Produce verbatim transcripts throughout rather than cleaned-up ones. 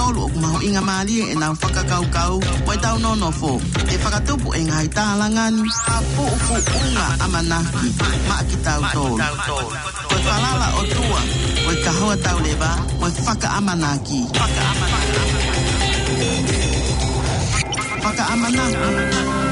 Olu ʻoku mahuʻinga mālie ʻenau fakakaukau mo ʻetau nonofo. ʻE fakatupu e ngaahi tālanga ni ha puʻupuʻunga ʻamanaki maʻa kitautolu. Ko e falala ʻOtua, ko e kahoa tauleva, ko e fakaʻamanaki. Fakaʻamanaki.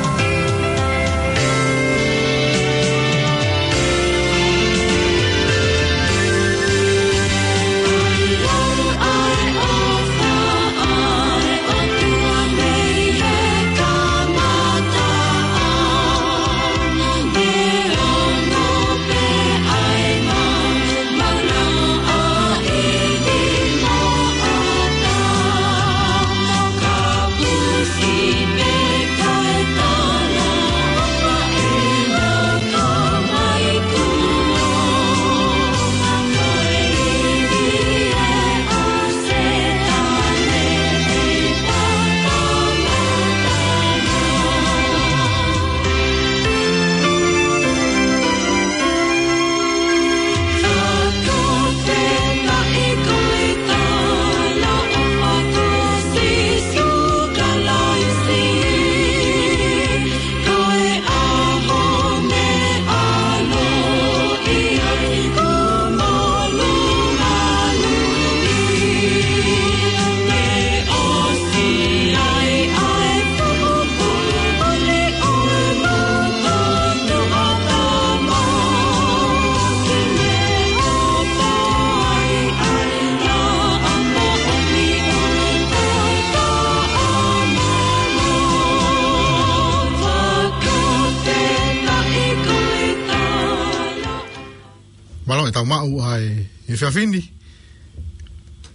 Mālō e tau maʻu ʻa e efiafi ni.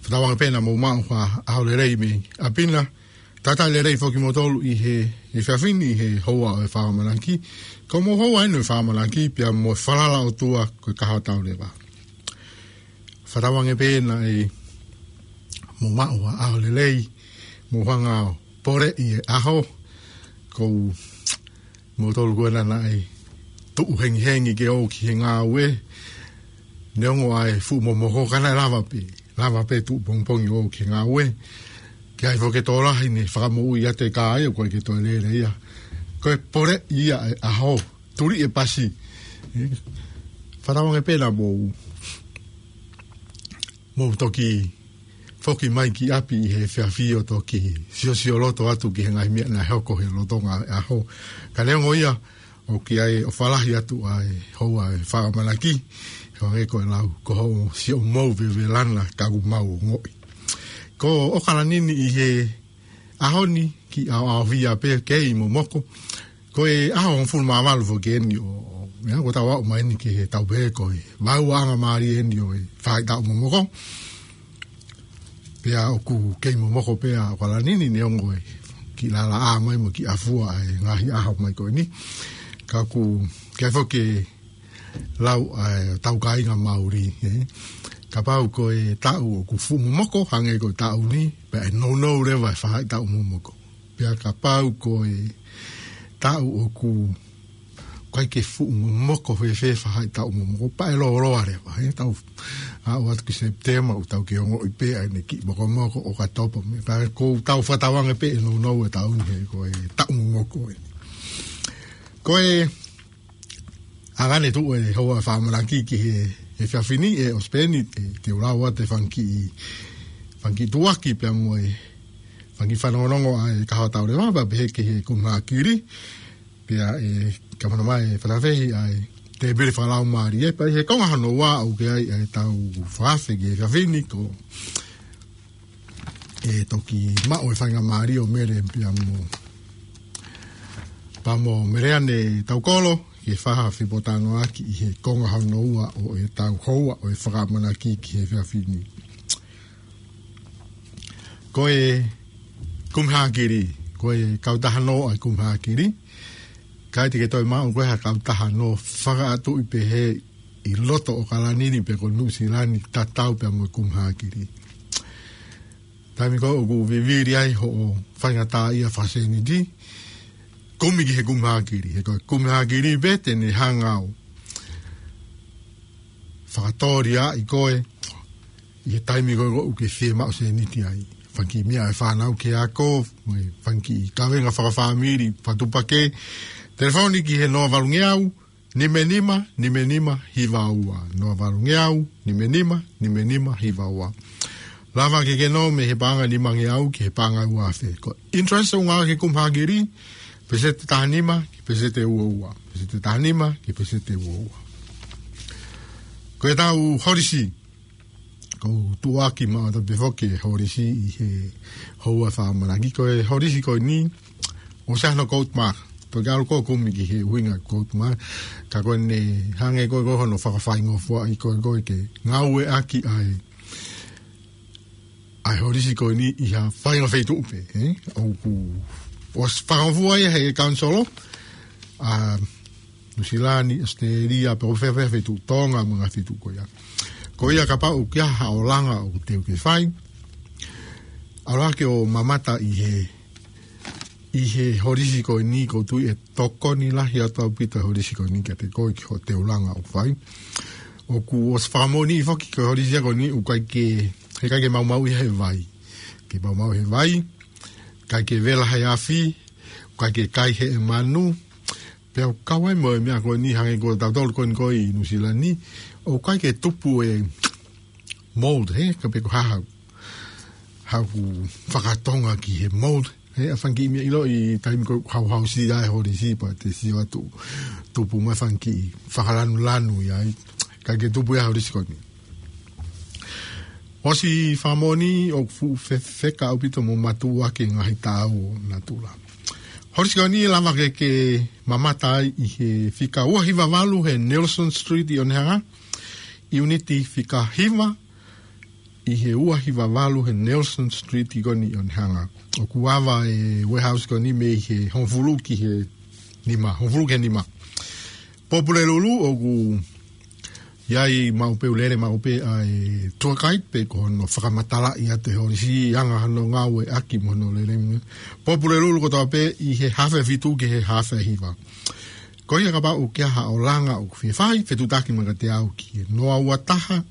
Fakatauange pē naʻa mou maʻu ha ʻaho lelei mei ʻapi na. Talitali lelei foki kimoutolu ʻi he efiafi ni ʻi he houa ʻo e fakaʻamanaki. Ko hoʻomou houa eni ʻo e fakaʻamanaki pea mo e falala ʻOtua ko e kahoa tauleva. Fakatauange pē naʻa mou maʻu ha ʻaho lelei, mou hanga ʻo poleʻi e ʻaho. Ko kimoutolu ko ena naʻe tuʻu hengihengi ke ō ki he ngāue. Neongo ʻa e fuʻu momoko ka naʻe lava pē, lava pē tuʻu pongipongi ō ki he ngāue. Ke ʻai foki e tokolahi ne fakamoʻui atu e kā ia ʻoku ʻikai ke toe lele ia. Ko e poleʻi ia e ʻaho, tuli e pasi. Fakatauange pē naʻa mou mou toki foki mai ki ʻapi ʻi he efiafi ʻo toki siosioloto atu ki he ngaahi meʻa naʻe hoko he lolotonga e ʻaho. Ka neongo ia, ʻoku ʻi ai ʻofa lahi atu ʻa e houa e fakaʻamanaki, he hangē ko e lau, ko hoʻo siʻomou vevelana ka ʻoku mau ongoʻi. Ko ʻOkalani ni ʻi he ʻaho ni kiʻi ʻaoʻaofia pē, kei momoko. Ko e ʻaho hongofulu mā valu foki eni ʻo, ʻo, meʻa ko ʻetau aʻu mai eni ki he tau pehē ko e vauʻanga mālie eni ʻo e faʻahitaʻu momoko. Pea ʻoku kei momoko pē ʻa ʻOkalani ni neongo e kiʻi lalaʻā mai mo e kiʻi ʻafua e ngaahi ʻaho mai ko eni. Ka ʻoku ʻi ai foki e lau ʻa e tau kāinga Māori, ē. Kapau ko e taʻu ʻoku fuʻu momoko, hangē ko e taʻu ni, pea ʻe nounou leva e faʻahitaʻu momoko. Pea kapau ko e taʻu ʻoku ʻikai ke fuʻu momoko fēfē faʻahitaʻu momoko, pea ʻe lōloa leva, ē. Tau aʻu atu ki Sepitema, ʻoku tau kei ongoʻi pē ʻa ʻene kiʻi mokomoko, ʻOkatopa mo e, pea ko ʻetau fakatauange pē ʻe nounou e taʻu ni he ko e taʻu momoko ē. Ko e ʻa ʻene tuʻu e houa fakaʻamanaki ki he, he efiafi ni ʻe ʻOsipeni, ʻe te u lau atu e fanga kiʻi, fanga kiʻi tuʻuaki pea mo e fanga kiʻi fanongonongo ʻa e kahoa tauleva, pea pehē ki he Kumi Hākili, pea ʻe kamata mai e fakafehi ʻa e tēpile fakalaumālie, pea ʻi he konga hono ua ʻoku ʻi ai ʻa e tau fakaafe ki he efiafi ni ko ʻe toki maʻu e faingamālie ʻo Mele pea mo, pea mo Meleane Taukolo, ke fakafepōtalanoaʻaki ʻi he konga hono ua ʻo e tau houa ʻo e fakaʻamanaki ki he efiafi ni. Ko e Kumi Hākili, ko e kautaha nō ʻa e Kumi Hākili, ʻikai te ke toe maʻu ko e ha kautaha nō fakaʻatuʻi pehē ʻi loto ʻOkalani ni pe ko Nuʻusila ni tatau pea mo e Kumi Hākili. Taimi ko ē ʻoku vivili ai hoʻo faingataʻaʻia fakasēniti, kumi ki he Kumi Hākili. He ko e Kumi Hākili pē te ne hanga ʻo fakatōliaʻi koe ʻi he taimi ko ē ʻoku ke fiemaʻu sēniti ai. fanga kiʻi meʻa ʻa e fānau ki he ako, mo e fanga kiʻi kavenga fakafāmili, fatupaki. Telefoni ki he noa valungeau, nima nima, nima nima, hiva ua. Noa valungeau, nima nima, nima nima, hiva ua. Lava ke ke nō mei he paʻanga nimangeau ki he paʻanga ua afe. Ko e interest ʻoku ngāueʻaki he kumuhakili, peseti taha nima ki he peseti ua ua. Peseti taha nima ki he peseti ua ua. Ko ʻetau holisi, ʻoku tuʻuaki maʻatautolu pē foki e holisi ʻi he houa fakaʻamanaki. Ko e holisi ko eni, ʻoku ʻi ai hono quote mark. Toki ʻalu ʻo kumi ki he ʻuhinga quote mark. Ka ko eni hangē ko e, ko hono fakafaingofuaʻi ko e, ko e ke ngāueʻaki ʻa e, ʻa e holisi ko eni ʻi ha faʻahinga feituʻu pē, ē? ʻOku, ʻosi fakangofua ia he kaunisolo ʻa Nuʻusila ni, ʻAositelēlia, pe ko fē fē feituʻu, Tonga, mo e ngaahi feituʻu ko ia. Ko ia kapau ʻoku ʻi ai haʻo langa ʻoku te u ke fai, ʻalu hake ʻo mamata ʻi he, ʻi he holisi ko eni, ʻoku ou tui ʻe tokoni lahi atu ʻaupito e holisi ko eni kiate koe ki hoʻo langa ʻoku fai. ʻOku ʻosi fakamoʻoniʻi foki ko e holisi ko eni ʻoku ʻikai ke, heʻikai ke maumauʻi he vai. ʻIkai ke maumauʻi he vai, ʻikai ke vela he afi, ʻikai ke kai he manu, pea ʻoku kau ai mo e meʻa ko eni hangē ko tautolu ko eni ko ē ʻi Nuʻusila ni, ʻoku ʻikai ke tupu e mold, hē, ka pe ko e hā haʻu, haʻaku fakatonga ki he mold, hē, ʻa e fanga kiʻi meʻa ʻiloʻi taimi ko ē hauhausi ai e holisi pea te sio atu tupu mai fanga kiʻi fakalanulanu ia ai, ʻikai ke tupu ia he holisi ko eni. ʻOsi fakamoʻoniʻi ʻoku fuʻu fefeka ʻaupito mo mātuʻaki e ngaahi taau ʻo natula. Holisi ko eni lava ke ke mamata ai ʻi he fika ua hiva valu he Nelson Street ʻi ʻOnehunga, ʻiuniti fika hiva ʻi he ua hiva valu he Nelson Street ko eni ʻi ʻOnehunga. ʻOku ava e warehouse ko eni mei he hongofulu ki he nima, hongofulu ki he nima. Pōpula Lulu, ʻoku ʻi ai maʻu pē, ʻoku lele maʻu pē ʻa e tour guide pe ko hono fakamatalaʻi atu e holisi, anga hono ngāueʻaki mo hono lele. Pōpula Lulu kotoa pē ʻi he haafe fitu ki he haafe hiva. Ko ia kapau ʻoku ʻi ai haʻo langa ʻoku fie fai, fetuʻutaki mai kiate au ki he noa ua taha,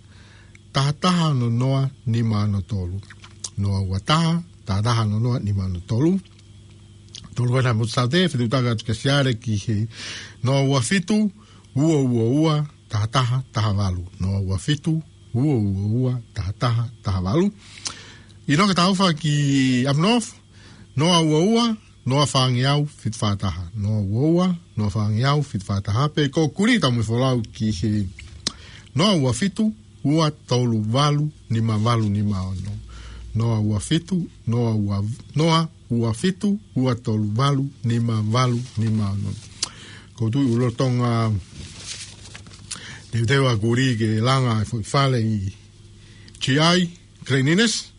taha taha ono noa, nima ono tolu. Noa ua taha, taha taha ono noa, nima ono tolu. Tolu ena mo Saute, fetuʻutaki atu kia Siale ki he noa ua fitu, ua ua ua, taha taha, taha valu. Noa ua fitu, ua ua ua, taha taha, taha valu. ʻInoke Taufa ki Up North, noa ua ua, noa fāngeau, fitu fā taha. Noa ua ua, noa fāngeau, fitu fā taha. Pe ko Kuli Taumuʻa Folau ki he noa ua fitu, ua tolu valu, nima valu nima ono. Noa ua fitu, noa ua, noa ua fitu, ua tolu valu, nima valu nima ono. ʻOku ou tui ʻoku lolotonga teuteu ʻa Kuli ke langa e foʻi fale ʻi G I, Cleanliness.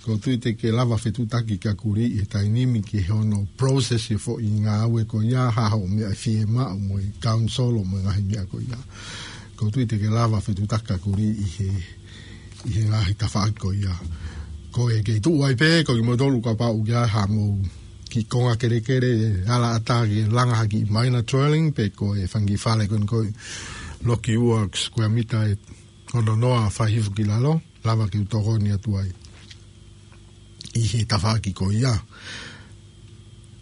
ʻOku ou tui te ke lava fetuʻutaki kia Kuli ʻi he taimi ni ki hono process e foʻi ngāue ko ia, hā haʻo meʻa ʻe fiemaʻu mo e kaunisolo mo e ngaahi meʻa ko ia. ʻOku ou tui te ke lava fetuʻutaki kia Kuli ʻi he, ʻi he ngaahi tafaʻaki ko ia. Ko e kei tuʻu ai pē, ko kimoutolu kapau ʻoku ʻi ai haʻamou kiʻi konga kelekele, ala ʻatā ke langa ha kiʻi minor dwelling, pe ko e fanga kiʻi fale ko eni ko e loki ua square meter ʻe ono noa fai hifo ki lalo, lava ke u tokoni atu ai ʻi he tafaʻaki ko ia.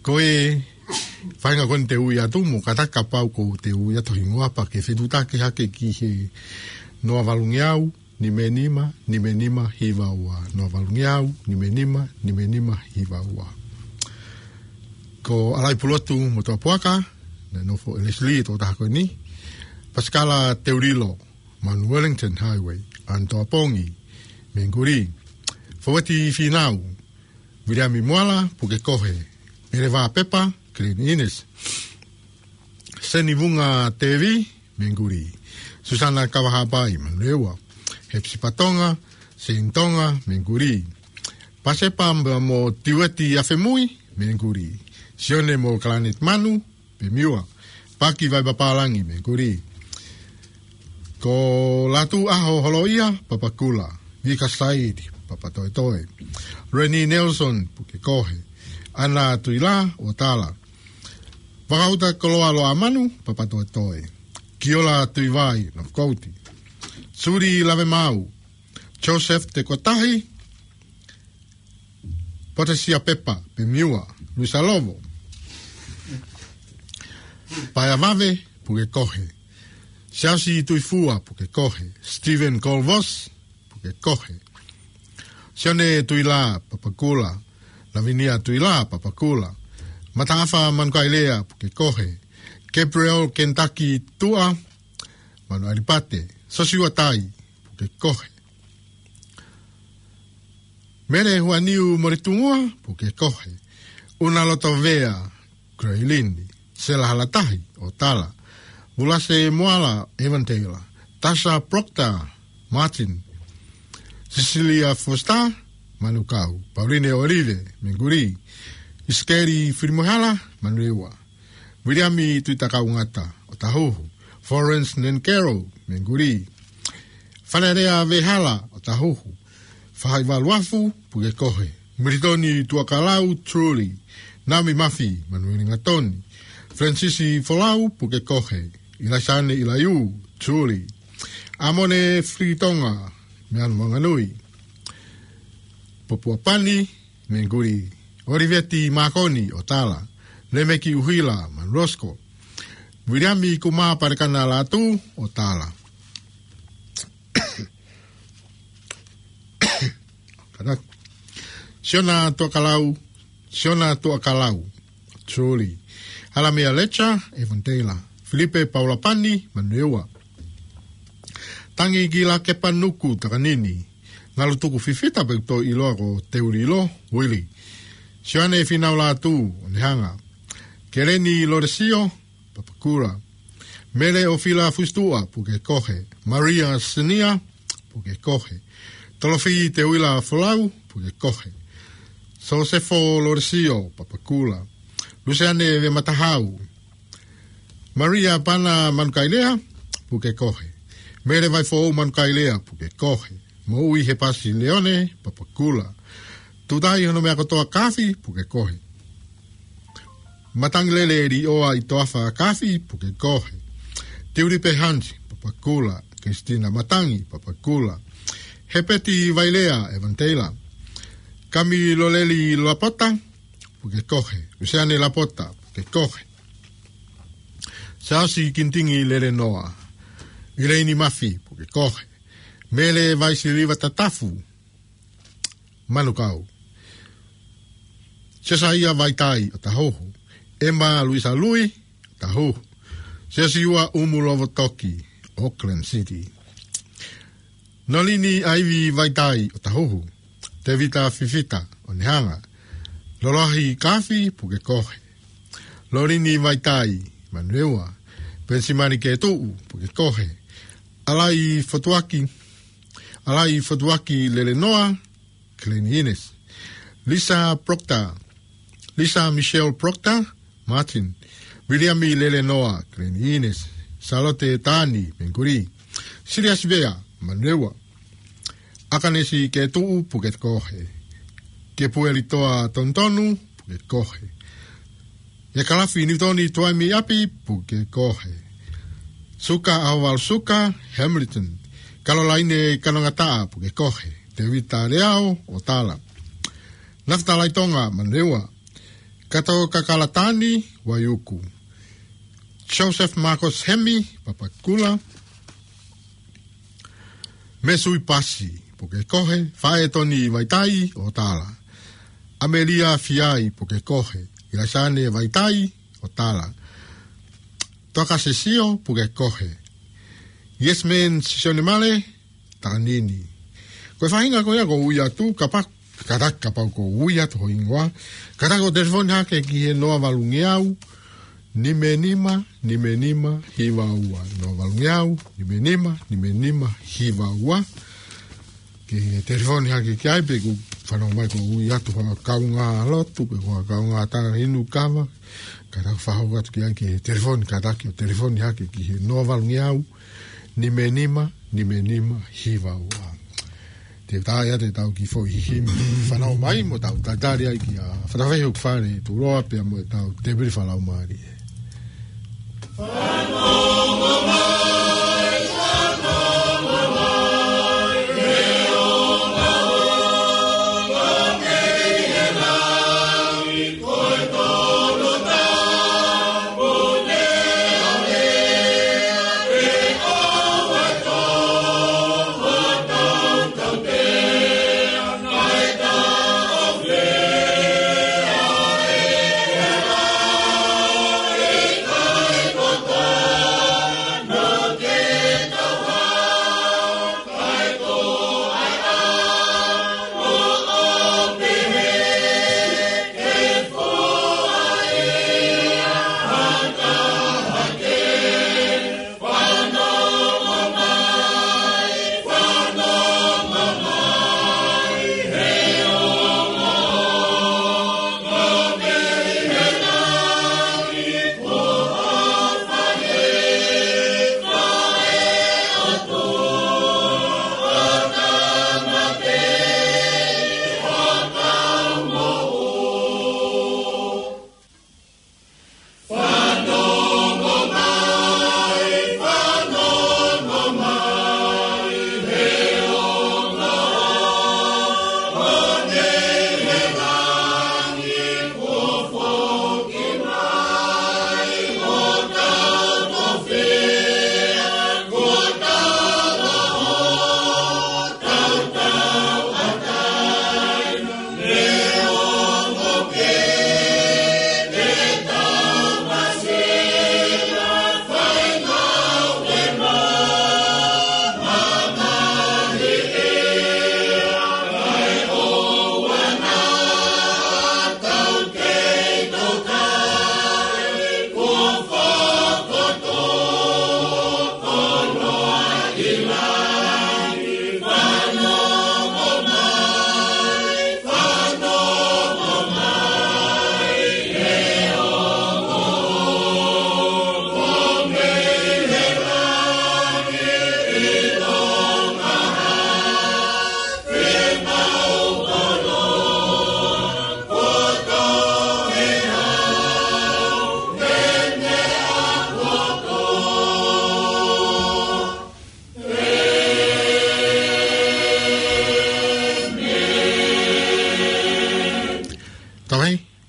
Ko e faʻahinga ko eni te u ui atu mo kātaki kapau ʻoku te ui atu hingoa pea ke fetuʻutaki hake ki he noa valungeau, nima nima, nima nima, hiva ua. Noa valungeau, nima nima, nima nima, hiva ua. Ko ʻAlai Pulotu Motuʻapuaka, naʻe nofo ʻe Leslie, tokotaha ko eni. Pasikala Teulilo, Manu Wellington Highway, Anatoa Pongi, Menguli. Foueti Finau, Viliami Moala, Pukekohe, Eleva Pepa, Cleanliness. Seni Vunga Tevi, Menguli. Susana Kavahapai, Manurewa. Hepsipa Tonga, Seini Tonga, Menguli. Pasepa mo Tiueti Afemui, Menguli. Sione mo Kalanet Manu, Pemiua. Paki Vaipapālangi, Menguli. Ko Latu ʻAho Holoia, Papakula. Vika Saidi, Papatoetoe. Reni Nelson, Pukekohe. Ana Tuila, Otala. Vakauta Koloa Loʻamanu, Papatoetoe. Kiola Tuivai, Nofokouti. Suli Lavemau. Joseph Tekotahi, Potasia Pepa Pemiua, Luisa Lovo. Paea Vave, puke kohe. Siaosi Tuifua, puke kohe. Stephen Colvos, puke kohe. Sione Tuila Papakula, Lavinia Tuila Papakula. Mataafa Manukailea, puke kohe. Gabriel Kentucky Tua, Manu Alipate. Sosiua Tai, puke kohe. Mele Huaniu Moritungua, puke kohe. Una Lotovea, Graylin, Sela Halatahi, ʻo Tala. Vulase Moala, Evan Taylor. Tasha Proctor, Martin. Cecilia Foster, Manukau. Pauline Olive, Menguli. Isikeli Filimohala, Manurewa. Viliami Tuitakaungata, ʻOtahuhu. Florence Nenkero, Menguli. Fanelea Vehala, ʻOtahuhu. Fahaivaluafu, puke kohe. Militoni Tuakalau, Truly. Naomi Mafi, Manueli Ngatoni. Francis Folau, puke kohe. Ilaisane Ilaiu, Truly. Amone Filitonga, Meanu Manganui. Popua Pani, Menguli. Oliveti Makoni, ʻo Tala. Lemeki Uhila, Manulosko. Viliami Kuma Parekana Latu, ʻo Tala. Kanak. Siona Tuakalau, Siona Tuakalau, Truly. Halamia Lecha, Evan Taylor. Filipe Paula Pani, Manurewa. Tangi Kila Kepa Nuku Takanini. Ngalutuku Fifita pe ʻoku toe ʻiloa ko Teulilo, Willie. Sione Finau Latu, ʻo Nehanga. Keleni Loresio, Papakula. Mele ʻOfila Fusitua, puke kohe. Maria Sinia, puke kohe. Tolofi Teuila Folau, puke kohe. Sosefo Loresio, Papakula. Luseane Vematahau. Maria Pana Manukailea, puke kohe. Mele Vaifou Manukailea, puke kohe. Moʻui Hepasi Leone, Papakula. Tutai Hono Mea Kotoa Kafi, puke kohe. Matangilele Lioa ʻItoafa Kafi, puke kohe. Tiulipe Hansi, Papakula. Kristina Matangi, Papakula. Hepeti Vailea, Evan Taylor. Kami Loleli Lapota, puke kohe. Luseane Lapota, puke kohe. Siaosi Kintingi Lelenoa. Ileini Mafi, puke kohe. Mele Vaisiliva Tatafu, Manukau. Sesaia Vaitai, ʻOtahuhu. Ema Luisa Lui, ʻOtahuhu. Sesiua Umulovotoki, Auckland City. Nolini Aivi Vaitai, ʻOtahuhu. Tevita Fifita, ʻo Nehanga. Loloahi Kafi, puke kohe. Lolini Vaitai, Manurewa. Pensimani Ketuʻu, puke kohe. Alai Fotuaki, Alai Fotuaki Lelenoa, Glenn Innes. Lisa Proctor, Lisa Michelle Proctor, Martin. Viliami Lelenoa, Glenn Innes. Salote Tani, Menguli. Siliasi Vea, Manurewa. Akanesi Ketuʻu, puke kohe. Kepueli Toa Tontonu, puke kohe. ʻIa Kalafi Niutoni Tuaimi ʻApi, puke kohe. Suka ʻAhovalu Suka, Hamilton. Kalolaine Kanongataʻa, puke kohe. Tevita Leao, ʻo Tala. Nafita Laitonga, Manurewa. Kato Kakalatani, Vaiuku. Joseph Marcos Hemi, Papakula. Mesui Pasi, puke kohe. Faʻē Toni Vaitai, ʻo Tala. Amelia Fiai, puke kohe. Ilaisane Vaitai, ʻo Tala. Toka Sesio, puke kohe. Yes Man Sione Male, Takanini. Ko e faʻahinga ko ia ʻoku ui atu, kapau, kātaki kapau ʻoku ui atu ho hingoa. Kātaki ʻo telefoni hake ki he noa valungeau, nime nima, nime nima, hiva ua. Noa valungeau, nime nima, nime nima, hiva ua. Ke telefoni hake ki ai pe ʻoku fanongo mai ʻoku ui atu ha kaungā lotu, pe ko ha kaungā tala inu kava. Kātaki fakahoko atu ki ai ke telefoni, kātaki ʻo telefoni hake ki he noa valungeau, nime nima, nime nima, hiva ua. Te u tā ia te tau kiʻi foʻi himi fanongo mai mo tau tatali ai kia Fatafehi ʻOku Fale Tuloa pea mo e tau tēpili fakalaumālie.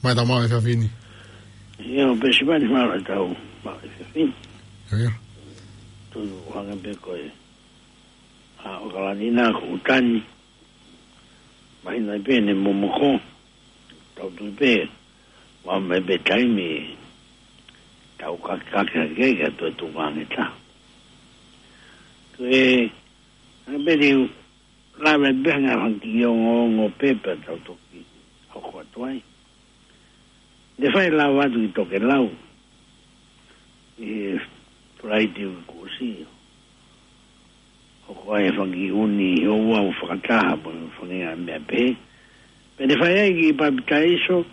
Mai tau mau e fafini. Ia, ʻo pesi mani mau e tau mau e fafini. Ia. Tunu hanga pē ko e. ʻA ʻOkalani na ko ʻUtani. Mahino pē ne momoko. Tau tui pē. Ua mai pē taimi. Tau kakake hake kia toe tuku ange ta. Ko e. Hanga pē ni lave pē hanga haki ongoongo pē pea tau toki. Hoko atu ai. Ne fai lava atu ki Tokelau. ʻI he Falaite kuo ʻosi. Hoko ai e fanga kiʻi ʻuni ʻo ua ʻo fakataha mo e fanga meʻa pē. Pea ne fai ai kiʻi papitaiso.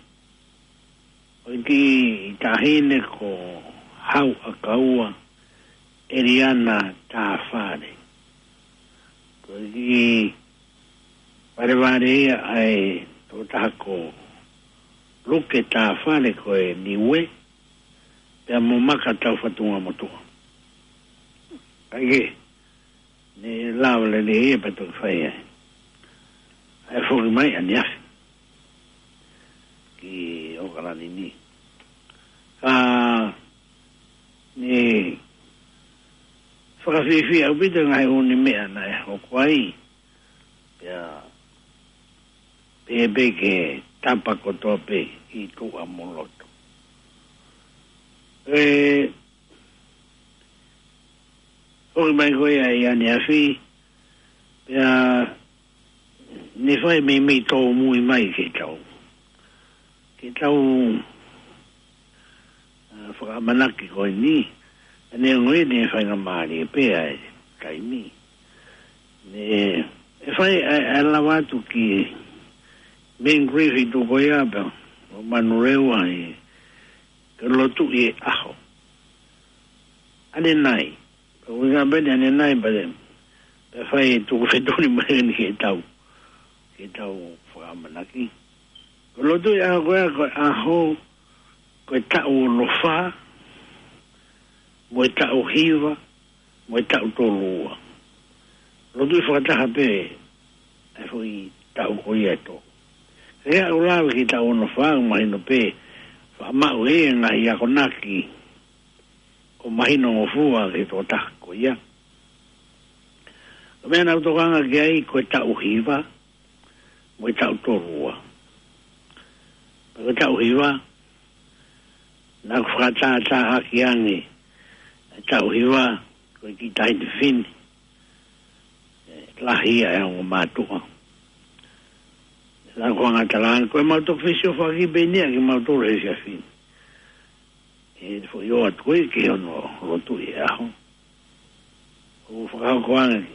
ʻO e kiʻi taʻahine ko Hauʻakaua ʻEliana Tāfale. Ko e kiʻi valevale ia ʻa e tokotaha ko Luke Tāfale ko e Niue, pea mo Maka Taufatungamotuʻa. ʻAi ke, ne lava lelei ia pea toki fai ai. ʻAi foki mai ʻaneafi. Ki ʻOkalani ni. Ka, ne fakafiefia ʻaupito ngaahi ʻuni meʻa naʻe hoko ai. Pea, pea pehē ke tapa kotoa pē ʻi tuʻa mo loto. E, foki mai ko ia ʻi ʻaneafi, pea ne fai meimei tōmui mai ke tau. Ke tau, ʻa, fakaʻamanaki ko eni, ʻa ne ongo eni e faingamālie pē ʻa e taimi. Ne, e fai, ʻa, ʻa lava atu ki Main Grief ʻi tuʻa ko ia pea, ʻo Manurewa ʻi, ke lotu ʻi he ʻaho. ʻAne nai. Ka ui ngā peni ʻaneafi pale. Pea fai tuku fetuli mai ni ke tau. Ke tau fakaʻamanaki. Ko e lotu ʻi he ʻaho ko ia, ko e ʻaho, ko e taʻu ono fā, mo e taʻu hiva, mo e taʻu tolu ua. Lotu ʻi fakataha pē, ʻa e foʻi taʻu ko ia ʻe tolu. Ke aʻu lava ki he taʻu ono fā, mahino pē, faʻa maʻu e ngaahi akonaki, ʻo mahino ngofua ki he tokotaha ko ia. Ko e meʻa naʻa ku tokanga ki ai ko e taʻu hiva, mo e taʻu tolu ua. Ko e taʻu hiva, naʻa ku fakatātā ʻaki ange, e taʻu hiva, ko e kiʻi taʻahine fefine. E, lahi ia e ongo mātuʻa. Naʻa ku hanga talaange, ko e mau toki fesiofaki pē eni ia ke mau tolu he fefine. ʻE foʻi ʻoatu ko ē ki hono lotu ʻi he ʻaho. ʻO fakahoko ange.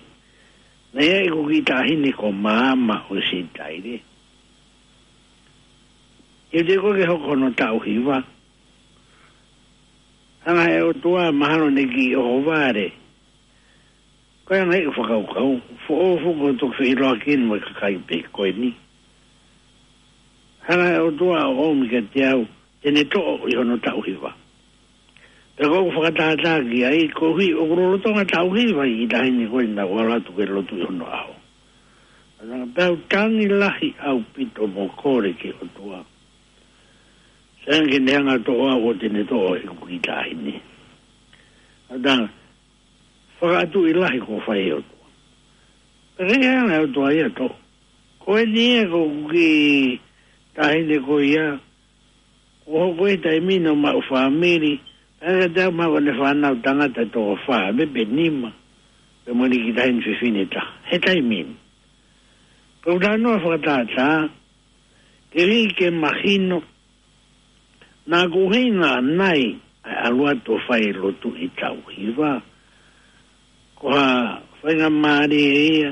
Naʻe ʻi ai ʻeku kiʻi taʻahine ko Maama ʻo Sitaile. ʻI he ko ē ke hoko hono taʻu hiva. Hanga he ʻOtua mahalo ne kiʻi ʻohovale. Ko e anga ʻeku fakakaukau, foʻou foki ʻo toki feʻiloaki mo e kakai pē ko eni. Hanga he ʻOtua ʻo ʻomi kiate au, te ne toʻo ʻi hono taʻu hiva. Pea ko ʻeku fakatātā ki ai, koeʻuhi ʻoku lolotonga taʻu hiva e kiʻi taʻahine ko eni naʻa ku ʻalu atu ke lotu ʻi hono ʻaho. Naʻa ku tangi lahi ʻaupito mo kole ki he ʻOtua. Sai ange ke ne hanga toʻo au ʻo te ne toʻo ʻeku kiʻi taʻahine. Naʻa ku fakaʻatuʻi lahi kuo fai ʻe he ʻOtua. Pea ke hanga ʻe he ʻOtua ia toʻo. Ko eni ia ko ʻeku kiʻi taʻahine ko ia. Kuo hoko e taimi ni ʻo maʻu fāmili. Pea ka te au maʻu ʻene fānau tangata toko fā, pea pē nima. Pea mo e kiʻi taʻahine fefine taha. He taimi ni. Ko ʻeku talanoa fakatātā, ke lī ke mahino, naʻa ku ʻuhinga nai ʻa e ʻalu atu ʻo fai lotu ʻi he taʻu hiva. Ko ha faingamālie ia,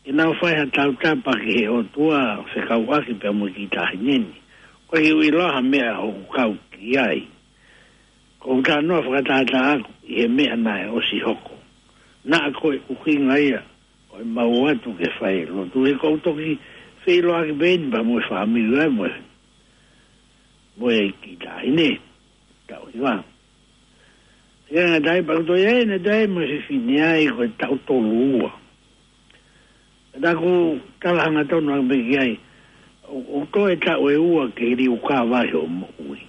ke nau fai ha tautapa ki he ʻOtua fekauʻaki pea mo e kiʻi taʻahine ni. Ko e kiʻi ʻilo ha meʻa ʻoku kau ki ai. Ko ʻeku talanoa fakatātā ʻaku ʻi he meʻa naʻe ʻosi hoko. Naʻa ko e ʻuhinga ia, ʻo e mau atu ke fai lotu he ko ʻeku toki feʻiloaki pē eni pea mo e fāmili ʻa e mo e. Mo e kiʻi taʻahine. Taʻu hiva. Ia ngata ai pea ʻoku toe ʻi ai ʻene toe mo e fefine ai ko e taʻu tolu ua. Naʻa ku tala hangatonu ange pē ki ai. ʻOku, ʻoku toe taʻu ʻe ua ke liukava ai hoʻo moʻui.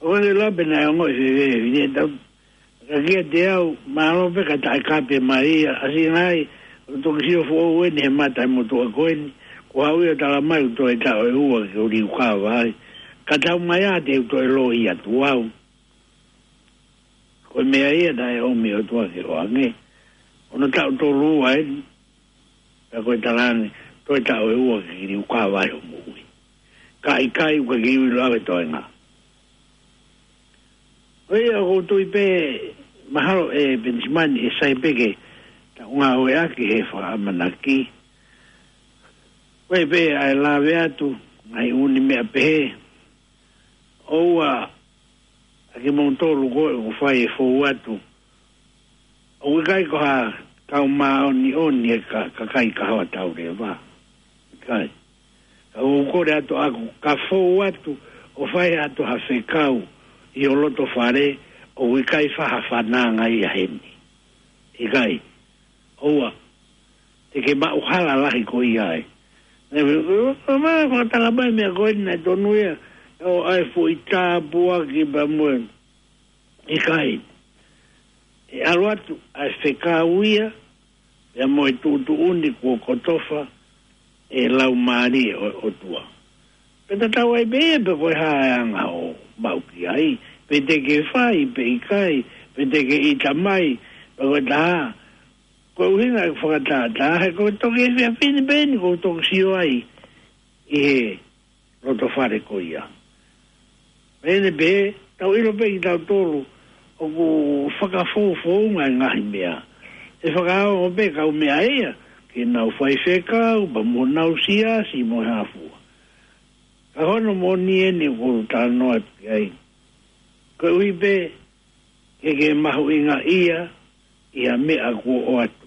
ʻOku ʻikai ke lape naʻe ongoʻi fēfē, ʻi he tau, ka kiate au, mālō pē ka taʻe kape mai ia, ʻasi ngai, ʻoku toki sio foʻou eni he mata ʻe motuʻa ko eni, ko au ia tala mai ʻoku toe taʻu ʻe ua ke liukava ai. Ka tau mai ā te u toe loi atu au. Ko e meʻa ia naʻe ʻomi ʻOtua ke ʻoange. Ono taʻu tolu ua eni, pea ko e tala ange, toe taʻu ʻe ua ke liukava ai hoʻo moʻui. Ka ʻikai ʻoku ke ui loa ke toe ngā. ʻOku ou tui pē mahalo ʻe Penisimani ʻe sai pē ke taʻu ngāueʻaki he fakaʻamanaki. Ko e pē ʻa e lave atu, ngaahi ʻū meʻa pehē. ʻOua, ʻa kimoutolu ko ē ʻoku fai e fou atu. ʻOku ʻikai ko ha kau māʻoniʻoni e ka, kakai kahoa tauleva. ʻIkai. Ka ʻoku kole atu ʻaku, ka fou atu, ʻo fai atu ha fekau, ʻi ho loto fale, ʻoku ʻikai fai ha fananga ia heni. ʻIkai. ʻOua. Te ke maʻu hala lahi ko ia ai. Naʻe, ʻo, ʻo, ma, fakatanga mai meʻa ko eni naʻe tonu ia, ʻo ʻai foʻi tāpuaki pea mo e. ʻIkai. ʻE ʻalu atu, ʻa e fekau ia, pea mo e tuʻutuʻuni kuo kotofa, ʻe laumālie ʻo, ʻOtua. Pea tatau ai pē ia pe ko e hā e anga ʻoku maʻu ki ai, pe te ke fai, pe ʻikai, pe te ke ʻita mai, pe ko e taha, ko e ʻuhinga e fakatātā, he ko e toki efiafi ni pē eni ʻoku ou toki sio ai, ʻi he loto fale ko ia. Pehē pē, tau ʻilo pē kitautolu, ʻoku fakafoufounga e ngaahi meʻa. ʻE fakaongo pē kau meʻa ia, ke nau fai fekau, pea mo nau siasi mo e hā fua. Ka hono moʻoni eni ʻoku ou talanoa atu ki ai. Koeʻuhi pē, ke ke mahuʻingaʻia, ʻi ha meʻa kuo ʻoatu.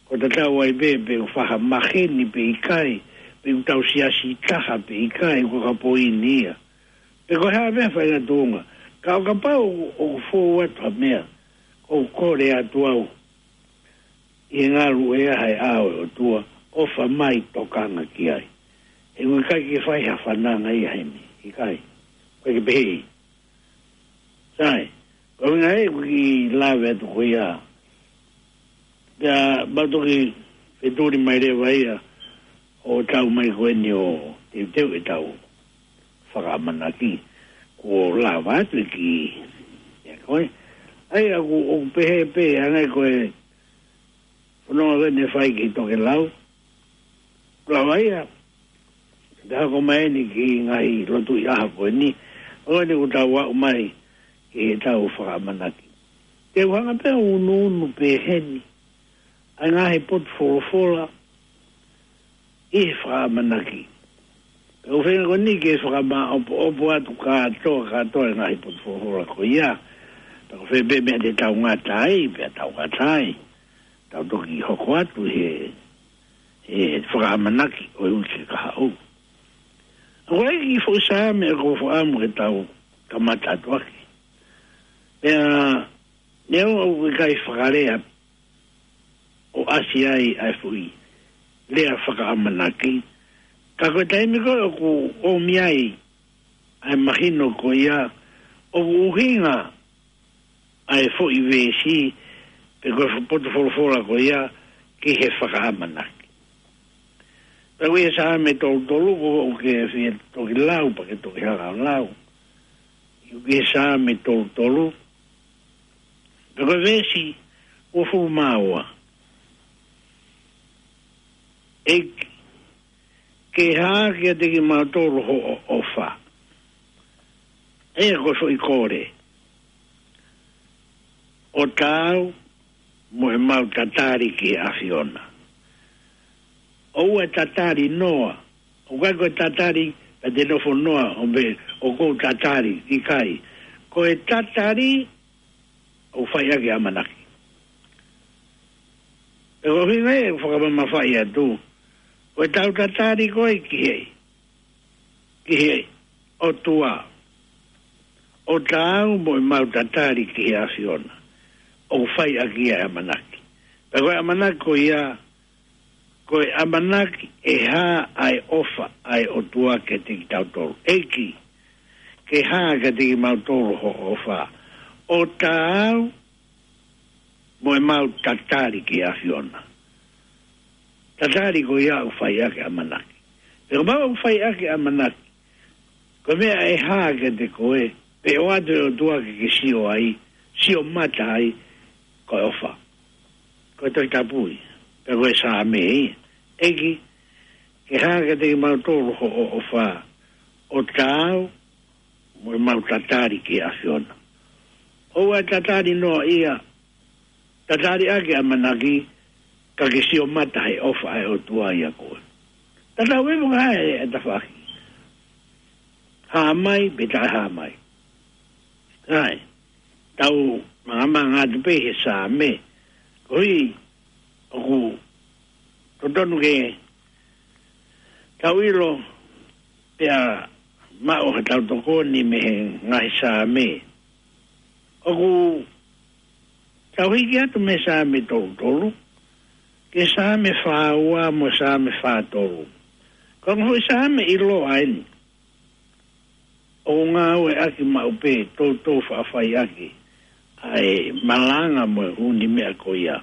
Ko e tatau ai pē, pe ʻoku fai ha maheni pe ʻikai, pe ʻoku tau siasi taha pe ʻikai, ko e ka poini ia. Pe ko e hā pē faʻahinga tuʻunga, ka ʻo kapau ʻoku, ʻoku fou atu ha meʻa, ʻoku kole atu au, ʻi he ngalu ʻe ʻaho ʻe ʻAho ʻo e ʻOtua, ʻofa mai tokanga ki ai. He ʻoku ʻikai ke fai ha fananga ia heni, ʻikai. ʻIkai ke pehē. Sai, ko e ʻuhinga ē ʻoku ou kiʻi lave atu ko ia. Pea mau toki fetuli mai leva ia, ʻo tau mai ko eni ʻo teuteu ʻetau fakaʻamanaki. Kuo lava atu e kiʻi, ia ko ē. ʻAi ʻoku, ʻoku pehē pē, hangē ko e fononga ko eni ʻe fai ki he tokelau. Lava ia, te hoko mai eni ki he ngaahi lotu ʻi he ʻaho ko eni, ʻo eni ʻoku tau aʻu mai ki heʻetau fakaʻamanaki. Te u hanga pē ʻo unuunu pē heni, ʻa e ngaahi potu folofola ʻi he fakaʻamanaki. Pea ʻoku ou feinga ko eni ke fakamāʻopoʻopo atu kātoa, kātoa e ngaahi potu folofola ko ia. Pea ko fē pē meʻa te tau ngata ai, pea tau ngata ai. Tau toki hoko atu he, he fakaʻamanaki ʻo e uike kahaʻu. ʻOku ʻi ai e kiʻi foʻi Saame ʻoku ou fakaʻamu ke tau kamata atu ʻaki. Pea, neongo ʻoku ʻikai fakalea ʻo ʻasi ai ʻa e foʻi lea fakaʻamanaki. Ka ko e taimi ko ē ʻoku ʻomi ai ʻa e mahino ko ia, ʻoku ʻuhinga ʻa e foʻi veesi, pe ko e fo-, potu folofola ko ia, ki he fakaʻamanaki. Pea ko e Saame tolu tolu, ko ʻoku ke fie toki lau, pea ke toki hanga ʻo lau. ʻOku ke Saame tolu tolu. Pea ko e veesi uofulu mā ua. ʻEiki, ke hā kiate kimautolu hoʻo ʻofa. ʻA ia ko e foʻi kole. ʻO taau mo ʻemau tatali ki he ʻAfiona. ʻOua ʻe tatali noa. ʻOku ʻikai ko e tatali, ka te nofo noa, ʻo pehē, ʻoku ou tatali, ʻikai. Ko e tatali, ʻoku fai ʻaki e ʻamanaki. Pea ko e ʻuhinga ē ʻoku fakamamafaʻi atu. Ko ʻetau tatali ko ē ki he, ki he ʻOtua. ʻO taau mo ʻemau tatali ki he ʻAfiona. ʻOku fai ʻaki ia e ʻamanaki. Pea ko e ʻamanaki ko ia, Ko e ʻamanaki ʻe hā ʻa e ʻofa ʻa e ʻOtua kiate kitautolu. ʻEiki, ke hā kiate kimautolu hoʻo ʻofa. ʻO taau mo ʻemau tatali ki he ʻAfiona. Tatali ko ia ʻoku fai ʻaki ʻamanaki. Pea ko ʻemau ʻoku fai ʻaki ʻamanaki, ko e meʻa ʻe hā kiate koe, pe ʻoatu ʻe he ʻOtua ke ke sio ai, sio mata ai, ko e ʻofa. Ko e Tohi Tapu ia, pe ko e Saame ia. ʻEiki, ke hā kiate kimautolu hoʻo ʻofa, ʻo taau mo ʻemau tatali ki he ʻAfiona. ʻOua ʻe tatali noa ia, tatali ʻaki ʻamanaki, ka ke sio mata he ʻofa ʻa e ʻOtua ia koe. Tatau ai mo e ngaahi ʻe tafaʻaki. Hā mai, pe taʻe hā mai. Sai, tau māmānga atu pē he Saame. Koeʻuhi, ʻoku totonu ke tau ʻilo, pea maʻu ha tau tokoni mei he ngaahi Saame. ʻOku tau hiki atu mei he Saame tolu tolu, ki he Saame fā ua mo e Saame fā tolu. Ko e ngaahi Saame ʻiloa eni. ʻOku ngāueʻaki maʻu pē, toutou faʻa fai ʻaki ʻa e malanga mo e ʻū meʻa ko ia.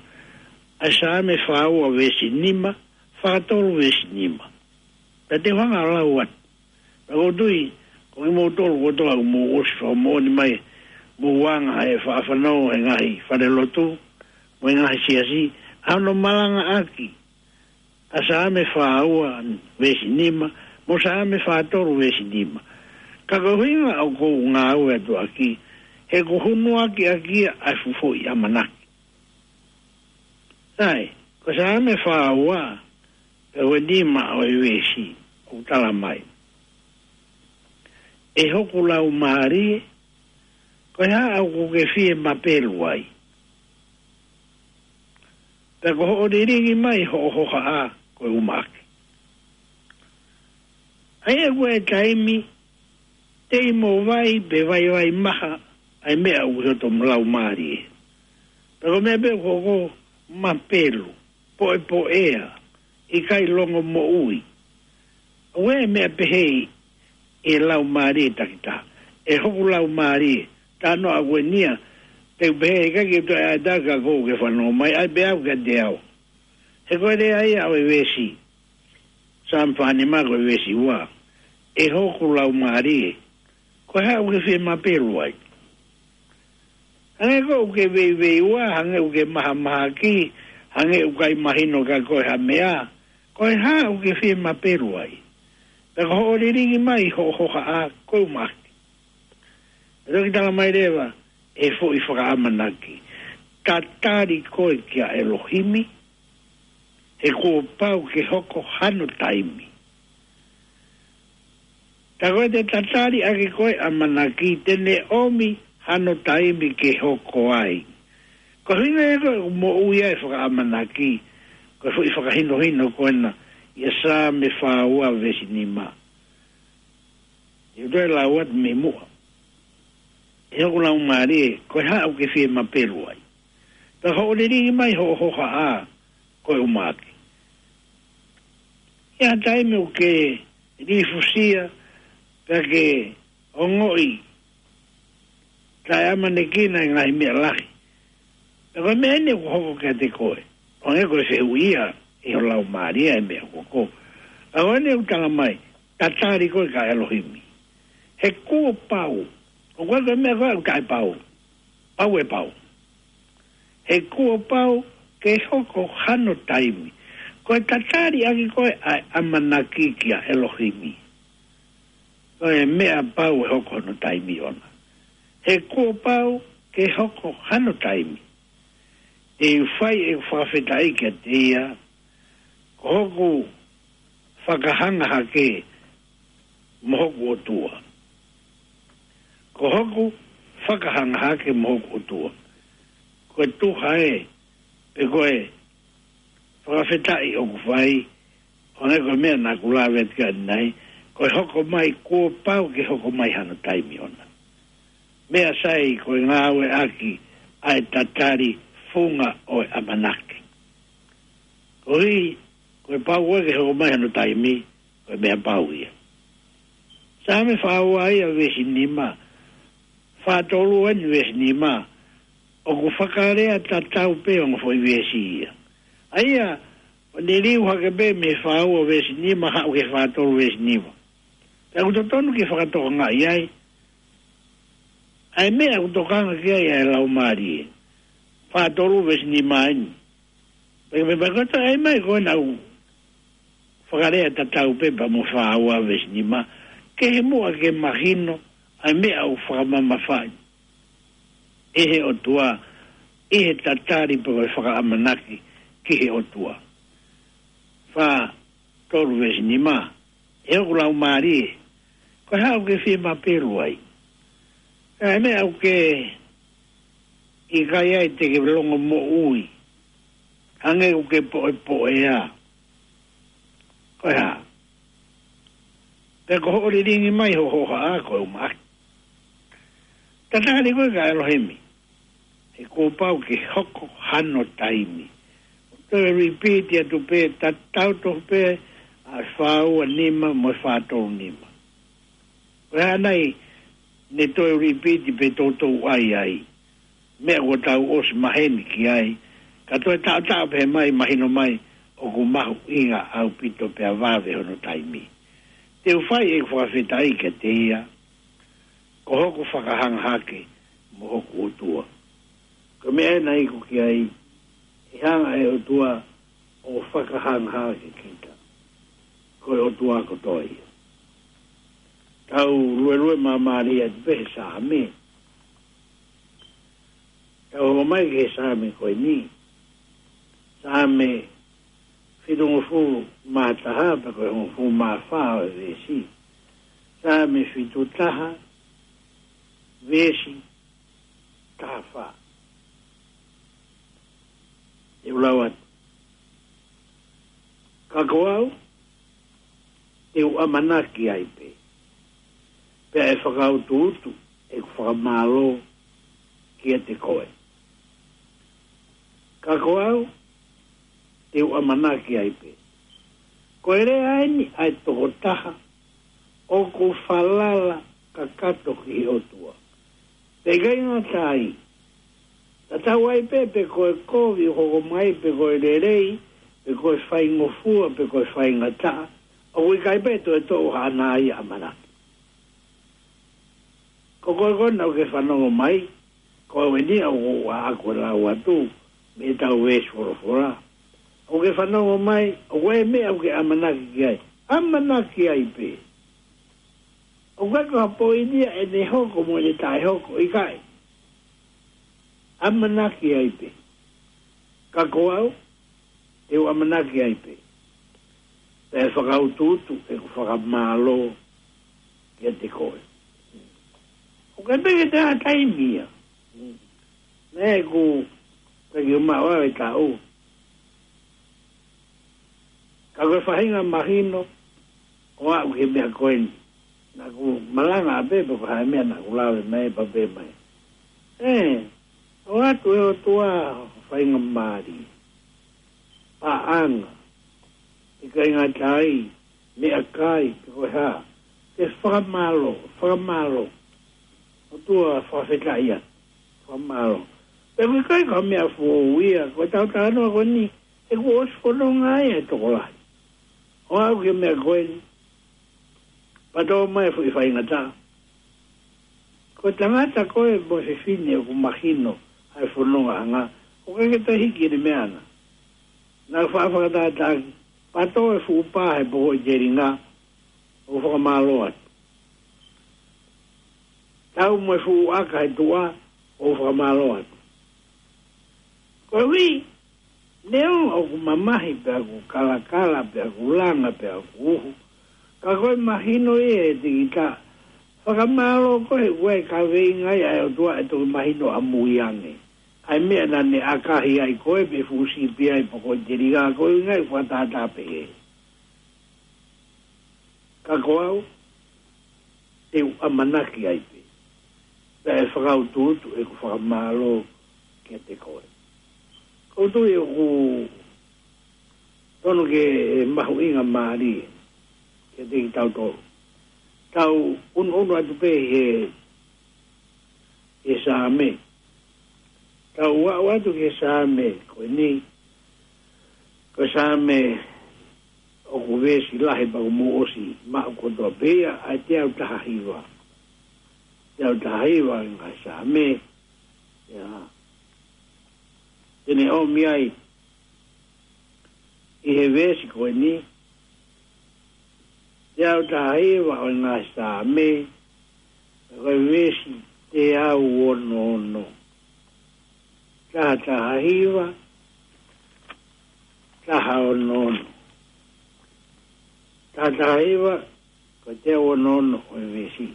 ʻA e Saame fā ua veesi nima, fā tolu veesi nima. Pea te u hanga ʻo lau atu. Pea ʻoku ou tui, ko kimoutolu kotoa ʻoku mou ʻosi fakamoʻoni mai, mou anga he faʻa fanongo he ngaahi falelotu, mo e ngaahi siasi, ʻa hono malangaʻaki ʻa e Saame fā ua veesi nima, mo e Saame fā tolu veesi nima. Ka ko e ʻuhinga ʻoku ou ngāue atu ʻaki, he ʻoku hunuaki ʻaki ia ʻa e fuʻu foʻi ʻamanaki. Sai, ko e Saame fā ua, pea ko e nima ʻo e veesi, ʻoku tala mai. ʻE hoku laumālie, ko e hā ʻoku ke fie mapelu ai. Pea ko hoʻo lilingi mai hoʻo hohaʻa ko e ʻumaʻā. ʻA ia ko e taimi, tei mo vai pe vaivai maha, ʻa e meʻa ʻoku ʻi hoto laumālie. Pea ko e meʻa pē ʻoku hoko, mapelu, poʻepoʻea, ʻikai longomoʻui. ʻOku ʻi ai e meʻa pehē ʻi he laumālie takitaha. ʻE hoku laumālie, tā noa ʻoku ʻi ai e niʻihi, te u pehē ʻikai ke toe ʻai atu ka ʻoku ke fanongo mai, ʻai pē au kiate au. He ko e lea ia ʻo e veesi. Saame fā nima ko e veesi ua. ʻE hoku laumālie, ko e hā ʻoku ke fie mapelu ai. Hangē ko ʻoku ke veiveiua, hangē ʻoku ke mahamahaki, hangē ʻoku ʻikai mahino kia koe ha meʻa, ko e hā ʻoku ke fie mapelu ai. Pea ko hoʻo lilingi mai hoʻo hohaʻa ko e ʻumaʻā. Pea toki tala mai leva, ʻe foʻi fakaʻamanaki. Tatali koe kia ʻElohimi, he kuo pau ke hoko hano taimi. Tā ko ʻete tatali ʻaki ko e ʻamanaki te ne ʻomi hano taimi ke hoko ai. Ko e ʻuhinga ia ko e moʻui ai fakaʻamanaki, ko e foʻi fakahinohino ko ena, ʻi he Saame fā ua veesi nima. ʻE u toe lau atu mei muʻa. ʻE hoku laumālie, ko e hā ʻoku ke fie mapelu ai. Pea hoʻo lilingi mai hoʻo hohaʻa, ko e ʻumaʻā. ʻI ha taimi ʻoku ke lifusia, pea ke ongoʻi, taʻeʻamanekina e ngaahi meʻa lahi. Pea ko e meʻa eni ʻoku hoko kiate koe. ʻO hangē ko e fehuʻi ia ʻi ho laumālie e meʻa ʻoku hoko. Ka ko eni ʻoku tala mai, tatali koe kia ʻElohimi. He kuo pau. ʻOku ʻikai ko e meʻa ko ē ʻoku taʻepau. Pau ʻe pau. He kuo pau ke hoko hano taimi. Ko e tatali ʻaki ko e ʻa e ʻamanaki kia ʻElohimi. Ko e meʻa pau ʻe hoko hano taimi ʻona. He kuo pau ke hoko hano taimi. Te u fai ʻeku fakafetaʻi kiate ia, ko hoku fakahanga hake mo hoku ʻOtua. Ko hoku fakahanga hake mo hoku ʻOtua. Ko e tuha ē, pe ko e fakafetaʻi ʻoku fai, ʻo hangē ko e meʻa naʻa ku lave atu ki ai ʻanenai, ko e hoko mai kuo pau ke hoko mai hano taimi ʻona. Meʻa sai ko e ngāueʻaki ʻa e tatali funga ʻo e ʻamanaki. Koeʻuhi, Ko e pau ko ē ke hoko mai hono taimi, ko e meʻa pau ia. Saame fā ua ia veesi nima, fā tolu eni veesi nima, ʻoku fakalea tatau pē ongo foʻi veesi ia. ʻA ia, ʻoku ne liu hake pē mei he fā ua veesi nima, haʻu ki he fā tolu veesi nima. Pea ʻoku totonu ke fakatokangaʻi ai ʻa e meʻa ʻoku tokanga ki ai ʻa e Laumālie. Fā tolu veesi nima eni. Pea, pea, pea ko e taimi ko ē naʻa ku fakalea tatau pē pea mo fā ua veesi nima, ke he muʻa ke mahino ʻa e meʻa ʻoku fakamamafaʻi ʻe he ʻOtua, ʻi he tatali pe ko e fakaʻamanaki ki he ʻOtua. Fā tolu veesi nima, ʻe hoku laumālie, ko e hā ʻoku ke fie mapelu ai? ʻA e meʻa ʻoku ke ʻikai ai te ke longomoʻui, hangē ʻoku ke poʻepoʻea. Ko e hā? Pea ko hoʻo lilingi mai ho hohaʻa ko e umaʻaki. Tatali koe kia ʻElohimi, he kuo pau ke hoko hano taimi. Toe repeat atu pē, tatau tofu pē ʻa e fā ua nima mo e fā tolu nima. Ko e hā nai ne toe repeat pē toutou ʻai ai? Meʻa kuo tau ʻosi maheni ki ai, ka toe taʻotaʻo pē mai, mahino mai ʻoku mahuʻinga ʻaupito pea vave hono taimi. Te u fai ʻeku fakafetaʻi kiate ia, ko hoku fakahanga hake mo hoku ʻOtua. Ko e meʻa ena ʻoku ʻikai ke hanga ʻe he ʻOtua ʻo fakahanga hake kita. Ko e ʻOtua kotoa ia. Tau luelue māmālie atu pē he Saame. Tau hoko mai ki he Saame ko eni. Saame fitungofulu mā taha, pea ko e hongofulu mā fā ʻo e veesi. Saame fitu taha, veesi taha fā. Te u lau atu. Ka ko au, te u ʻamanaki ai pē, pea ʻe fakautuutu ʻeku fakamālō kiate koe. Ka ko au, te u ʻamanaki ai pē. Ko e lea eni ʻa e tokotaha ʻoku falala kakato ki he ʻOtua. Pea ʻikai ngata ai, tatau ai pē pe ko e kovi ʻoku hoko mai, pe ko e lelei, pe ko e faingofua, pe ko e faingataʻa, ʻoku ʻikai pē toe toʻo haʻana ia ʻamanaki. Ko koe ko ena ʻoku ke fanongo mai, ko au eni ʻoku ou ʻaʻaku ʻo lau atu mei heʻetau veesi folofola. ʻOku ke fanongo mai, ʻoku ʻi ai e meʻa ʻoku ke ʻamanaki ki ai, ʻamanaki ai pē. ʻOku ʻikai ko ha poini ia ʻene hoko mo ʻene taʻehoko, ʻikai. ʻAmanaki ai pē. Ka ko au, te u ʻamanaki ai pē, pea ʻe fakautuutu ʻeku fakamālō kiate koe. ʻOku ʻikai pē ke toe ʻi ai ha taimi ia. Naʻe ʻikai ke u maʻu ʻe au e taʻu. Ka ko e faʻahinga mahino ʻo aʻu ki he meʻa ko eni. Naʻa ku malanga pē pe ko e hā e meʻa naʻa ku lave mai, pea pehē mai, ē, ʻoatu ʻe he ʻOtua faingamālie, paʻanga, ʻikai ngata ai, meʻakai, pe ko e hā, ke fakamālō, fakamālō. ʻOtua, fakafetaʻi atu, fakamālō. Pea ʻoku ʻikai ko ha meʻa foʻou ia, ko ʻetau talanoa ko eni, he kuo ʻosi fononga ai e tokolahi ʻo aʻu ki he meʻa ko eni, pea tō mai e foʻi faingataʻa. Ko e tangata ko ē mo e fefine ʻoku mahino ʻa e fonongaʻanga, ʻoku ʻikai ke toe hiki ʻene meʻa na. Naʻa ku faʻa fakatātaaʻaki, pea tō e fuʻu pā he poko ʻi he telinga, ʻo fakamālō atu. Tau mo e fuʻu ʻaka he tuʻa, ʻo fakamālō atu. Koeʻuhi, neongo ʻoku mamahi pea ʻoku kalakala pea ʻoku langa pea ʻoku uhu, ka ko e mahino ia ʻe he tikita, fakamālō koe he ʻoku ʻi ai e kaveinga ia ʻa e ʻOtua ʻe toki mahino ʻamui ange. ʻA e meʻa naʻa ne ʻakahi ai koe pe fuʻu sipi ai poko ʻi he telinga, ko e ʻuhinga ia ʻeku fakatātā pehē. Ka ko au, te u ʻamanaki ai pē, pea ʻe fakautuutu ʻeku fakamālō kiate koe. ʻOku ou tui ʻoku Tonu ke mahuʻingamālie kiate kitautolu. Tau ʻunuʻunu atu pē he, he Saame. Tau aʻu atu ki he Saame ko eni, ko e Saame ʻoku veesi lahi pea kuo mou ʻosi maʻu kotoa pē ia, ʻa e teau taha hiva. Teau taha hiva ʻo e ngaahi Saame. Ia. Te ne ʻomi ai ʻi he veesi ko eni, teau taha hiva ʻo e ngaahi Saame, ko e veesi teau ono ono. Taha taha hiva, taha ono ono. Taha taha hiva, ko e teau ono ono ʻo e veesi.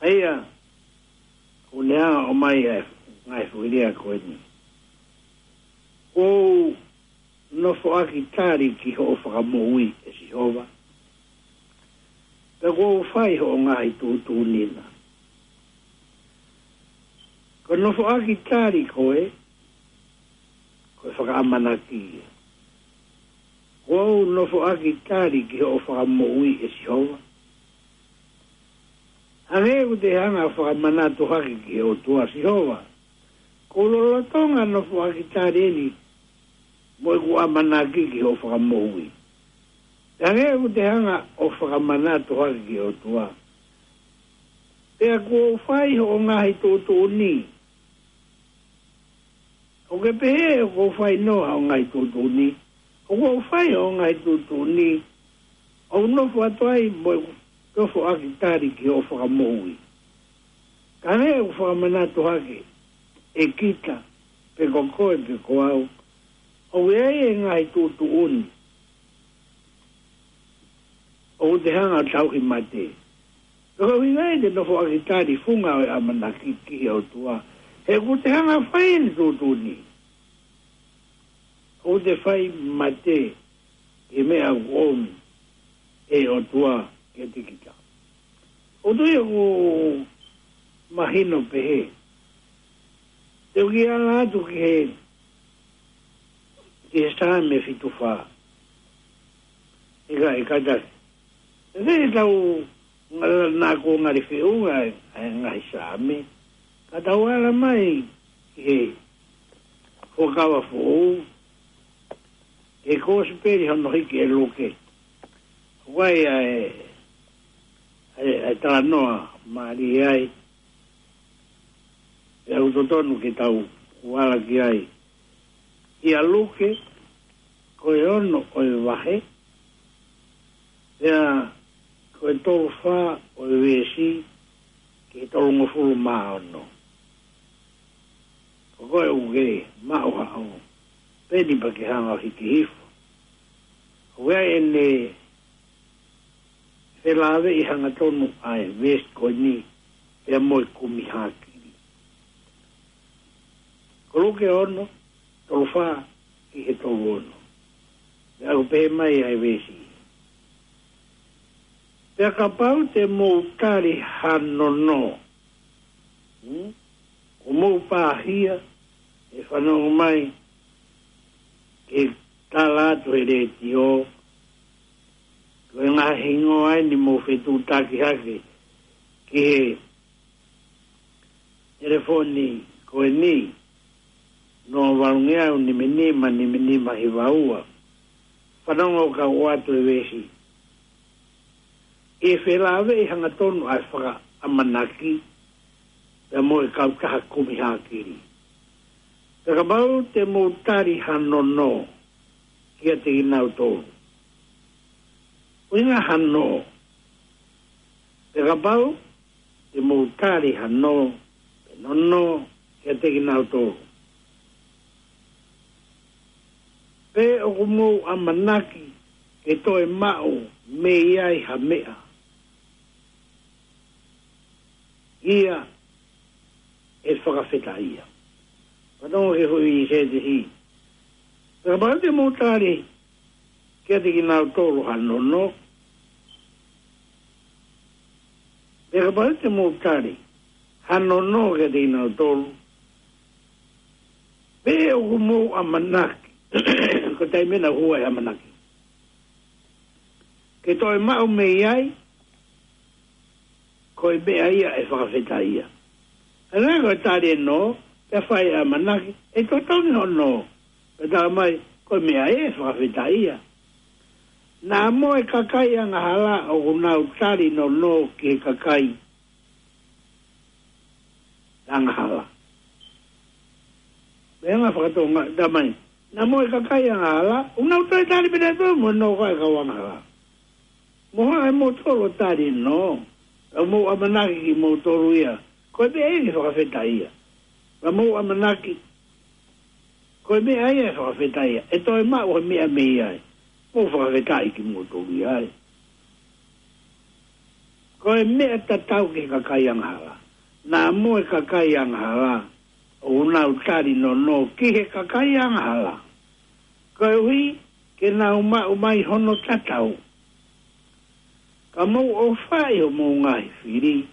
ʻA ia, ʻoku ne hanga ʻo ʻomai ʻa e ngaahi foʻi lea ko eni. Kuo u nofoʻaki tali ki hoʻo fakamoʻui, ʻe Sihova. Pea kuo u fai hoʻo ngaahi tuʻutuʻuni na. Ko e nofoʻaki tali ko ē, ko e fakaʻamanaki ia. Kuo u nofoʻaki tali ki hoʻo fakamoʻui, ʻe Sihova. Hangē ʻoku te hanga ʻo fakamanatu hake ki he ʻOtua, Sihova, ko e lolotonga nofoʻaki tali eni mo ʻeku ʻamanaki ki hoʻo fakamoʻui. Hangē ʻoku te hanga ʻo fakamanatu hake ki he ʻOtua. Pea kuo u fai hoʻo ngaahi tuʻutuʻuni. ʻOku ke pehē ʻoku ou fai noa hoʻo ngaahi tuʻutuʻuni. ʻOku ou fai hoʻo ngaahi tuʻutuʻuni. ʻOku ou nofo atu ai mo ʻeku nofoʻaki tali ki hoʻo fakamoʻui. Ka hangē ʻoku fakamanatu hake ʻe kita, pe ko koe, pe ko au, ʻoku ʻi ai e ngaahi tuʻutuʻuni ʻoku te hanga ʻo tauhi mate. Ko e ʻuhinga ia te u nofoʻaki tali funga ʻo e ʻamanaki ki he ʻOtua. He ʻoku te hanga ʻo fai eni tuʻutuʻuni, ʻoku te fai mate ki he meʻa ʻoku ʻomi ʻe he ʻOtua kiate kita. ʻOku ou tui ʻoku mahino pehē. Te u kiʻi ala atu ki he, ki he Saame fitu fā. ʻIkai, ʻikai tasi. Te te tau ngala nā ko ngali feʻunga ʻa e, ʻa e ngaahi Saame. Ka tau ala mai ki he Fuakava Foʻou, ki he Kosipeli hono hiki ʻe Luke. ʻOku ʻi ai ʻa e, ʻa e, ʻa e talanoa mālie ai. Pea ʻoku totonu ke tau ala ki ai. ʻIa Luke, ko e ono ʻo e vahe, pea ko e tolu fā ʻo e veesi, ki he tolungofulu mā ono. Ko koe ʻoku ke maʻu haʻo peni pea ke hanga ʻo hiki hifo. ʻOku ʻi ai ʻene felāveʻi hangatonu ʻa e veesi ko eni pea mo e kumi hākili. Ko Luke ono, tolu fā ki he tolu ono. Pea ʻoku pehē mai ʻa e veesi. Pea kapau te mou tali ha nono. Hmm? ʻOku mou pāhia ʻe fanongo mai ki he tala atu he letiō, ko e ngaahi hingoa eni mou fetuʻutaki hake ki he telefoni ko eni, noa valungeau nima nima nima nima hiva ua. Fanongo kau ʻoatu e veesi. ʻE felāveʻi hangatonu ʻa e fakaʻamanaki pea mo e kautaha kumi hākili. Pea kapau te mou tali ha nono kiate kinautolu. ʻUhinga ha nono. Pea kapau te mou tali ha nono, pe nono kiate kinautolu. Pe ʻoku mou ʻamanaki ke toe maʻu mei ai ha meʻa ia ʻe fakafetaʻia. Fanongo ki he foʻi sētesi. Pea kapau te mou tali kiate kinautolu ha nono. Pea kapau te mou tali ha nono kiate kinautolu. Pe ʻoku mou ʻamanaki Ko e taimi ʻena ʻoku hū ai e ʻamanaki. Ke toe maʻu mei ai, ko e meʻa ia ʻe fakafetaʻia. Hangē ko e tali e nō, pea fai e ʻamanaki, ʻe totongi hono nō. Pea talamai, ko e meʻa ia ʻe fakafetaʻia. Naʻa mo e kakai angahala ʻoku nau tali nō nō ki he kakai angahala. Meʻa fakatoʻonga, talamai, naʻa mo e kakai angahala, ʻoku nau toe tali pē ʻe nautolu mo e nō ko ē ʻa e kau angahala. Mo haʻu ʻe moutolu ʻo tali e nō, ʻa mou ʻamanaki kimoutolu ia, ko e meʻa ia ke fakafetaʻia. ʻA mou ʻamanaki, ko e meʻa ia ʻe fakafetaʻia, ʻe toe maʻu ha meʻa mei ai, mou fakafetaʻi kimoutolu ia ai. Ko e meʻa tatau ki he kakai angahala. Naʻa mo e kakai angahala, ʻoku nau tali nō nō ki he kakai angahala. Koeʻuhi ke nau maʻu mai hono tatau. Ka mou ʻofaʻi homou ngaahi fili,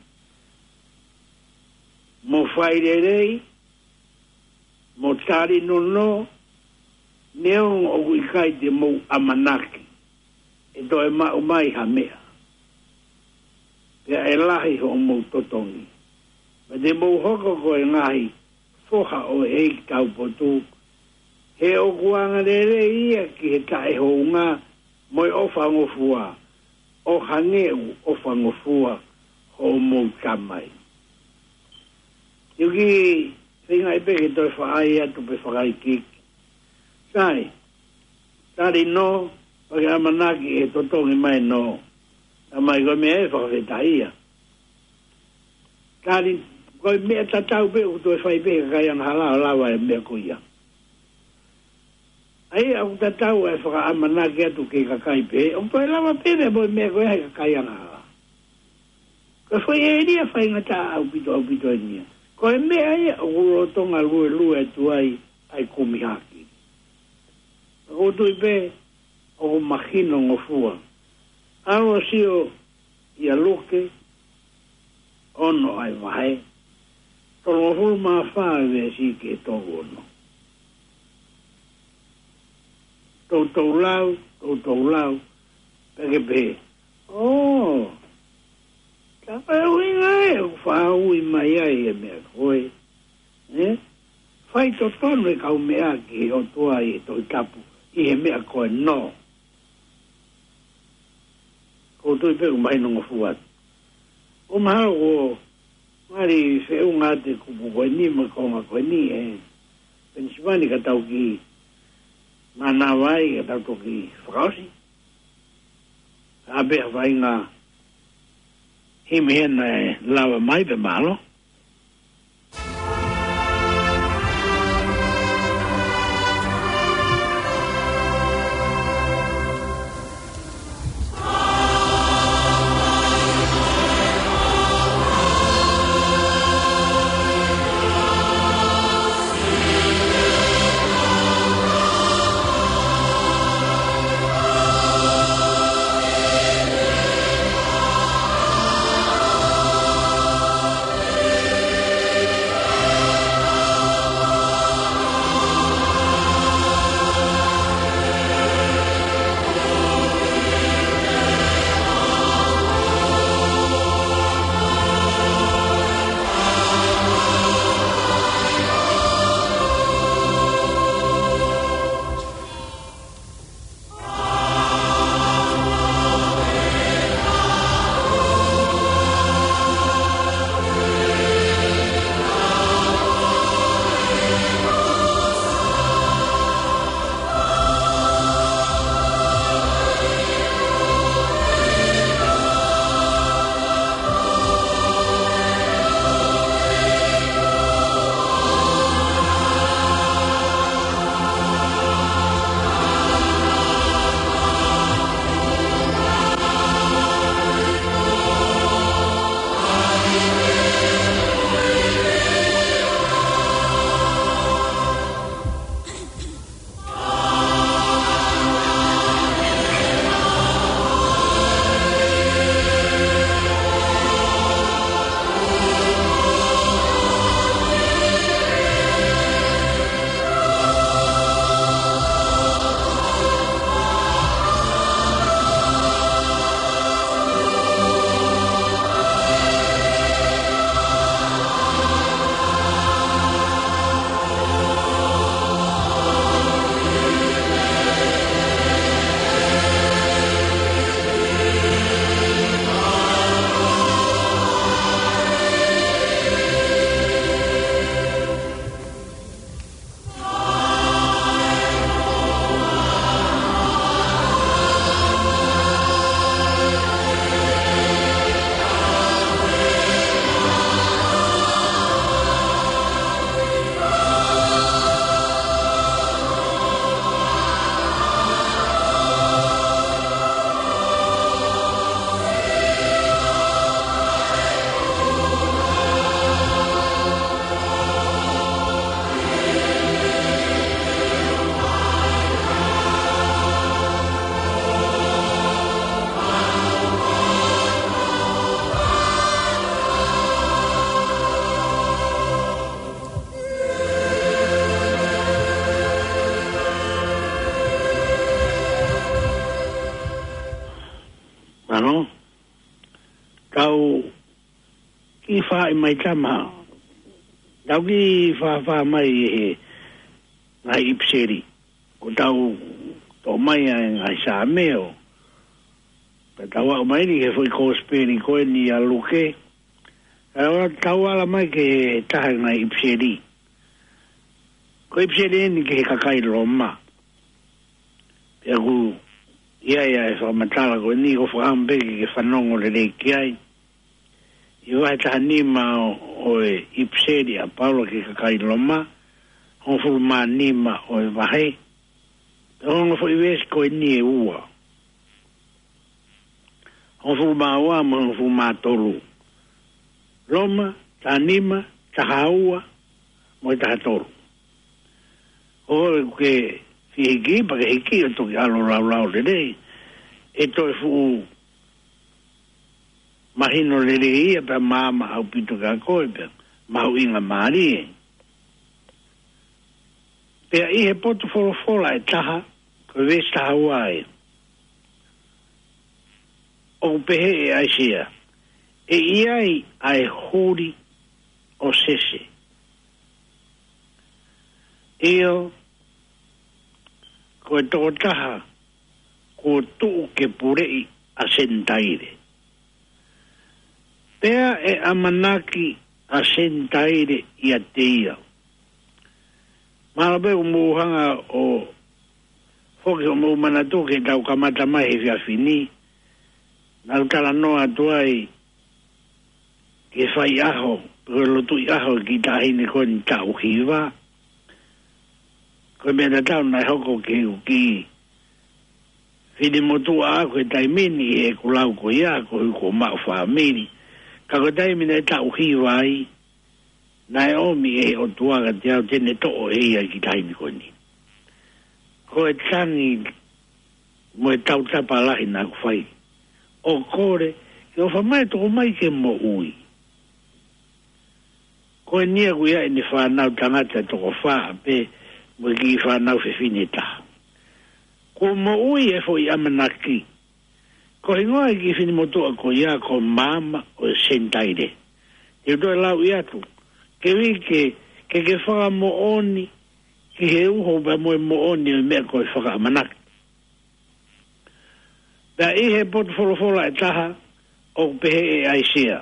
mo fai lelei, mo tali nō nō, neongo ʻoku ʻikai te mou ʻamanaki ʻe toe maʻu mai ha meʻa, pea ʻe lahi hoʻomou totongi. Pea te mou hoko ko e ngaahi foha ʻo e ʻEiki taupotu, he ʻoku angalelei ia ki he taʻehounga mo e ʻofangofua, ʻo hangē ʻoku ʻofangofua hoʻomou Tamai. Te u kiʻi feingaʻi pē ke toe faʻa ʻai atu pē fakaikiiki. Sai, tali nō, pea ke ʻamanaki ʻe totongi mai nō. Talamai ko e meʻa ʻe fakafetaʻia. Tali, ko e meʻa tatau pē ʻoku toe fai pē he kakai angahala ʻo lava e meʻa ko ia. ʻA ia ʻoku tatau e fakaʻamanaki atu ki he kakai pehē, ʻoku toe lava pē meʻa mo e meʻa ko ia he kakai angahala. Ko e foʻi ʻēlia faingataʻa ʻaupito, ʻaupito ʻeni ia. Ko e meʻa ia ʻoku lolotonga luelue atu ai ʻa e kumi haki. Ka ʻoku ou tui pē ʻoku mahinongofua. ʻAlu ʻo sio ʻia Luke ono ʻa e vahe tolungofulu mā fā, veesi ki he tolu ono. Toutou lau, toutou lau, pea ke pehē, ʻō, tā ko e ʻuhinga ē ʻoku faʻa ui mai ai e meʻa ko ē, ē? Faitotonu e kaumeʻa ki he ʻOtua ʻi he Tohi Tapu, ʻi he meʻa ko ē nō. ʻOku ou tui pē ʻoku mahinongofua atu. ʻOku mahalo kuo mali feʻunga atu e kupu ko eni mo e konga ko eni ē Penisivani ka tau kiʻi mānava ai ka tau toki fakaʻosi. ʻA pē ha faʻahinga himi hena ʻe lava mai pē, mālō. Haʻi mai tama. Tau kiʻi fāfā mai ʻi he ngaahi ʻipiseli. Ko tau toʻo mai ʻa e ngaahi Saame ʻo ka tau aʻu mai ni ki he foʻi kosipeli ko eni ʻa Luke. Ka tau ala mai ki he taha e ngaahi ʻipiseli. Ko e ʻipiseli eni ki he kakai Loma. Pea ʻoku ʻi ai ʻa e fakamatala ko eni ʻoku ou fakaʻamu pē ke ke fanongo lelei ki ai. ʻI he vahe taha nima ʻo, ʻo e ʻipiseli ʻa Paula ki he kakai Loma, hongofulu mā nima ʻo e vahe, pea ko e ongo foʻi veesi ko eni ʻe ua. Hongofulu mā ua mo e hongofulu mā tolu. Loma, taha nima, taha ua, mo e taha tolu. ʻOku ke fie hiki, pea ke hiki ʻo toki ʻalu ʻo laulau lelei. ʻE toe fuʻu mahino lelei ia pea maama ʻaupito kia koe pea mahuʻinga mālie. Pea ʻi he potu folofola ʻe taha, ko e veesi taha ua ē. ʻOku pehē ʻe ʻAisea, ʻe ʻi ai ʻa e huli ʻo Sese. ʻIo, ko e tokotaha kuo tuʻu ke puleʻi ʻa Senitaile. Pea ʻe ʻamanaki ʻa Senitaile ʻiate ia. Mahalo pē ʻoku mou hanga ʻo foki hoʻomou manatu ki heʻetau kamata mai he efiafi ni. Naʻa ku talanoa atu ai ki he faiʻaho, ko e lotuʻi ʻaho ki he taʻahine ko eni taʻu hiva. Ko e meʻa tatau naʻe hoko ki he uki. Finemotuʻa ʻaʻaku he taimi ni ʻi heʻeku lau ko ia, ko hoku maʻu fāmili. Ka ko e taimi naʻe taʻu hiva ai, naʻe ʻomi ʻe he ʻOtua kiate au te ne toʻo ʻe ia e kiʻi taʻahine ko eni. Ko e tangi mo e tautapa lahi naʻa ku fai. ʻO kole, ke ʻofa mai toko mai ke moʻui. Ko eni ia ʻoku ʻi ai ʻene fānau tangata toko fā pē mo e kiʻi fānau fefine taha. Kuo moʻui e foʻi ʻamanaki. Ko e hingoa e kiʻi finemotuʻa ko ia ko Maama ʻo e Senitaile. Te u toe lauʻi atu. Ke ui ke, ke ke fakamoʻoni ki he uho pea mo e moʻoni ʻo e meʻa ko e fakaʻamanaki. Pea ʻi he potu folofola ʻe taha, ʻoku pehē ʻe ʻAisea.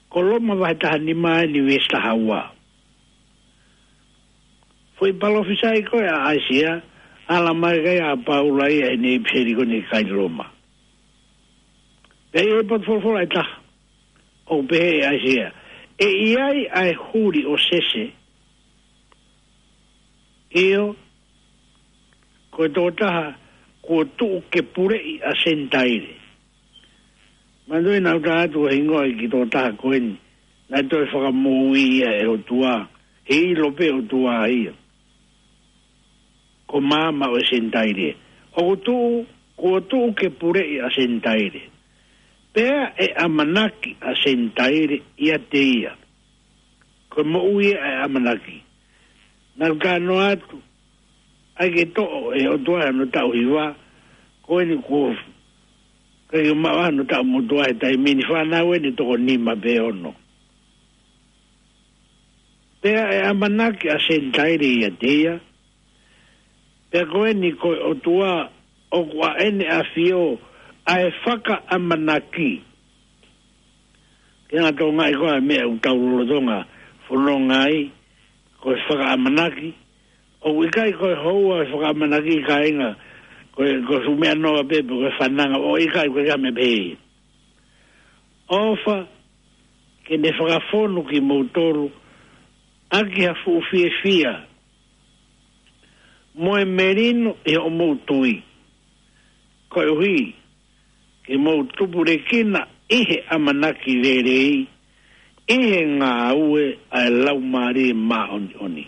Ko Loma vahe taha nima eni veesi taha ua. Foʻi palōfisai ko ē ʻa ʻAisea, ala mai ki ai ʻa Paula ia ʻi heʻene ʻipiseli ko eni ki he kakai Loma. Pea ʻi he potu folofola ʻe taha, ʻoku pehē ʻe ʻAisea. ʻE ʻi ai ʻa e huli ʻo Sese. ʻIo, ko e tokotaha kuo tuʻu ke puleʻi ʻa Senitaile. Manatuʻi naʻa ku tala atu ko e hingoa e kiʻi tokotaha ko eni, naʻe toe fakamoʻui ia ʻe he ʻOtua, he ʻilo pē ʻOtua ia. Ko Maama ʻo e Senitaile. ʻOku tuʻu, kuo tuʻu ke puleʻi ʻa Senitaile. Pea ʻe ʻamanaki ʻa Senitaile ʻiate ia. Ko e moʻui ʻa e ʻamanaki. Naʻa ku talanoa atu, ʻai ke toʻo ʻe he ʻOtua hono taʻu hiva, ko eni kuo ʻikai ke maʻu hono taʻu motuʻa he taimi ni, fānau eni toko nima pe ono. Pea ʻe ʻamanaki ʻa Senitaile ʻiate ia, pea ko eni ko e ʻOtua ʻoku ʻa ʻene ʻafio ʻa e fakaʻamanaki. Ke ngata ʻo ngaahi ko e meʻa ʻoku tau lolotonga fononga ai, ko e fakaʻamanaki, ʻoku ʻikai ko e houa e fakaʻamanaki kāinga, ko e, ko e fuʻu meʻa noa pē, pe ko e fananga, ʻoku ʻikai ko e meʻa pehē. ʻOfa, ke ne fakafonu kimoutolu, ʻaki ha fuʻu fiefia, mo e melino ʻi hoʻomou tui. Koeʻuhi, ke mou tupulekina ʻi he ʻamanaki lelei, ʻi he ngāue ʻa e Laumālie Māʻoniʻoni.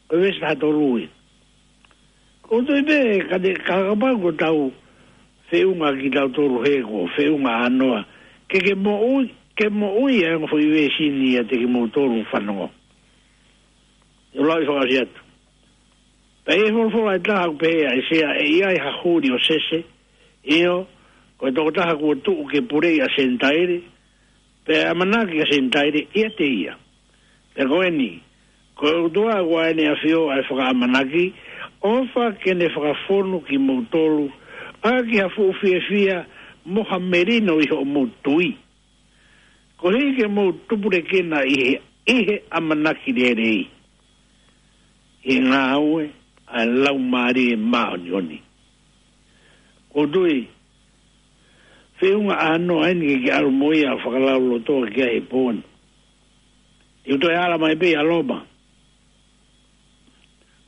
Ko e veesi taha tolu ia. Ko u tui pē, ka te, ka kapau ko ʻetau feʻunga kitautolu he ko e feʻunga ʻānoa. Ke ke moʻui, ke moʻui ʻa e ongo foʻi veesi ni ʻiate kimoutolu fanongo. ʻE lau ʻi fakaʻosi atu. Pea ʻi he folofola ʻe taha ʻoku pehē ʻe ʻAisea ʻe ʻi ai ha huli ʻo Sese, ʻio, ko e tokotaha kuo tuʻu ke puleʻi ʻa Senitaile, Pea ʻamanaki ʻa Senitaile ʻiate ia. Pea ko eni, ko e ʻOtua ʻoku ʻa ʻEne ʻAfio ʻa e fakaʻamanaki, ʻofa ke ne fakafonu kimoutolu ʻaki ha fuʻu fiefia mo ha melino ʻi hoʻomou tui, koeʻuhi ke mou tupulekina ʻi he, ʻi he ʻamanaki lelei, ʻi he ngāue ʻa e Laumālie Māʻoniʻoni. ʻOku ou tui, feʻunga ʻānoa eni ke ke ʻalu mo ia ʻo fakalaulauloto ki ai he pō ni. Te u toe ala mai pē ʻia Loma.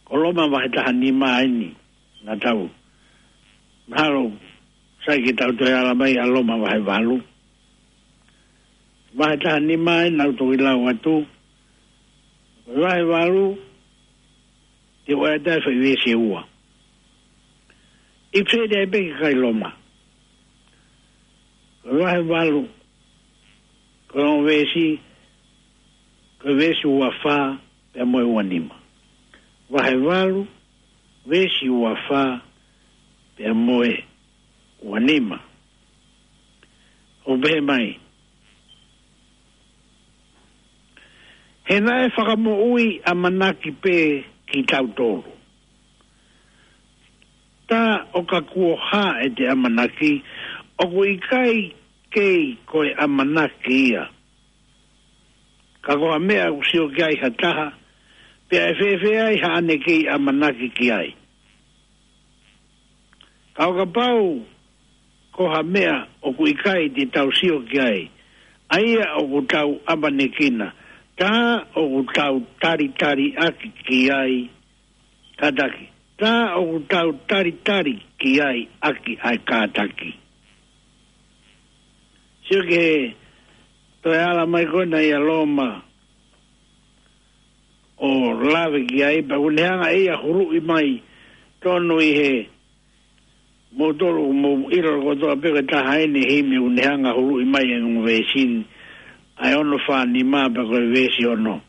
Ko Loma vahe taha nima eni, naʻa tau. Mahalo, sai ke tau toe ala mai ʻia Loma vahe valu. Vahe taha nima eni naʻa tau toki lau atu. Vahe valu, te u ʻai atu ʻa e foʻi veesi ʻe ua. ʻIpiseli ai pē ki he kakai Loma. Vahe valu, ko e ongo veesi, ko e veesi ua fā pea mo e ua nima. Vahe valu, veesi ua fā pea mo e ua nima. ʻOku pehē mai: He naʻe fakamoʻui ʻamanaki pē kitautolu. Tā ʻo ka kuo hā ʻete ʻamanaki, ʻoku ʻikai kei ko e ʻamanaki ia. Ka ko ha meʻa ʻoku sio ki ai ha taha, pea ʻe fēfē ai haʻane kei ʻamanaki ki ai? Ka ʻo kapau ko ha meʻa ʻoku ʻikai te tau sio ki ai, ʻa ia ʻoku tau ʻamanekina, tā ʻoku tau talitaliʻaki ki ai, kātaki. Tā ʻoku tau talitali ki ai ʻaki ʻa e kātaki. Sio ki he toe ala mai ko ena ʻia Loma ʻo lave ki ai, pea ʻoku ne hanga ʻe ia ʻo huluʻi mai tonu ʻi he moutolu ʻoku mou ʻilo kotoa pē ko e taha eni e himi ʻoku ne hanga ʻo huluʻi mai e ongo veesi ni, ʻa e ono fā nima pea ko e veesi ono.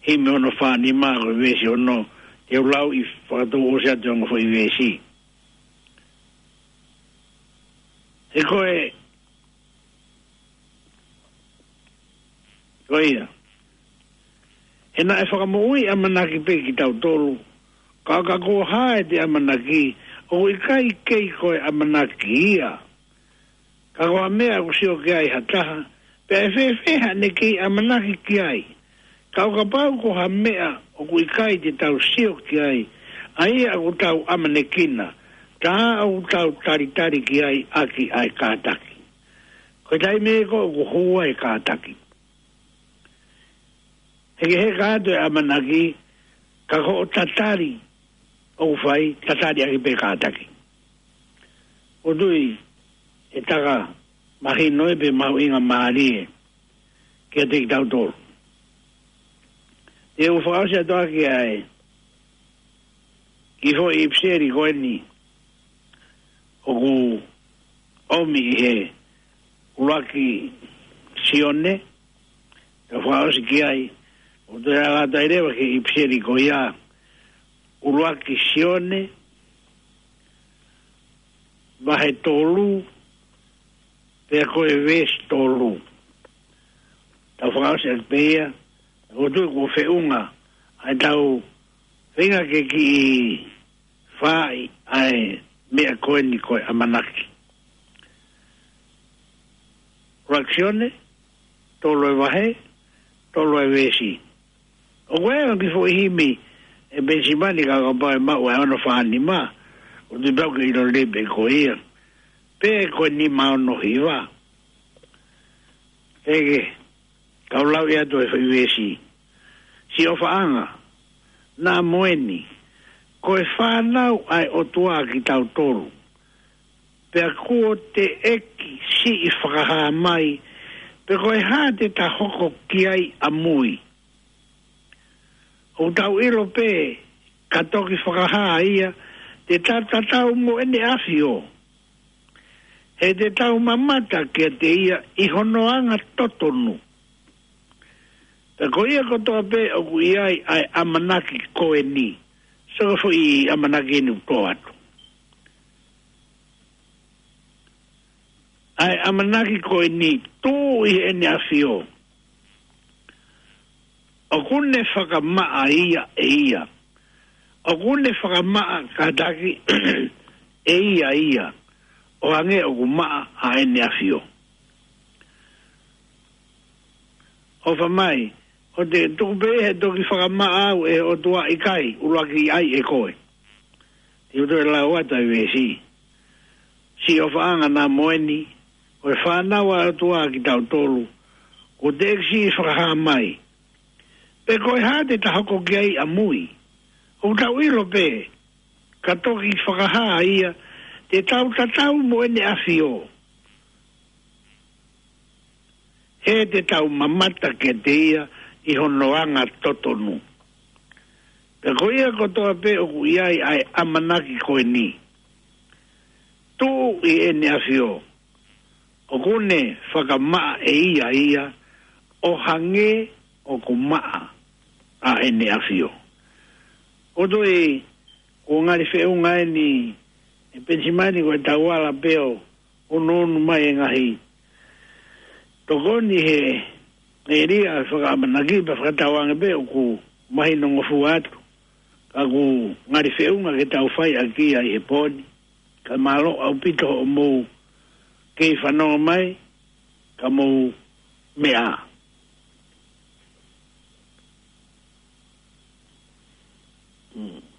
Himi ono fā nima ko e veesi ono, te u lau ʻi fakatouʻosi atu e ongo foʻi veesi. He ko e, ko ia. He naʻe fakamoʻui ʻamanaki pē kitautolu, ka ʻo ka kuo hā ʻete ʻamanaki, ʻoku ʻikai kei ko e ʻamanaki ia. Ka ko ha meʻa ʻoku sio ki ai ha taha, pea ʻe fēfē haʻane kei ʻamanaki ki ai? Ka ʻo kapau ko ha meʻa ʻoku ʻikai te tau sio ki ai, ʻa ia ʻoku tau ʻamanekina, tā ʻoku tau talitali ki ai ʻaki ʻa e kātaki. Ko e taimi ē ko ē ʻoku hū ai e kātaki. He ke heka atu e ʻamanaki, ka ko hoʻo tatali ʻoku fai, tatali ʻaki pē kātaki. ʻOku ou tui ʻe taka mahino ia pea mahuʻinga mālie kiate kitautolu. Te u fakaʻosi atu ʻaki ʻa e kiʻi foʻi ʻipiseli ko eni ʻoku ʻomi ʻi he ʻUluaki Sione, te u fakaʻosi ki ai, ʻo toe ala atu ai leva ki he ʻipiseli ko ia, ʻUluaki Sione, vahe tolu, pea ko e veesi tolu. Te u fakaʻosi ʻaki pē ia, ʻoku ou tui kuo feʻunga ʻa ʻetau feinga ke kiʻi fai ʻa e meʻa ko eni ko e ʻamanaki. ʻUluaki Sione, tolu e vahe, tolu e veesi. ʻOku ʻi ai e kiʻi foʻi himi ʻe Penisimani ka kapau ʻe maʻu ʻa e ono fā nima, ʻoku ou tui pau ke ʻilo lelei pē ko ia. Pe ko e nima ono hiva. Eke, kau lau ia ʻa e foʻi veesi. Siʻi ʻofaʻanga, naʻa mo eni, ko e fānau ʻa e ʻOtua kitautolu. Pea kuo teʻeki siʻi fakahā mai, pe ko e hā te ta hoko ki ai ʻamui. ʻOku tau ʻilo pē, ka toki fakahā ia, te ta tatau mo ʻEne ʻAfio. He te tau mamata kiate ia ʻi hono anga totonu. Pea ko ia kotoa pē ʻoku ʻi ai ʻa e ʻamanaki ko eni. So ko e foʻi ʻamanaki eni ʻoku tō atu. ʻa e ʻamanaki ko eni, Tuʻi ʻEne ʻAfio, ʻoku ne fakamaʻa ia ʻe ia. ʻOku ne fakamaʻa kātaki ʻe ia ia, ʻo hangē ʻoku maʻa ʻa ʻEne ʻAfio. ʻOfa mai, ʻo te tuku pē he toki fakamaʻa au ʻe he ʻOtua, ʻikai, ʻuluaki ʻai ʻe koe. Te u toe lau atu ʻa e veesi. Siʻi ʻofaʻanga naʻa mo eni, ʻo e fānau ʻa e ʻOtua kitautolu, kuo teʻeki siʻi fakahā mai pe ko e hā te ta hoko ki ai ʻamui. ʻOku tau ʻilo pē, ka toki fakahā ia, te tau tatau mo ʻEne ʻAfio, he te tau mamata kiate ia ʻi hono anga totonu. Pea ko ia kotoa pē ʻoku ʻi ai ʻa e ʻamanaki ko eni, Tuʻi ʻEne ʻAfio, ʻoku ne fakamaʻa ʻe ia ia, ʻo hangē ʻoku maʻa ʻa ʻEne ʻAfio. ʻOku ou tui, ko e ngali feʻunga eni, ʻe Penisimani, ko e tau ala pē ʻo ʻunuʻunu mai e ngaahi tokoni he ʻēlia fakaʻamanaki, pea fakatauange pē ʻoku mahino ngofua atu. Ka ʻoku ngali feʻunga ke tau fai ʻaki ia ʻi he pō ni. Ka mālō ʻaupito hoʻomou kei fanongo mai, ka mou meʻa. Mm.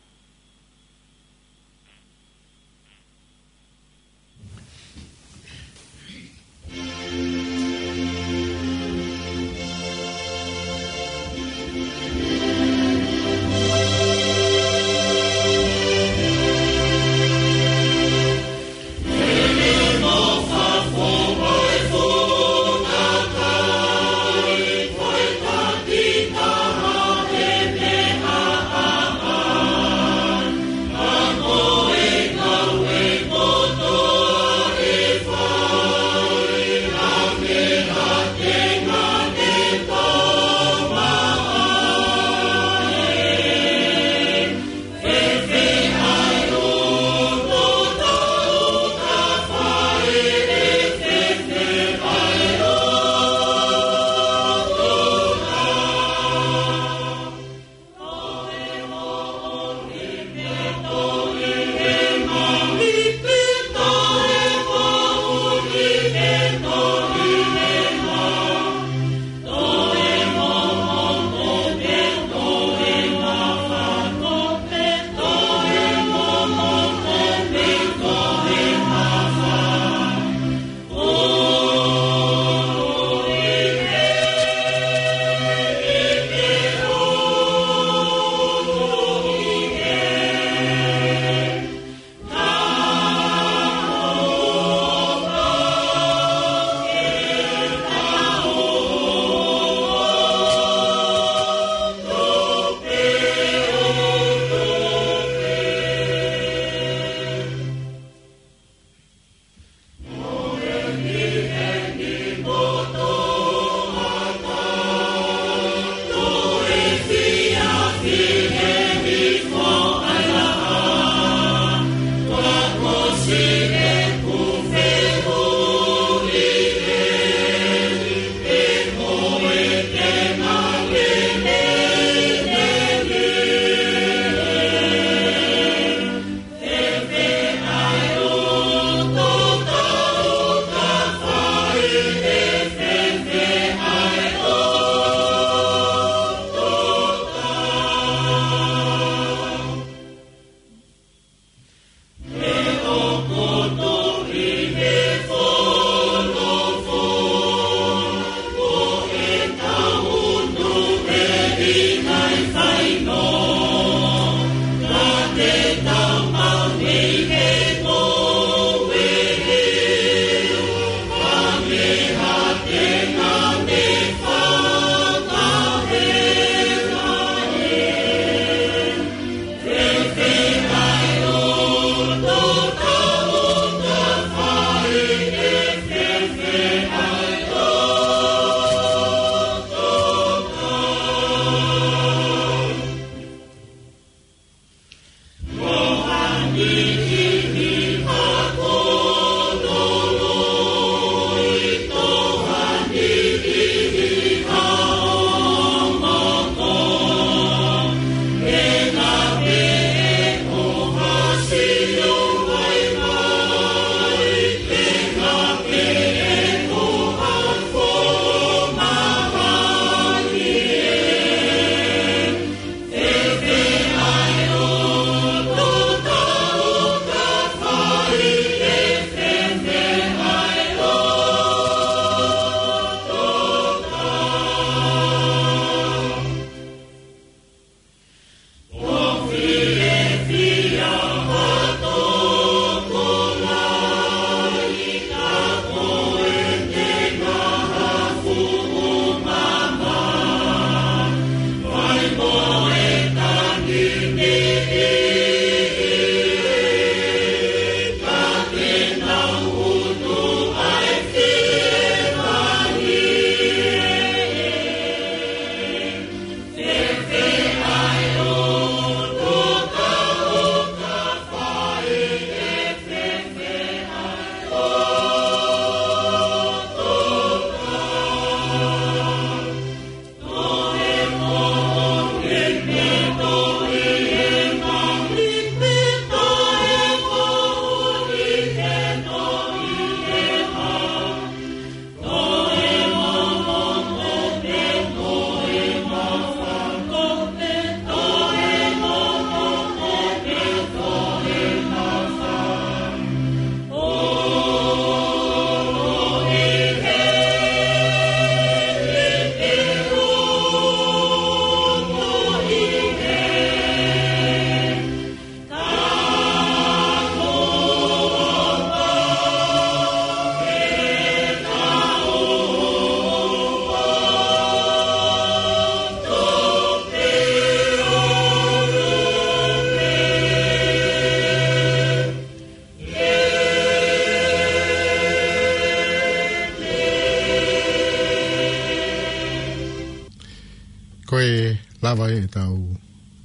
Ko e lava ʻetau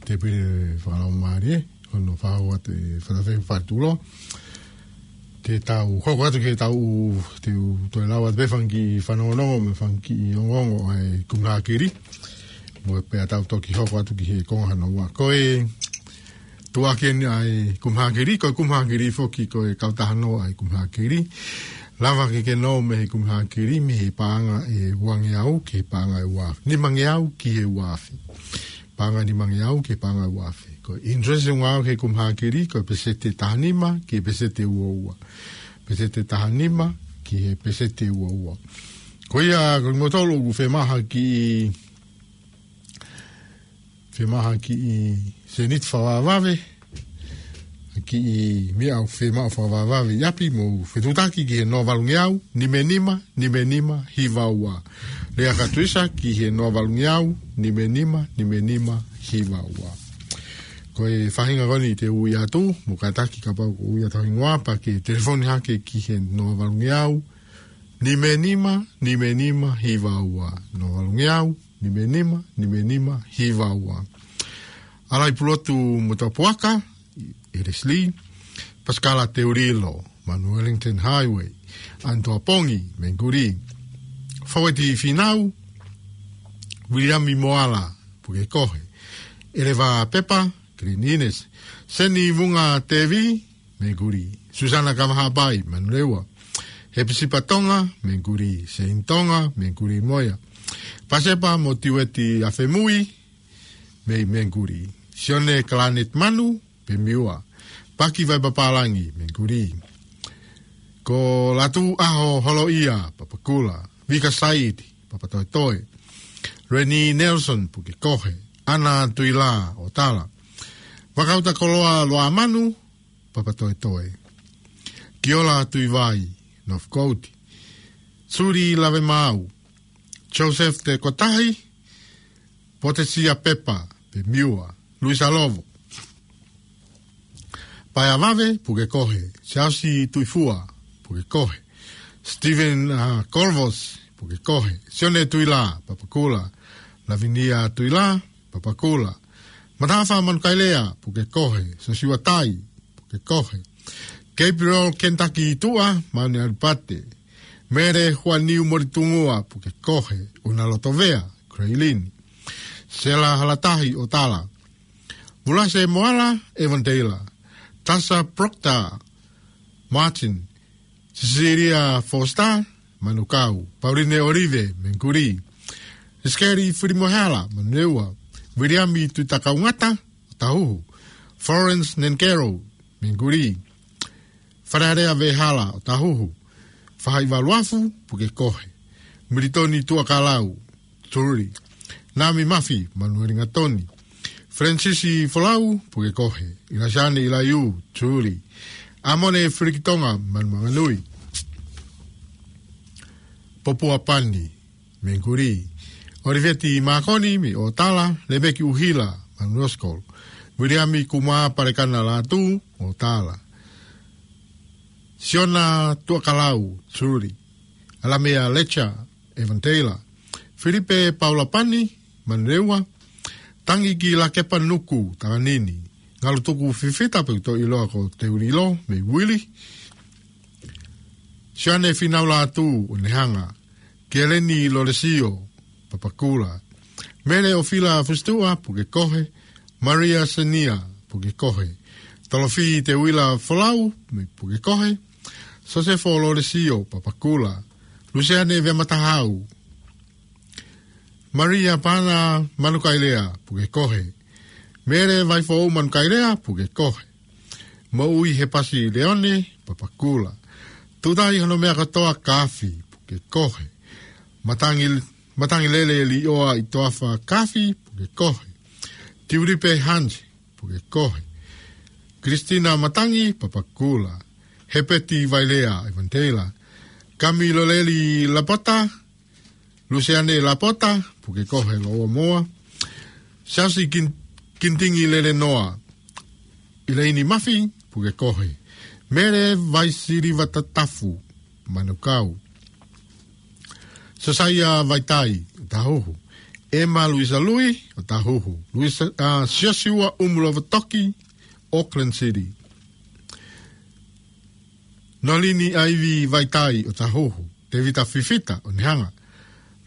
tēpile fakalaumālie, hono fau atu e fakafeʻiloaki fakatulo. Te tau hoko atu ki heʻetau, te u toe lava atu pē fanga kiʻi fanongonongo mo e fanga kiʻi ongoongo ʻa e kumi hākili. Mo e pea tau toki hoko atu ki he konga hono ua. Ko e tuʻuaki eni ʻa e kumi hākili, ko e kumi hākili foki ko e kautaha nō ʻa e kumi hākili. Lava ke ke nō mei he kumi hākili, mei he paʻanga ʻe uangeau ki he paʻanga ʻe uaafe. Nimangeau ki he uaafe. Paʻanga nimangeau ki he paʻanga ʻe uaafe. Ko e interest ʻoku ngāueʻaki he kumi hākili, ko e peseti ʻe taha nima ki he peseti ʻe ua ua. Peseti ʻe taha nima ki he peseti ʻe ua ua. Ko ia, ko kimoutolu ʻoku fiemaʻu ha kiʻi, fiemaʻu ha kiʻi sēniti fakavavevave, ha kiʻi meʻa ʻoku fiemaʻu fakavavevave ʻi ʻapi, mou fetuʻutaki ki he noa valungeau, nima nima, nima nima, hiva ua. Lea kātoa ki he noa valungeau, nima nima, nima nima, hiva ua. Ko e faʻahinga ko eni te u ui atu, mou kātaki kapau ʻoku ui atu ho hingoa pea ke telefoni hake ki he noa valungeau, nima nima, nima nima, hiva ua. Noa valungeau, nima nima, nima nima, hiva ua. ʻAlai Pulotu Motuʻapuaka, ʻi Leslie, Pasikala Teulilo, Manu Wellington Highway, ʻAnitoa Pongi, Menguli. Faueti Finau, Viliami Moala, Pukekohe. ʻEleva Pepa, Green Ines. Seni Vunga Tevi, Menguli. Susana Kavahapai, Manurewa. Hepisipa Tonga, Menguli. Sein Tonga, Menguli mo ia. Pasepa mo Tiueti Afemui, mei Menguli. Sione Kalanet Manu, Pemiua. Paki Vaipapālangi, Menguli. Ko Latu ʻAho Holoʻia, Papakura. Vika Saiti, Papatoetoe. Reni Nelson, Pukekohe. ʻAna Tuila, ʻOtala. Vakauta Koloa Loamanu, Papatoetoe. Kiola Tuivai, Northcote. Suli Lavemaau. Joseph Tekotahi, Potesia Pepa, Pemiua. Luisa Lovo. Paeavave, Pukekohe. Siaosi Tuifua, Pukekohe. Stephen, uh, Corvos, Pukekohe. Sione Tuila, Papakura. Lavinia Tuila, Papakura. Matafa Manukailea, Pukekohe. Sosiua Tai, Pukekohe. Gabriel Kentucky Tua, Mauni Alipate. Mere Huaniu Moritungua, Pukekohe. Una Lotovea, Creilin. Sela Halatahi, ʻOtala. Vulase Moala, Evandela. Tasa Proctor, Martin. Cecilia Foster, Manukau. Pauline Olive, Menguli. Iskeli Filimohala, Manurewa. Viliami Tuitakaungata, ʻOtahuhu. Florence Nenkero, Menguli. Falealea Vehala, ʻOtahuhu. Fahaivaluafu, Pukekohe. Militoni Tuakalau, Tuli. Nami Mafi, Manueli Ngatoni. Francis Folau, Pukekohe. Ilasane Ilaiu, Tuli. Amone Filikitonga, Manumanganui. Popua Pani, Menguli. ʻOliveti Mākoni mei ʻOtala, Lemeki ʻUhila mei Northcote, Viliami Kumā Palekana Lātū, ʻOtala, Siona Tuʻakalau, Tuli, ʻAlamea Lecha, Evan Taylor, Filipe Paula Pani, Manurewa, Tangi ki Lakepa Nuku, Tanganini, Ngalutuku Fifita pe ʻoku ʻiloa ko Teulilo, mei Uili, Sione Finau Lātū, ʻOnehanga, Keleni Lolesio, Papakula, Mele ʻOfila Fusituʻa, Pukekohe, Maria Senia, Pukekohe, Tolofi Teuila Folau, mei Pukekohe, Sosefo Lolesio, Papakula, Luseane Vematahau, Maria Pana Manukailea, Pukekohe, Mele Vaifou Manukailea, Pukekohe, Moʻui Hepasi Leone, Papakula, Tutai Honomea Katoa Kafi, Pukekohe, Matangi, Matangilele Lioa ʻi Toafa Kafi, Pukekohe, Tiulipe Hansi, Pukekohe, Kristina Matangi, Papakula, Hepeti Vailea, Evan Taylor, Kami Loleli Lapota, Luseane Lapota, Pukekohe, Loʻomoa, Siasi Kin-, Kintingi Lelenoa, ʻIleini Mafi, Pukekohe, Mele Vaisiliva Tatafu, Manukau, Sosaia Vaitai, Otahuhu, Ema Luisa Lui, Otahuhu, Luisa, ʻa, Siosiua ʻUmulova Toki, Auckland City, Nolini ʻAivi Vaitai, Otahuhu, Tevita Fifita, ʻOnehanga,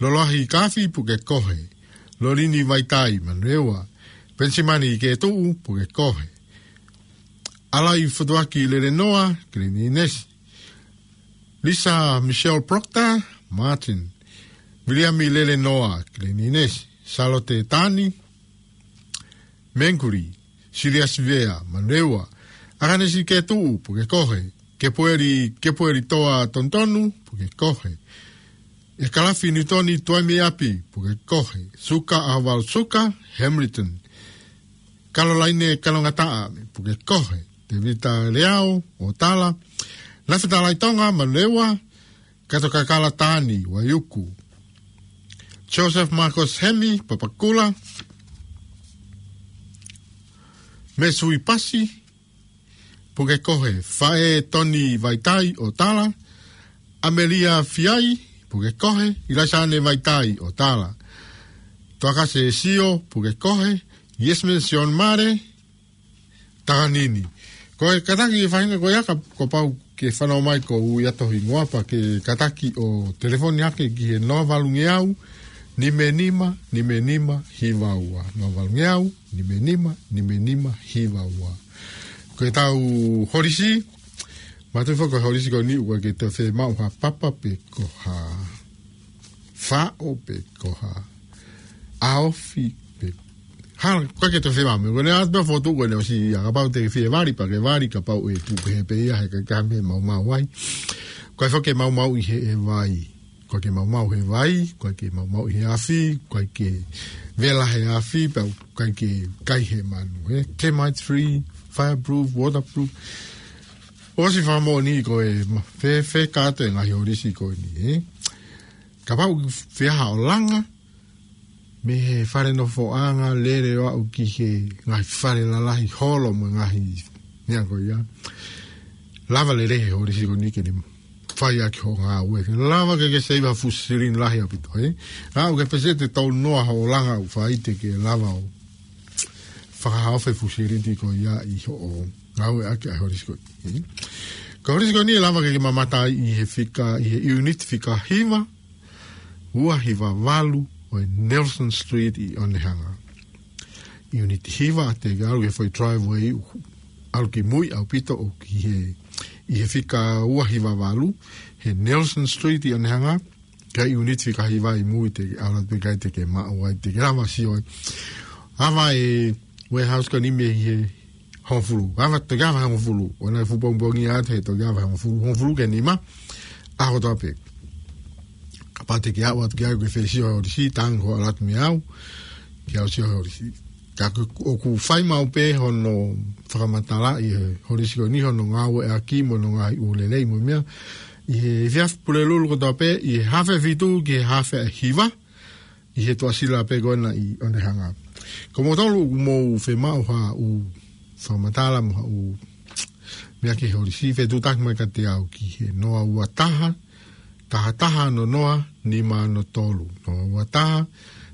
Loloahi Kafi, Pukekohe, Lolini Vaitai, Manurewa, Penisimani Ketuʻu, Pukekohe, ʻAlai Fotuaki Lelenoa, Kilinisi, Lisa Michelle Proctor, Martin, Viliami Lelenoa, Kilinisi, Salote Tani, Menguli, Siliasi Vea, Manurewa, ʻAkanesi Ketuʻu, Pukekohe, Kepueli, Kepueli Toa Tonutonu, Pukekohe, ʻEkalafi Niutoni Tuaimiapi, Pukekohe, Suka ʻAhovalu Suka, Hamilton, Kalolaine Kalongataʻa, Pukekohe, Tevita Leao, ʻOtala, Nafita Laitonga, Manurewa, Kato Kakala Tani, Vaiuku, Joseph Marcus Hemi, Papakula, Mesui Pasi, Pukekohe, Faʻē Toni Vaitai, ʻOtala, ʻAmelia Fiai, Pukekohe, ʻIlaisane Vaitai, ʻOtala, Toakase Sio, Pukekohe, Yesmen Sion Mare, Tanganini. Ko e kātaki e faʻahinga ko ia ka, kuo pau ke fanau mai ko ui atu ho hingoa pea ke kātaki ʻo telefoni hake ki he noa valu ngeau, nima nima, nima nima, hiva ua. Noa valu ngeau, nima nima, nima nima, hiva ua. Ko ʻetau holisi, mātuʻa foki ko e holisi ko eni ʻoku ʻikai ke toe fiemaʻu ha papa pe ko ha faʻo pe ko ha ʻaofi pe hala, ʻoku ʻikai ke toe fiemaʻu. Meʻa ko eni ʻa e fotu ko eni ʻosi ia, kapau te ke fie vali pea ke vali, kapau ʻe tupu pehē pē ia he ʻikai ke ʻi ai ha meʻa maumau ai. ʻOku ʻikai foki ke maumau ʻi he, he vai. ʻOku ʻikai ke maumau he vai, ʻoku ʻikai ke maumau ʻi he afi, ʻoku ʻikai ke vela he afi, pea ʻoku ʻikai ke kai he manu, ē? Termite free, fireproof, waterproof. ʻOsi fakamoʻoni ko e ma-, fē, fē kātoa e ngaahi holisi ko eni, ē? Kapau ʻoku ke fie ʻalu ʻo langa mei he fale nofoʻanga, lele ʻo aʻu ki he ngaahi fale lalahi, holo mo e ngaahi meʻa ko ia, lava lelei he holisi ko eni ke ne fai ʻaki hoʻo ngāue. Lava ke ke save ha fuʻu silini lahi ʻaupito, ē? Aʻu ki he pēseti ʻe tolu noa hoʻo langa ʻoku fai te ke lava ʻo fakahaofi e fuʻu silini ko ia ʻi hoʻo ngāueʻaki ʻa e holisi ko eni. Ko e holisi ko eni ʻe lava ke ke mamata ai ʻi he fika, ʻi he ʻiuniti fika hiva, ua hiva valu ʻo e Nelson Street ʻi ʻOnehanga. ʻIuniti hiva, te ke ʻalu ki he foʻi driveway ʻoku ʻalu ki mui ʻaupito ʻoku ʻi he, ʻi he fika ua hiva valu, he Nelson Street ʻi ʻOnehanga, ka ʻiuniti fika hiva ʻi mui te ke ʻalu atu pē ki ai te ke maʻu ai, te ke lava sio ai. Ava e warehouse ko eni mei he hongofulu. Ava, toki ava hongofulu. ʻOua naʻa fuʻu pongipongi atu he toki ava hongofulu. Hongofulu ki he nima, ʻaho kotoa pē. Kapau te ke aʻu atu ki ai ʻoku ke fie sio he holisi, tangi hoʻo ʻalu atu mei au ke u sio he holisi. Ka ʻoku, ʻoku fai maʻu pē hono fakamatalaʻi he holisi ko eni hono ngāueʻaki mo hono ngaahi ʻū lelei mo e meʻa ʻi he efiafi Pulelulu kotoa pē, ʻi he hafe fitu ki he hafe hiva, ʻi he tuʻasila pē ko ena ʻi ʻOnehanga. Ko moutolu ʻoku mou fiemaʻu haʻu fakamatala mo haʻu meʻa ki he holisi, fetuʻutaki mai kiate au ki he noa ua taha, taha taha ono noa, nima ono tolu. Noa ua taha,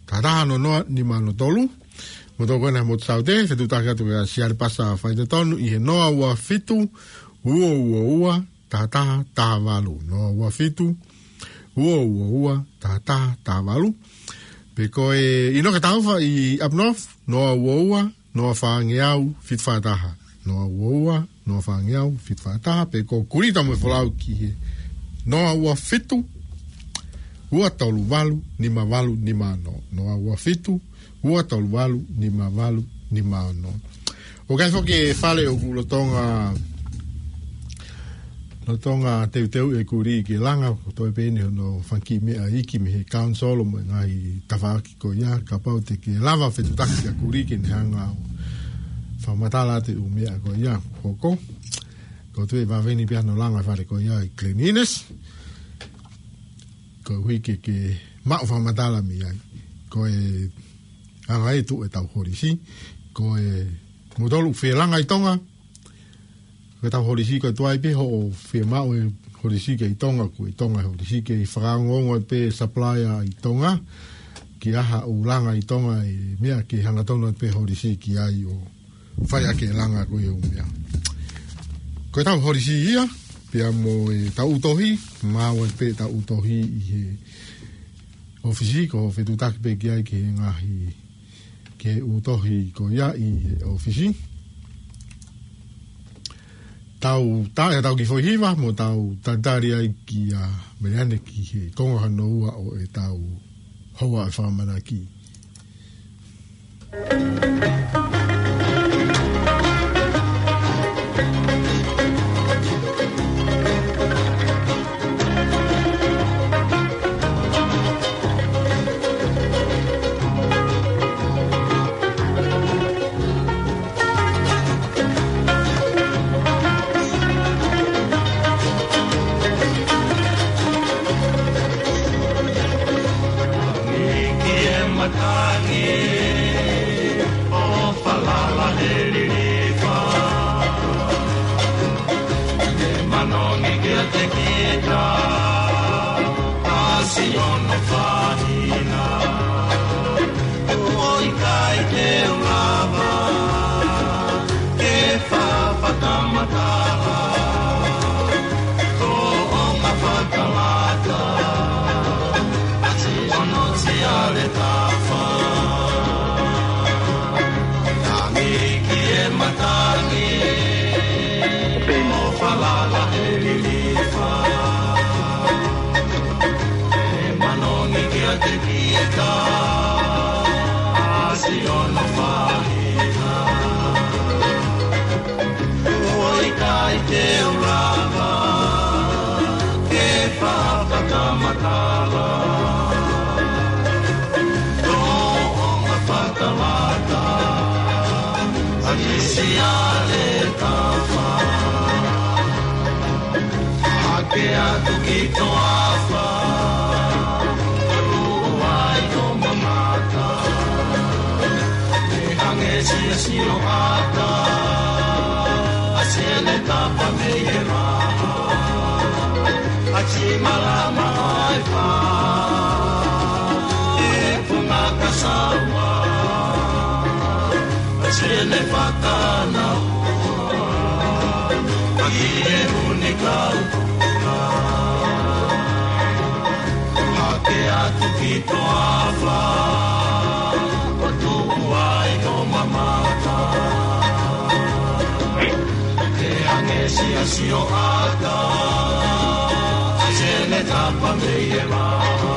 taha taha ono noa, nima ono tolu. Moutolu ko ena motu Saute, fetuʻutaki atu kia Siale Pasa Faitotonu ʻi he noa ua fitu, ua ua ua, taha taha taha valu. Noa ua fitu, ua ua ua, taha taha taha valu. Pe ko e ʻInoke Taufa ʻi Up North, noa ua ua, noa fāngeau, fitu fā taha. Noa ua ua, noa fāngeau, fitu fā taha. Pe ko Kulita mo e Folau ki he noa ua fitu, ua tolu valu, nima valu nima ono. Noa ua fitu, ua tolu valu, nima valu nima ono. ʻOku ʻi ai foki e fale ʻoku lolotonga, lolotonga teuteu e kulī ke langa, ko e toe pē eni hono fanga kiʻi meʻa iiki mei he council mo e ngaahi tafaʻaki ko ia, kapau te ke lava fetuʻutaki ʻa e kulī ke ne hanga ʻo fakamatala atu e ʻū meʻa ko ia ʻoku hoko. Ko e toe vave ni pē hono langa e fale ko ia ʻi cleanliness. Koeʻuhi ke, ke maʻu fakamatala mei ai. Ko e anga e tuʻu e tau holisi. Ko e moutolu fie langa ʻi Tonga. Ko e tau holisi ko e tuai pē hoʻo fiemaʻu e holisi ki ʻi Tonga, ko ʻi Tonga e holisi, ke fakaongoongo pē supplier ʻi Tonga. Ki ha ʻū langa ʻi Tonga e meʻa ke hangatonu pē holisi ki ai ʻo fai ʻaki e langa ko ia ʻū meʻa. Ko e tau holisi ia, pea mo e tau ʻū tohi, maʻu ai pē tau ʻū tohi ʻi he ʻōfisi, ko e fetuʻutaki pē ki ai ki he ngaahi, ki he ʻū tohi ko ia ʻi he ʻōfisi. Tau tā, ʻe tau kiʻi foʻi hiva, mo tau talitali ai kia Meleane ki he konga hono ua ʻo e tau houa e fakamanaki. Matangi ʻo falala he lilifa. Ke manongi kiate kita, ʻasi hono fahina. ʻOku ʻikai te u lava ke fafata matala. Ko ʻonga fakalata, ʻasi hono Siale Tafa. Tangi ki he matangi, ʻo falala he lilifa. Ke manongi kiate kita, ʻasi hono fahina. ʻOku ʻikai te u lava ke fafata matala. Ko ʻonga fakalata, ʻasi Siale Tafa. Hake atu ki toafa, ʻoku ai ʻo mamata. Hangē siʻa siʻoata, ʻasi ʻene tapa mei he maha. ʻAsi malama ai fa, e funga kasaua. ʻAsi ʻene fakanaua, ʻaki e ʻū nikau puna. Hake atu ki toafa, ʻoku tuʻu ai ʻo mamata. Ke hangē siʻa siʻoata, ʻasi ʻene tapa mei he maha.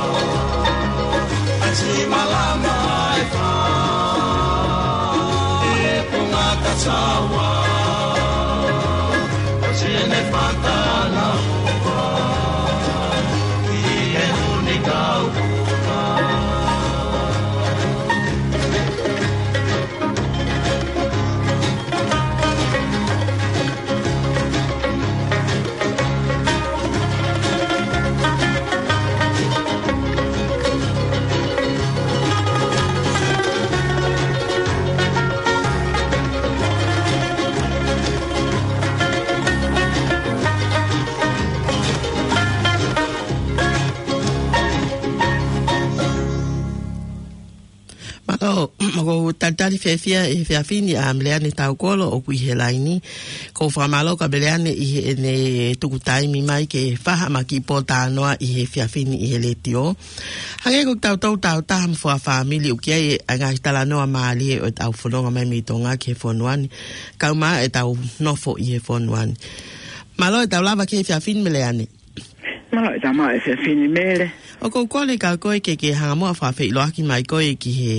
ʻAsi malama ai fa, e funga kasaua. ʻAsi ʻene fakanaua, ʻi he ʻū nikau puna. Tali fiefia ʻi he efiafi ni ʻa Meleane Taukolo ʻoku ʻi he laini. Ko e fakamālō kia Meleane ʻi heʻene tuku taimi mai ke fai haʻama kiʻi pōtalanoa ʻi he efiafi ni ʻi he letiō. Hangē ko ʻetau toutou taha mo e fakafāmili ʻoku ʻi ai e ngaahi talanoa mālie ʻo ʻetau fononga mai mei Tonga ki he fonua ni. Kae ʻumaʻā ʻetau nofo ʻi he fonua ni. Mālō ʻetau lava ki he efiafi ni Meleane. Mālō e tama e efiafi ni Mele. ʻOku ou kole kia koe ke ke hanga muʻa ʻo fakafeʻiloaki mai koe ki he,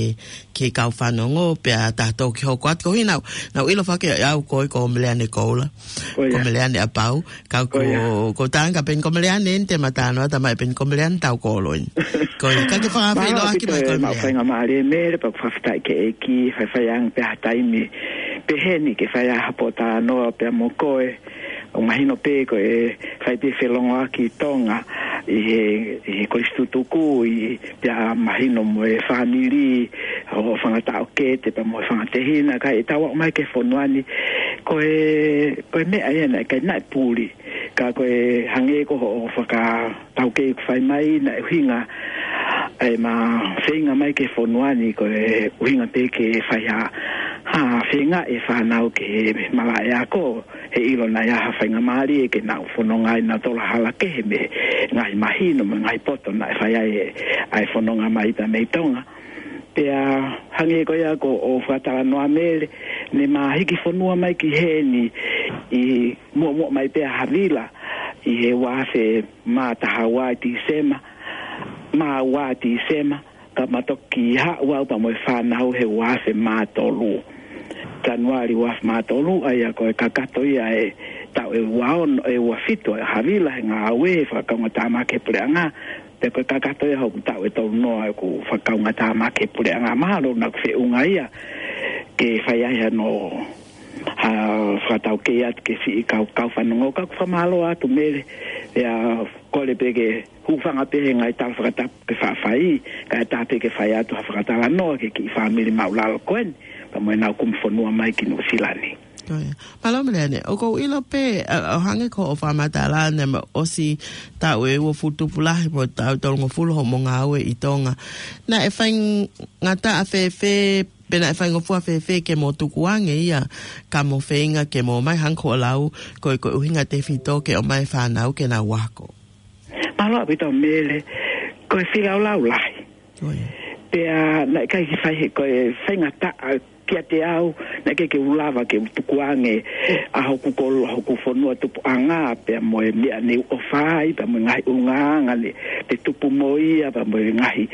ki he kau fanongo pea tā ʻoku ke hoko atu. Ko e hā, naʻa ku ʻilo foki ʻe au koe ko Meleane Koula. Ko ia. Ko Meleane ʻApau. Ka ko, ko ia. Ko Tangata Peni ko Meleane eni te ma talanoa atu mai pē ko Meleane Taukolo eni. Ko ia, ka ke fakafeʻiloaki mai koe Meleane. Mālō ʻaupito e maʻu faingamālie Mele, pea ʻoku ou fakafetaʻi ki he ʻEiki, fai faiangi pē ha taimi pehē ni ke fai ai ha pōtalanoa pea mo koe. ʻOku mahino pē ko e fai pē felongoaki Tonga ʻi he, ʻi he kolisi tutuku ʻi, pea mahino mo e fāmili ʻo Fanga Taʻokete pea mo e Fanga Tehina, ka ʻi heʻetau aʻu mai ki he fonua ni, ko e, ko e meʻa ia naʻe ʻikai naʻe puli. Ka ko e hangē ko hoʻo fakataukei ʻoku fai mai naʻe ʻuhinga ʻema feinga mai ki he fonua ni ko e ʻuhinga pē ke fai ha, ha feinga e fānau ke malaʻe ako, he ʻilo naʻe ʻi ai ha faingamālie ke nau fononga ai nautolu ʻi ha hala kehe mei he ngaahi mahino mo e ngaahi poto naʻe fai ai e, ʻa e fononga mai pea mei Tonga. Pea hangē ko ia ko hoʻo fakatalanoa Mele, ne ma hiki fonua mai ki heni ʻi muʻomuʻa mai pē ʻa Havila ʻi he ua afe mā taha ua ʻi Tīsema, mā ua Tīsema, ka ma toki haʻu au pea mo e fānau he ua afe mā tolu. Tanuali ua afe mā tolu, ʻa ia ko e kakato ia e taʻu ʻe ua ono, ʻe ua fitu ʻa Havila he ngāue fakakaungātāmaki he puleʻanga, pea ko e kakato ia hoku taʻu ʻe tolu noa ʻeku fakakaungātāmaki he puleʻanga. Mahalo naʻa ku feʻunga ia ke fai ai hano, ha fakataukei atu ki he siʻi kau, kau fanongo, ka ʻoku ou fakamālō atu Mele, pea kole pē ke hūfanga pē he ngaahi tala fakatapu ke faʻa fai, kae ʻatā pē ke fai atu ha fakatalanoa ki he kiʻi fāmili māʻulalo ko eni, pea mo ʻenau kumi fonua mai ki Nuʻusila ni. Ko ia. Mālō Meleane, ʻoku ou ʻilo pē, ʻa, ʻo hangē ko hoʻo fakamatala naʻe ʻosi taʻu ʻe uofulu tupu lahi mo e taʻu ʻe tolungofulu hoʻomo ngāue ʻi Tonga. Naʻe faingataʻa fēfē, pe naʻe faingofua fēfē ke mo tukuange ia ka mo feinga ke mo ō mai hangē ko hoʻo lau, ko e, ko e ʻuhinga tefito ke ʻomai e fānau ke nau ako? Mālō ʻaupito Mele, ko e feilaulau lahi. Ko ia. Pea naʻe ʻikai ke fai he, ko e faingataʻa kiate au, naʻe ʻikai ke u lava ke u tukuange ʻa hoku kolo, hoku fonua tupuʻanga, pea mo e meʻa ne u ʻofa ai, pea mo e ngaahi ʻulungaanga ne, ne tupu mo ia, pea mo e ngaahi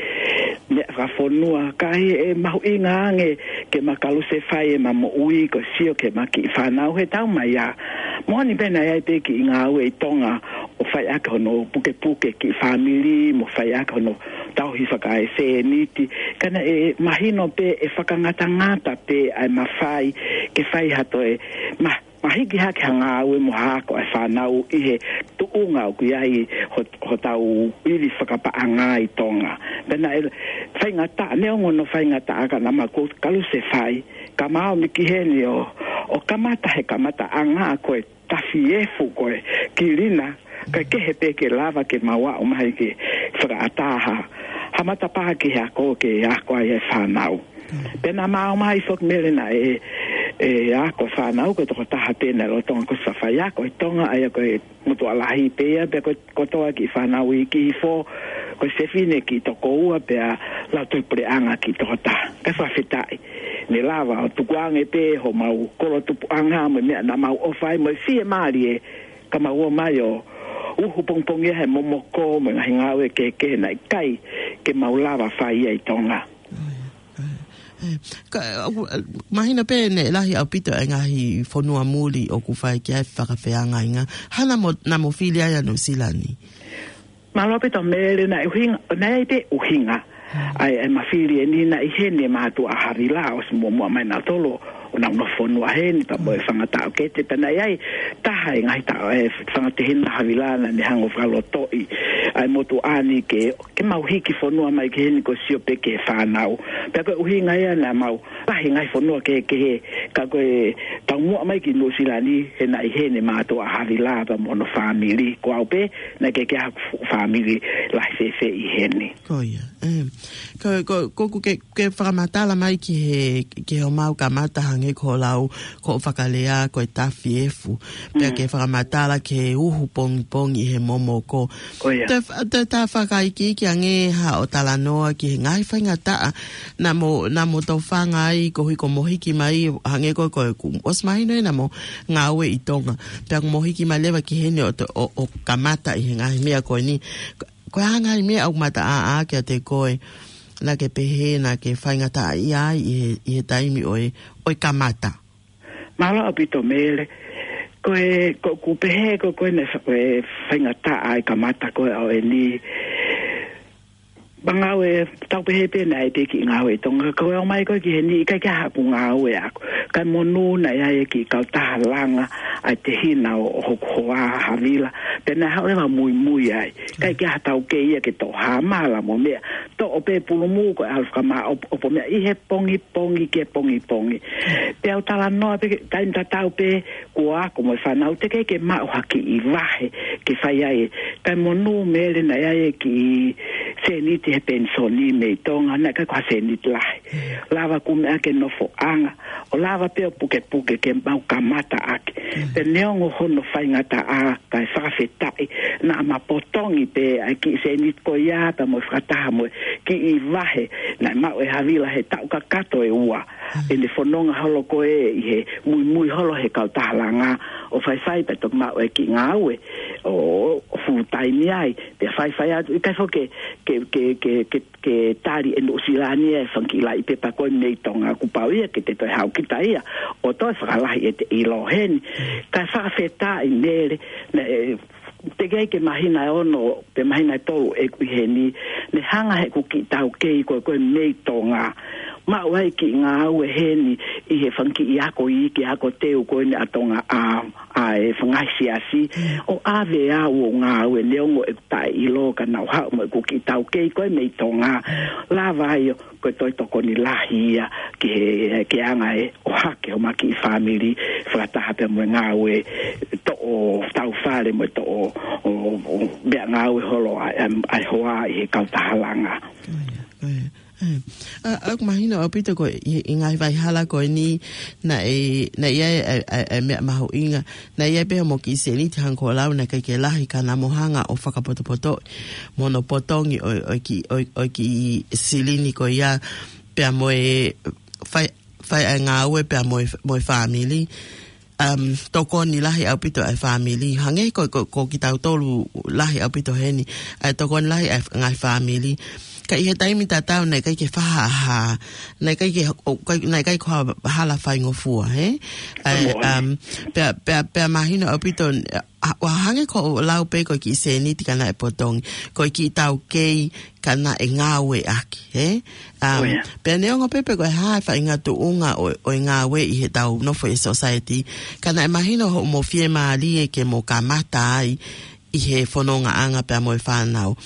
meʻa fakafonua, ka ʻi he mahuʻinga ange ke ma kalusefai ʻema moʻui ko e sio ki heʻema kiʻi fānau he taʻu mai ā. Moʻoni pē naʻe ʻi ai pē kiʻi ngāue ʻi Tonga ʻo fai ʻaki hono pukepuke kiʻi fāmili, mo fai ʻaki hono tauhi fakaesēniti. Ka naʻe mahino pē ʻe fakangatangata pē ʻa e mafai ke fai ha toe ma, ma hiki hake ha ngāue mo ha ako ʻa e fānau ʻi he tuʻunga ʻoku ʻi ai ho, hotau ivi fakapaʻanga ʻi Tonga. Pea naʻe faingataʻa, neongo hono faingataʻa ka naʻa ma kalusefai, ka ma ō mai ki heni ʻo, ʻo kamata he kamataʻanga ko e tafi efu ko e kilina, kae kehe pē ke lava ke mau aʻu mai ke fakaʻatā ha, ha matapā ki he ako ke ako ai e fānau. Pea naʻa ma ō mai foki Mele naʻe, ʻe ako fānau ko e tokotaha pē naʻe lolotonga ko e faiako ʻi Tonga, ʻa ia ko e motuʻa lahi pē ia, pea ko e kotoa kiʻi fānau iiki hifo, ko e fefine kiʻi toko ua pea lautohi puleʻanga kiʻi toko taha. Kae fakafetaʻi. Ne lava ʻo tukuange pē homau kolo tupuʻanga mo e meʻa naʻa mau ʻofa ai mo e fiemālie ka mau ō mai ʻo uhu pongipongia he momoko mo e ngaahi ngāue kehekehe naʻe ʻikai ke mau lava fai ia ʻi Tonga. ʻE, ka, ʻoku, mahino pē ne lahi ʻaupito e ngaahi fonua muli ʻoku fai ki ai fakafeangainga. Hā naʻa mo, naʻa mo fili ai ʻa Nuʻusila ni? Mālō ʻaupito Mele, naʻe ʻuhinga, naʻe ʻi ai pē ʻuhinga. ʻA e, ʻema fili eni naʻe ʻi heni e mātuʻa ʻa Havila ʻosi muʻomuʻa mai nautolu ʻo nau nofo fonua heni, pea mo e Fanga Taʻokete, pea naʻe ʻi ai taha e ngaahi taʻo, e Fanga Tehina ʻa Havila naʻa ne hanga ʻo fakalotoʻi ʻa e motuʻa ni ke, ke mau hiki fonua mai ki heni ko e sio pē ki he fānau. Pea ko e ʻuhinga ia naʻa mau lahi ngaahi fonua kehekehe Ka ko e taumuʻa mai ki Nuʻusila ni, he naʻe ʻi heni mātuʻa ʻa Havila pea mo hono fāmili. Ko au pē, naʻe ʻikai ke ʻi ai haku fāmili lahi fēfē ʻi heni. Ko ia. Ko, ko, ko, ko ke, ke fakamatala mai ki he, ki he ʻomai ʻo kamata hangē ko e lau, ko e fakalea, ko e tafiefu. Pea ke fakamatala ki he uhu pongipongi he momoko. Ko ia. Te, te ta fakaikiiki ange ha ʻo talanoa ki he ngaahi faingataʻa naʻa mo, naʻa mo tofanga ai koeʻuhi ko hoʻomo hiki mai, hangē ko, ko, kuo ʻosi mahino ē naʻa mo ngāue ʻi Tonga. Pea kuo mo hiki mai leva ki heni ʻo, ʻo, ʻo kamata ʻi he ngaahi meʻa ko eni. Ko e hā ngaahi meʻa ʻoku mataʻāʻā kiate koe naʻa ke pehē naʻa ke faingataʻaʻia ai ʻi he, ʻi he taimi ʻo e, ʻo e kamata? Mālō ʻaupito Mele. Ko e, ko, ʻoku pehē ko, ko ena fa-, e faingataʻa e kamata ko ē ʻo eni. Pea ngāue, tau pehē pē naʻe ʻikai ke ngāue ʻi Tonga, ka ko e ʻomai ko ē ki heni ʻikai ke ʻi ai haku ngāue ʻaʻaku. Kae monū naʻe ʻi ai e kiʻi kautaha langa ʻa e tehina ʻo, ʻo hoku hoa ʻa Havila. Pea naʻe haʻu leva ʻo muimui ai. ʻIkai ke ʻi ai ha taukei ia ke toʻo hā mala mo meʻa. Toʻo pē pulumuʻa ko e ʻalu fakamāʻopoʻopo meʻa ʻi he pongipongi ki he pongipongi. Pea u talanoa pē, taimi tatau pē, kuo ako mo e fānau teʻeki ke maʻu ha kiʻi vahe ke fai ai. Kae monū Mele naʻe ʻi ai e kiʻi sēniti he penisoni mei Tonga, naʻe ʻikai ko ha sēniti lahi. Lava kumi ʻaki e nofoʻanga, ʻo lava pē ʻo pukepuke ke mau kamata ʻaki. Pea neongo hono faingataʻa, kae fakafetaʻi, naʻa ma potongi pē ʻa e kiʻi sēniti ko ia pea mo e fakataha mo e kiʻi vahe naʻe maʻu ʻe Havila he taʻu kakato ʻe ua. ʻEne fononga holo ko ē ʻi he muimui holo he kautaha langa ʻo faifai pea toki maʻu e kiʻi ngāue ʻo, ʻo full time ai. Pea faifai atu, ʻikai foki ke, ke, ke, ke, ke, ke tali ʻe Nuʻusila ni e fanga kiʻi laʻi pepa ko ē mei Tonga, kuo pau ia ke te toe haʻu kita ia ʻo toe fakalahi ʻete ʻilo heni. Kae fakafetaʻi Mele, naʻe, teʻeki ai ke māhina ʻe ono, pe māhina ʻe tolu ʻeku ʻi heni, ne hanga heʻeku kiʻi taukei ko ē ko ē mei Tonga. Maʻu ai kiʻi ngāue heni ʻi he fanga kiʻi ako iiki, ako teu ko eni ʻa Tonga ʻa, ʻa e fanga siasi. ʻO ʻave au ʻo ngāue neongo ʻeku taʻeʻilo ka naʻa ku haʻu mo ʻeku kiʻi taukei ko ē mei Tonga. Lava ai ʻo ko e toe tokoni lahi ia ki he, ki he anga e ʻohake homa kiʻi fāmili, fakataha pea mo e ngāue toʻo tau fale mo e toʻo, ʻo, ʻo, meʻa ngāue holo ʻa, ʻa, ʻa e hoa ʻi he kautaha langa. Ko ia, ko ia. ʻA, ʻa, ʻoku mahino ʻaupito ko e, ʻi, ʻi he ngaahi faihala ko eni, naʻe, naʻe ʻi ai, ʻa, ʻa, ʻa e meʻa mahuʻinga, naʻe ʻi ai pē hoʻomo kiʻi sēniti hangē ko e lau naʻe ʻikai ke lahi ka naʻa mo hanga ʻo fakapotopotoʻi mo hono potongi ʻo, ʻo e kiʻi, ʻo, ʻo e kiʻi silini ko ia pea mo e fai, fai ʻa e ngāue pea mo e, mo e fāmili. Um, tokoni lahi ʻaupito ʻa e fāmili. Hangē ko, ko, ko kitautolu lahi ʻaupito heni. ʻA e tokoni lahi ʻa e ngaahi fāmili. Ka ʻi he taimi tatau naʻe ʻikai ke fahaha. Naʻe ʻikai ke, ʻo, ʻikai, naʻe ʻikai ko ha hala faingofua, hē? ʻA e, um, pea, pea, pea mahino ʻaupito, ʻa, ʻo hangē ko hoʻo lau pē ko e kiʻi sēniti ka naʻe potongi, ko e kiʻi taukei ka naʻe ngāueʻaki, hē? Um, pea neongo pē pe ko e hā e faʻahinga tuʻunga ʻo, ʻo e ngāue ʻi heʻetau nofo ʻi he society, ka naʻe mahino hoʻomo fiemālie ke mo kamata ai ʻi he fonongaʻanga pea mo e fānau.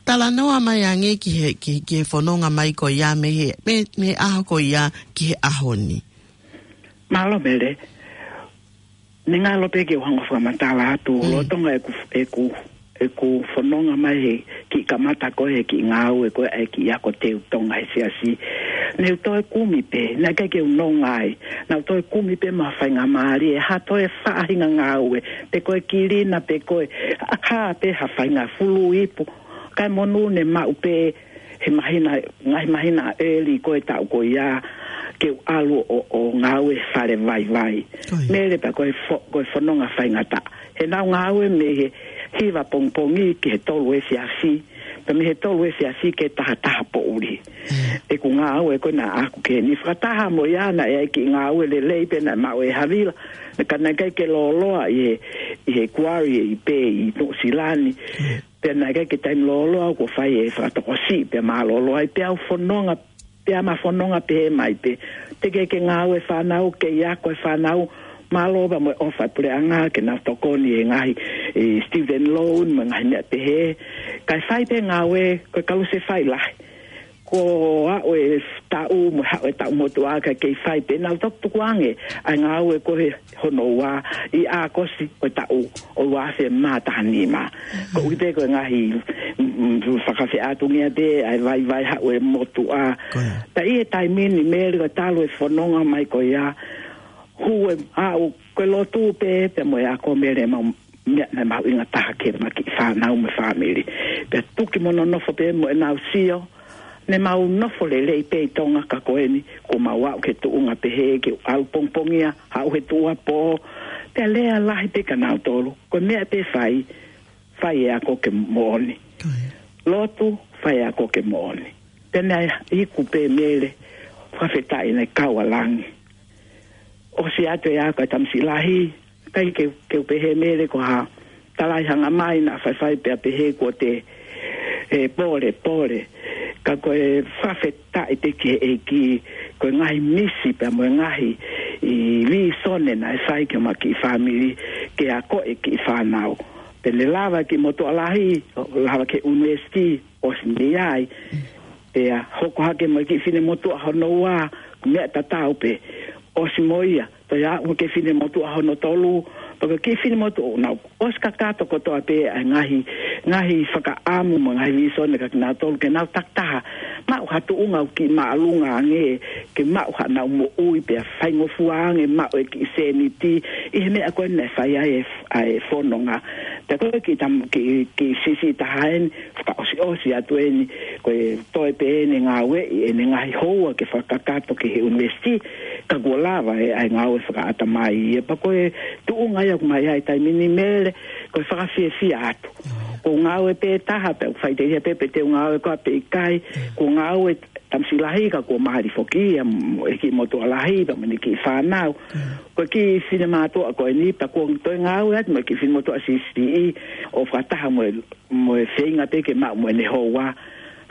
Talanoa mai ange ki he, ki, ki he fononga mai ko ia mei he, mei, mei he ʻaho ko ia ki he ʻaho ni. Mālō Mele. Ne ngalo pē ke u hanga ʻo fakamatala atu, lolotonga ʻeku, ʻeku, ʻeku fononga mai he kiʻi kamata ko ē he kiʻi ngāue ko ē ʻa e kiʻi ako teu Tonga he siasi. Ne u toe kumi pē, naʻe ʻikai ke u nonga ai. Naʻa u toe kumi pē mo ha faingamālie, ha toe faʻahinga ngāue, pe ko e kilina, pe ko e, ʻa, ha pē ha faʻahinga fulu ipu. Kae monū ne maʻu pē he māhina, ngaahi māhina early ko ē taʻu ko ia ke u ʻalu ʻo, ʻo ngāue fale vaivai. Mele pea ko e fo-, ko e fononga faingataʻa. He naʻa ku ngāue mei he hiva pongipongi ki he tolu efiafi. Pea mei he tolu efiafi ki he taha taha poʻuli. ʻEku ngāue ko ē naʻa ku ke ni fakataha mo ia naʻe ʻi ai e kiʻi ngāue lelei pē naʻe maʻu ʻe Havila. Ka naʻe ʻikai ke lōloa ʻi he, ʻi he kuari ʻi pē ʻi Nuʻusila ni. Pea naʻe ʻikai ke taimi lōloa kuo fai e fakatokosiʻi pea mālōlō ai pea u fononga, pea ma fononga pehē mai pē. Teʻeki ke ngāue fānau, kei ako e fānau, mālō pea mo e ʻofa e puleʻanga ke nau tokoni he ngaahi, e, student loan, mo e ngaahi meʻa pehē. Kae fai pē ngāue, ko e kalu se fai lahi. ko e aʻu e taʻu mo e aʻu e taʻu motuʻa ka kei fai pē, nau toki tukuange ʻa e ngāue ko ē hono ua ʻi ʻAokosi ʻo e taʻu ʻo e ua afe mā taha nima. Ko ui pē ko e ngaahi, mm, mm, fakafeʻātungia pē ʻa e vaivai aʻu e motuʻa. Ko ia. Pea ʻi he taimi ni Mele, ko e talu e fononga mai ko ia, hū e aʻu ko e lotu pē, pea mo e ako Mele, mau meʻa naʻe mahuʻinga taha ki heʻema kiʻi fānau mo e fāmili. Pea tuki mo nonofo pē mo ʻenau sio, ne mau nofo lelei pē ʻi Tonga ka ko eni, kuo mau aʻu ki he tuʻunga pehē ke ʻalu pongipongia, aʻu he tuʻuapō, pea lea lahi pē kia nautolu. Ko e meʻa pē fai, fai e ako ke moʻoni. Ko ia. Lotu, fai e ako ke moʻoni. Pea naʻe iku pē Mele, fakafetaʻi naʻe kau ʻa langi. ʻOsi atu e ako ʻa e tamasiʻi lahi, ʻikai ke, ke u pehē Mele ko ha talai hanga mai naʻa faifai pea pehē kuo te, e, pole, pole. Ka ko e fakafetaʻi pē ki he ʻEiki, ko e ngaahi misi pea mo e ngaahi, ʻi, vīsone naʻe fai ki heʻema kiʻi fāmili, ke ako e kiʻi fānau. Pea ne lava e kiʻi motuʻa lahi, ʻo lava ki he ʻunivēsiti, ʻosi mei ai. Pea hoko hake mo e kiʻi finemotuʻa hono ua, meʻa tatau pē, ʻosi mo ia, toe aʻu ki he finemotuʻa hono tolu, pea ko e kiʻi finemotuʻa, nau ʻosi kakato kotoa pē ʻa e ngaahi, ngaahi fakaʻamu mo e ngaahi vīsone kia kinautolu ke nau takitaha maʻu ha tuʻunga ʻoku kiʻi māʻolunga ange, ke maʻu haʻanau moʻui pea faingofua ange maʻu e kiʻi sēniti, ʻi he meʻa ko ē naʻe fai ai e, ʻa e fononga. Pea ko e kiʻi tam-, kiʻi, kiʻi siʻisiʻi taha eni, fakaʻosiʻosi atu eni, ko e toe pē eni ngāueʻi ʻene ngaahi houa ke fakakakato ki he ʻunivēsiti, ka kuo lava e, ʻa e ngāue fakaʻatamai. ʻE pea ko e tuʻunga ia ʻoku mei ai taimi ni Mele, ko e fakafiefia atu. Ko e ngāue pē taha, pea ʻoku faʻiteliha pē pe te u ngāue koā pe ʻikai, ko e ngāue tamasiʻi lahi ka kuo mali foki ia, m-, e kiʻi motuʻa lahi, pea mo ʻene kiʻi fānau. Ko e kiʻi finemotuʻa ko eni, pea kuo toe ngāue atu mo e kiʻi finemotuʻa siʻisiʻi, ʻo fakataha mo e, mo e feinga pē ke maʻu mo ʻene houa,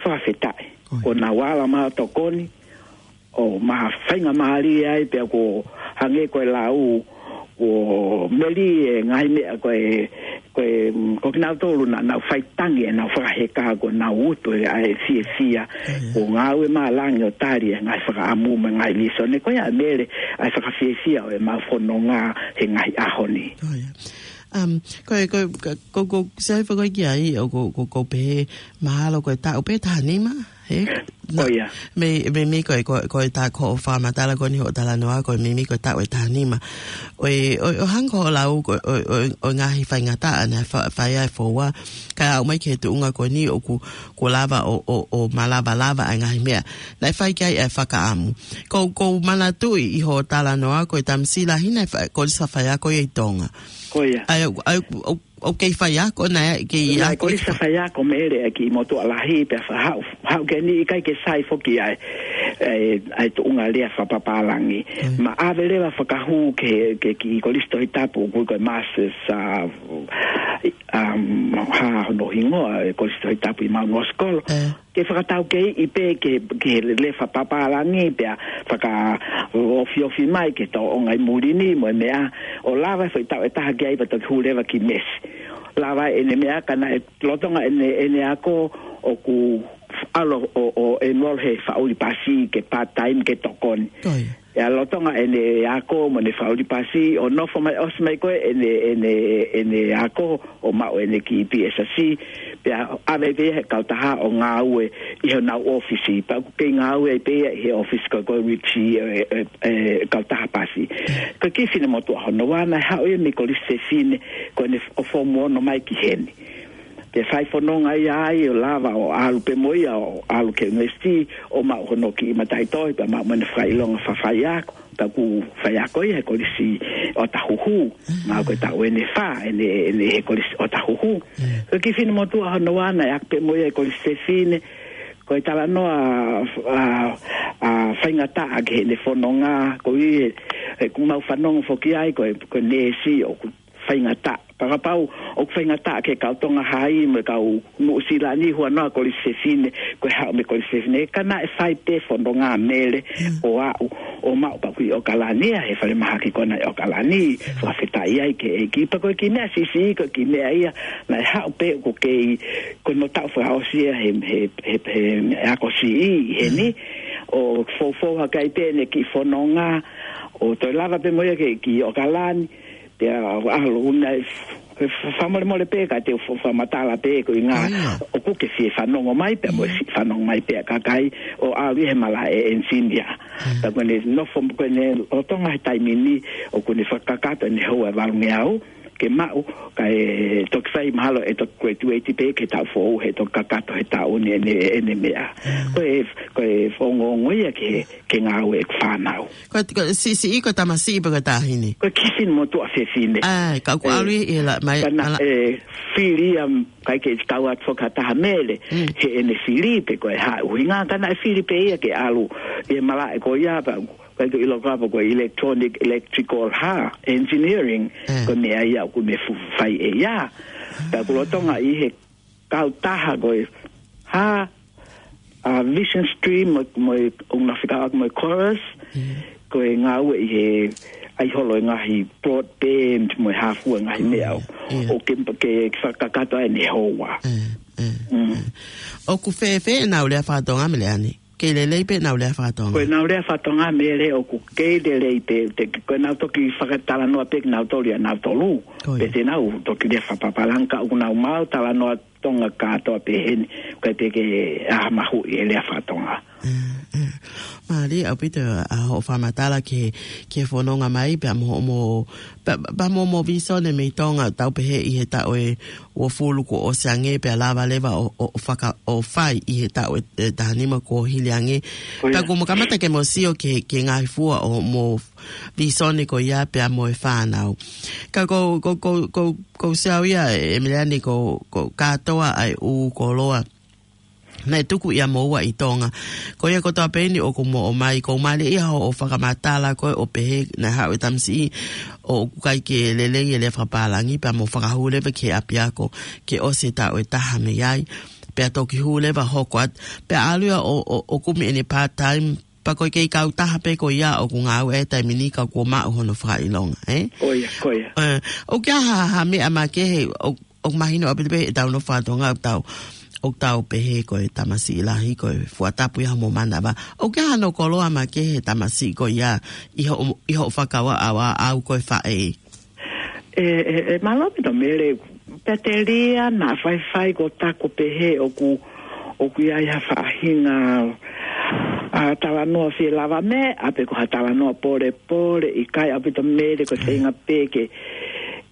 fakafetaʻi. Ko ia. Kuo nau ala mai ʻo tokoni, ʻo ma faingamālie ai pea kuo hangē ko e lau, kuo melie e ngaahi meʻa ko e, ko e, mm, ko kinautolu naʻa nau faitangi ʻenau fakaheka kuo nau utu e ʻa e fiefia. Ko e ngāue malangi ʻo tali e ngaahi fakaʻamu mo e ngaahi vīsone. Ko ia Mele ʻa e fakafiefia ʻo ʻemau fononga he ngaahi ʻaho ni. Ko ia. Um, ko e, ko e, ko, ko, ko, sai fakaʻi ki ai, ʻo ko, ko, ko pehē mahalo ko e taʻu pē taha nima, he? Ko ia. Mei, mei, mei ko e, ko, ko e tā ko e fakamatala ko eni hoʻo talanoa, ko e mei, mei ko e taʻu ʻe taha nima. ʻO e, ʻo, ʻo hangē ko hoʻo lau, ko, ʻo, ʻo, ʻo ngaahi faingataʻa naʻe fa-, fai ai e foua, kae aʻu mai ki he tuʻunga ko eni ʻoku, kuo lava ʻo, ʻo, ʻo malavalavā ʻa e ngaahi meʻa naʻe fai ki ai e fakaʻamu. Ko, ko u manatuʻi ʻi hoʻo talanoa, ko e tamasiʻi lahi naʻe fa-, kolisi faiako ia ʻi Tonga. Ko ia. ʻA ia, ʻa ia, ʻo, ʻoku kei faiako naʻe, kei ʻIo, ako kolisi faiako Mele ʻa e kiʻi motuʻa lahi, pea fa-, haʻu, haʻu ki heni ʻikai ke sai foki ʻa e, ʻa e, ʻa e tuʻunga lea fakapapālangi. Mm. Ma ʻave leva fakahū ki he, ki he kiʻi kolisi Tohitapu, ʻoku ui ko e Masters, ʻa, um, hā hono hingoa e kolisi Tohitapu ʻi Mount Roskill. Mm. Ke fakataukeiʻi pē ki he, ki he lea fakapapālangi pea fakaofiofi mai ki he tōʻonga ʻi muli ni mo e meʻa, ʻo lava e foʻi taʻu ʻe taha ki ai pea toki hū leva ki Mesi. Lava ʻene meʻa ka naʻe lolotonga ʻene, ʻene ako ʻoku ʻalu ʻo, ʻo enroll he faʻuli pasi ke part-time ke tokoni. Ko ia. ʻA ia lolotonga ʻene ako mo ʻene faʻuli pasi, ʻo nofo mai, ʻosi mai ko ē ʻene, ʻene, ʻene ako, ʻo maʻu ʻene kiʻi P S C, pea ʻave pē ia he kautaha ʻo ngāue ʻi honau ʻōfisi, pea ʻoku kei ngāue ai pē ia ʻi he ʻōfisi ko ē ko e Ritchie, ʻe, ʻe, ʻe, kautaha pasi. Ko e kiʻi finemotuʻa hono ua naʻe haʻu ia mei he Kolisi Fefine, ko ʻene f-, ʻo Form Ono mai ki heni. Pea fai fononga ia ai ʻo lava ʻo ʻalu pē mo ia ʻo ʻalu ki he ʻunivēsiti ʻo maʻu hono kiʻi mataʻitohi pea maʻu mo ʻene fakaʻilonga fakafaiako, pea ʻoku faiako ia he Kolisi Otahuhu. Mm. Mahalo ko e taʻu ʻe fā ʻene, ʻene he Kolisi Otahuhu. Mm. Ko e kiʻi finemotuʻa hono ua naʻe ako pē mo ia he Kolisi Fefine, ko e talanoa, ʻa, ʻa, faingataʻa ki heʻene fononga, ko ia, he ʻoku mau fanongo foki ai, ko e, ko e neesi ʻoku faingataʻa. Ka kapau ʻoku faingataʻa ki he kau Tonga Hai mo e kau Nuʻusila ni, huanoa Kolisi Fefine, ko e haʻu mei Kolisi Fefine. Ka naʻe fai pē fononga Mele ʻo aʻu ʻo maʻu pē ʻoku ʻi ʻOkalani ia, he falemahaki ko ena ʻi ʻOkalani, fakafetaʻi ai ki he ʻEiki. Pea ko e kiʻi meʻa siʻisiʻi, ko e kiʻi meʻa ia, naʻe haʻu pē ʻoku kei, ko hono taʻu fakaʻosi ia he, he, he, he ako siʻi heni, ʻo foufou hake ai pē ʻene kiʻi fononga, ʻo toe lava pē mo ia ki, ki ʻOkalani, pea ʻalu naʻe f-, f-, fakamolemole pē ka te u f-, fakamatala pē ko e ʻuhinga ʻoku ke fie fanongo mai pea mo e siʻi fanongo mai pē ʻa e kakai ʻo ʻalu ʻi he malaʻe engineer. Pea ko ʻene nofo, ko ʻene lolotonga he taimi ni ʻoku ne fakakakato ʻene houa ʻe valungeau ke maʻu, kae toki fai mahalo ʻe toki graduate pē ki he taʻu foʻou he toki kakato he taʻu ni ʻene, ʻene meʻa. Ko e, ko e ongoongo ia ke, ke ngāue ʻeku fānau. Ko, ko, siʻisiʻi ko e tamasiʻi pe ko e taʻahine? Ko e kiʻi fefine motuʻa fefine. ʻAi, ka ʻoku ʻalu ʻi he la-, mai, ka naʻe fili ia, ʻikai ke tau atu fakataha Mele, he ʻene fili pe ko e hā ʻuhinga, ka naʻe fili pē ia ke ʻalu ʻi he malaʻe ko ia, pea ʻikai ke u ʻilo kapau ko e electronic, electrical hā, engineering, ko e meʻa ia ʻoku ne fu-, fai ʻe ia. Pea ʻoku lolotonga ʻi he kautaha ko e hā, ʻa Vision Stream mo, mo e ʻoku na fekauʻaki mo e Chorus, ko e ngāue ʻi he ʻai holo e ngaahi broadband mo e hā fua e ngaahi meʻa ʻo, ʻo ke, ke fakakakato ai ʻene houa. ʻOku fēfē ʻenau lea faka-Tonga Mele ʻanai? Kei lelei pē ʻenau lea faka-Tonga? Ko ʻenau lea faka-Tonga Mele ʻoku kei lelei pē, te, ko ʻenau toki fakatalanoa pē kinautolu ʻia nautolu. Pe te nau toki lea fakapapālangi ka ʻoku nau maʻu talanoa Tonga kātoa pē heni, ʻikai pē ke ʻi ai ha mahuʻi e lea faka-Tonga. Mālie ʻaupito ʻa hoʻo fakamatala ki he, ki he fononga mai, pea mo, mo, pea, pea mo, mo visone mei Tonga, tau pehē ʻi he taʻu ʻe uofulu kuo ʻosi ange, pea lava leva ʻo, ʻo, ʻo faka-, ʻo fai ʻi he taʻu ʻe, ʻe taha nima kuo hili ange. Pea kuo mo kamata ke mo sio ki he, ki he ngaahi fua ʻo mo visone ko ia pea mo e fānau. Ka ko, ko, ko, ko, ko u sio au ia ʻe Mele ʻanai ko, ko kātoa ʻa e ʻū koloa naʻe tuku ʻia moua ʻi Tonga. Ko ia kotoa pē eni ʻoku mo ʻomai, ko u mālie ia hoʻo fakamatala ko ē ʻo pehē naʻe haʻu e tamasiʻi ʻoku ʻikai ke lelei e lea fakapālangi pea mo fakahū leva ki he ʻapiako ke ʻosi e taʻu ʻe taha mei ai. Pea toki hū leva hoko atu. Pea ʻalu ia ʻo, ʻo, ʻo kumi ʻene part-time pea ko e kei kautaha pē ko ia ʻoku ngāue he taimi ni ka kuo maʻu hono fakaʻilonga, ē? Ko ia, ko ia. ʻE, ʻoku ʻi ai ha, ha meʻa makehe, ʻo, ʻoku mahino ʻaupito pē ʻetau nofo faka-Tonga ʻoku tau, ʻoku tau pehē ko e tamasiʻi lahi, ko e fua tapu ia homo manava. ʻOku ʻi ai hano koloa makehe he tamasiʻi ko ia ʻi hoʻo, ʻi hoʻo fakakaukau ʻa au ko e faʻē? ʻE, ʻe, ʻe, mālō ʻaupito Mele, pea telia naʻa faifai ko taku pehē ʻoku, ʻoku ʻi ai ha faʻahinga, ʻa, talanoa fie lava meʻa, pe ko ha talanoa polepole, ʻikai ʻaupito Mele ko e feinga pē ke,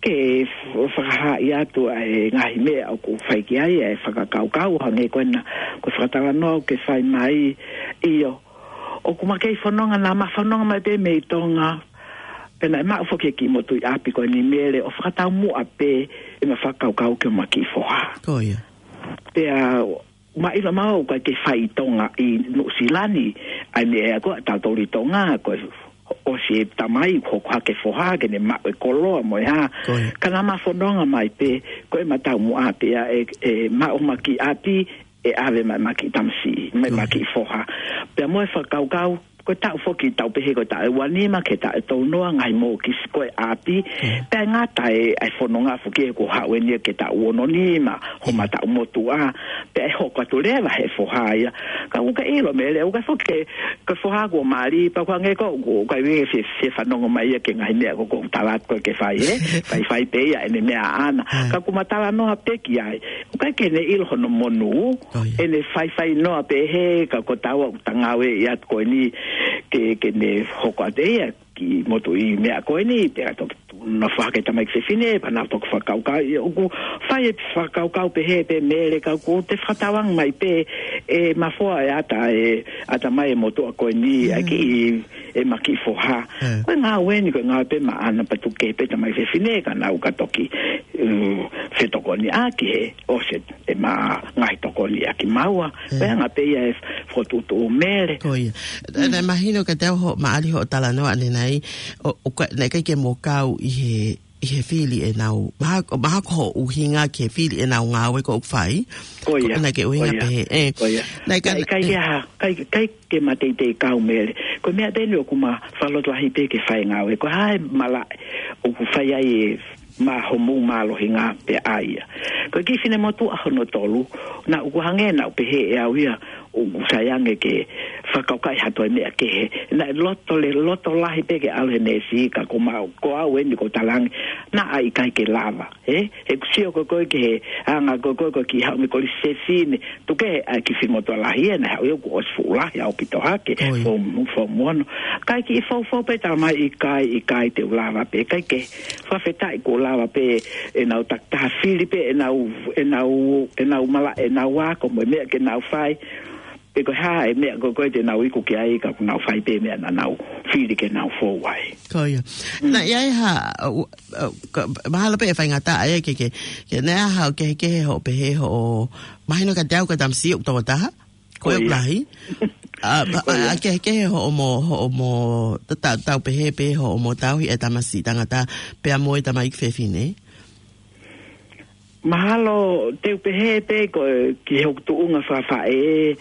ke f-, fakahaaʻi atu ʻa e ngaahi meʻa ʻoku fai ki ai ʻa e fakakaukau, hangē ko ena, ko e fakatalanoa ʻoku ke fai mai, ʻio, ʻoku ma kei fononga, naʻa ma fononga mai pē mei Tonga, pea naʻe maʻu foki e kiʻi motuʻi ʻapi ko eni Mele ʻo fakataumuʻa pē ʻema fakakaukau ki homa kiʻi foha. Ko ia. Pea ma ʻilo maʻu ʻoku ʻikai ke fai ʻi Tonga ʻi Nuʻusila ni, ʻa e meʻa ko ē ʻa tautolu ʻi Tonga, ko e ʻosi e tamai, hoko hake foha, ke ne maʻu e koloa mo e hā. Ko ia. Ka naʻa ma fononga mai pē, ko ʻema taumuʻa pē ia ʻe, ʻe maʻu homa kiʻi ʻapi, ʻe ʻave mai ʻema kiʻi tamasiʻi, mai ʻema kiʻi foha. Pea mo e fakakaukau, ko e taʻu foki tau pehē ko e taʻu ʻe uanima ki he taʻu ʻe tolunoa ngaahi mōkisi ko e ʻapi, pea ngata e, ʻa e fononga foki ʻe ko haʻu eni ki he taʻu ononima, homa taʻu motuʻa, pea ʻe hoko atu leva he foha ia. Ka ʻoku ke ʻilo Mele, ʻoku ʻikai foki ke, ko e foha kuo mali, pea ko e hangē ko, ko, ʻoku ʻikai ke fie, fie fanongo mai ia ki he ngaahi meʻa ko, ko u tala atu ko ē ke fai, ē? Faifai pē ia ʻene meʻa ʻaʻana. Ka ʻoku ma talanoa pē ki ai. ʻOku ʻikai ke ne ʻilo hono monū, ʻene faifai noa pē he ka ko taua ʻoku ta ngāueʻi atu ko eni ke, ke ne hoko atu ia kiʻi motuʻi meʻa ko eni, pea toki nofo hake tamaiki fefine, pea nau toki fakakaukau, ʻio ʻoku fai e fakakaukau pehē pē Mele ka ʻoku te fakatauange mai pē ʻe mafoa e ʻata, e ʻatamai e motuʻa ko eni, ʻa e kiʻi ʻema kiʻi foha. Ko e ngāue eni, ko e ngāue pē maʻana pea tuku kehe pē tamaiki fefine ka nau ka toki, mm, fetokoniʻaki he ʻosi ʻema ngaahi tokoni ʻa kimaua. Ko e anga pē ia e fokotuʻutuʻu Mele. Ko ia. Naʻe mahino kiate au hoʻo maʻali hoʻo talanoa ʻanenai, ʻo, ʻoku, naʻe ʻikai ke mo kau ʻi he ʻi he fili ʻenau, mahalo, mahalo ko hoʻo ʻuhinga ki he fili ʻenau ngāue ko ē ʻoku fai. Ko ia, ko ena ke ʻuhinga ko ia, pehē, ē. Ko ia. Naʻe ka-, naʻe ʻikai ē. Ke ha, ʻikai, ʻikai ke mateitei kau Mele. Ko e meʻa pē eni ʻoku ma fakalotolahi pē ke fai e ngāue. Ko e hā e malaʻe ʻoku fai ai e ma homou mālohinga pē ʻa ia. Ko e kiʻi finemotuʻa hono tolu, naʻa ku hangē naʻa ku pehē ʻe au ia, ʻoku sai ange ke fakakaukauʻi ha toe meʻa kehe. Naʻe loto le-, loto lahi pē ke ʻalu he neesi ka ko ma-, ko au eni ʻoku ou talaange, naʻe ʻikai ke lava. Ē, he ʻoku sio ko ē ko ē ki he anga ko ē ko ē ko e kiʻi haʻu mei he Kolisi Fefine, tuku kehe ʻa e kiʻi finemotuʻa lahi ē, naʻe haʻu ia kuo ʻosi fuʻu lahi ʻaupito hake, ʻoi, fo-, fo-, mono. Kae kiʻi foufou pē talamai ʻikai, ʻikai te u lava pē, ʻikai ke, fakafetaʻi kuo lava pē ʻenau takitaha fili pē ʻenau, ʻenau, ʻenau malaʻe, ʻenau ako, mo e meʻa ke nau fai. Pe ko e hā e meʻa ko ē ko ē te nau iku ki ai ka ʻoku nau fai pē meʻa naʻa nau fili ke nau fou ai. Ko ia. Mm. Naʻe ʻi ai ha, ʻa, ʻa, ka, mahalo pē ʻe faingataʻa ia ke, ke, ke naʻe ʻi ai ha kehekehe hoʻo pehē hoʻo, mahino kiate au ko e tamasiʻi ʻoku toko taha. Ko ia. Ko e lahi. ʻA, ʻa, ko ia. ʻA, kehekehe hoʻomo, hoʻomo, ta-, ta-, tau pehē pē hoʻomo tauhi e tamasiʻi tangata, pea mo e tamaiki fefine. Mahalo te u pehē pē ko e ki hoku tuʻunga fakafaʻē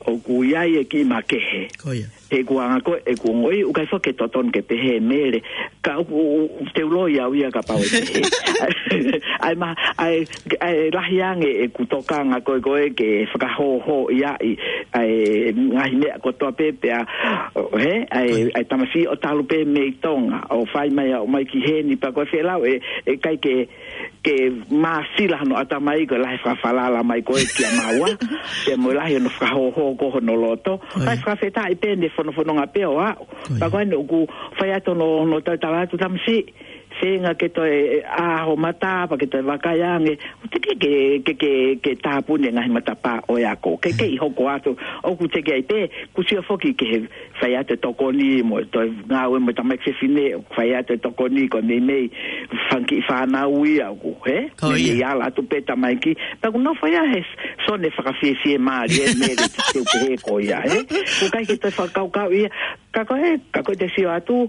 ʻoku ʻi ai e kiʻi makehe. Ko ia. He ʻoku anga ko ē ʻeku ongoʻi, ʻoku ʻikai foki ke totonu ke pehē Mele. Ka ʻoku, ʻoku te u loi au ia kapau ʻe pehē. ʻA e ma-, ʻa e, ʻa e lahi ange ʻeku tokanga ko ē ko ē ke fakahōhōʻi ʻa e, ʻa e ngaahi meʻa kotoa pē pea, he, ʻa e, ʻa e tamasiʻi ʻo talu pē mei Tonga, ʻo fai mai ʻo ʻomai ki heni pea ko e fēlau ē, ʻe ʻikai ke ke māsila hono ʻatamai ko e lahi e fakafalala mai ko ē kia maua. Pea mo e lahi hono fakahōhō ko hono loto. Ko ia. Kae fakafetaʻi pē ne fonofononga pē ʻo aʻu. Ko ia. Pea ko eni ʻoku fai atu hono, hono tautala atu tamasiʻi. Feinga ke toe ʻā ho mata, pea ke toe vakai ange. ʻOku teʻeki ke, ke, ke, ke tāpuni e ngaahi matapā ʻo e ako. Ke, ke ʻi hoko atu. ʻOku teʻeki ai pē, ʻoku sio foki ki he fai atu e tokoni mo e toe ngāue mo e tamaiki fefine, fai atu e tokoni ko e meimei fanga kiʻi fānau ia ʻoku, he? Ko ia. Meimei ala atu pē tamaiki. Pea ʻoku nofo ia he sone fakafiefiemālie Mele te u pehē ko ia, he? ʻOku ʻikai ke toe fakakaukau ia. Ka ko e, ka ko e te sio atu,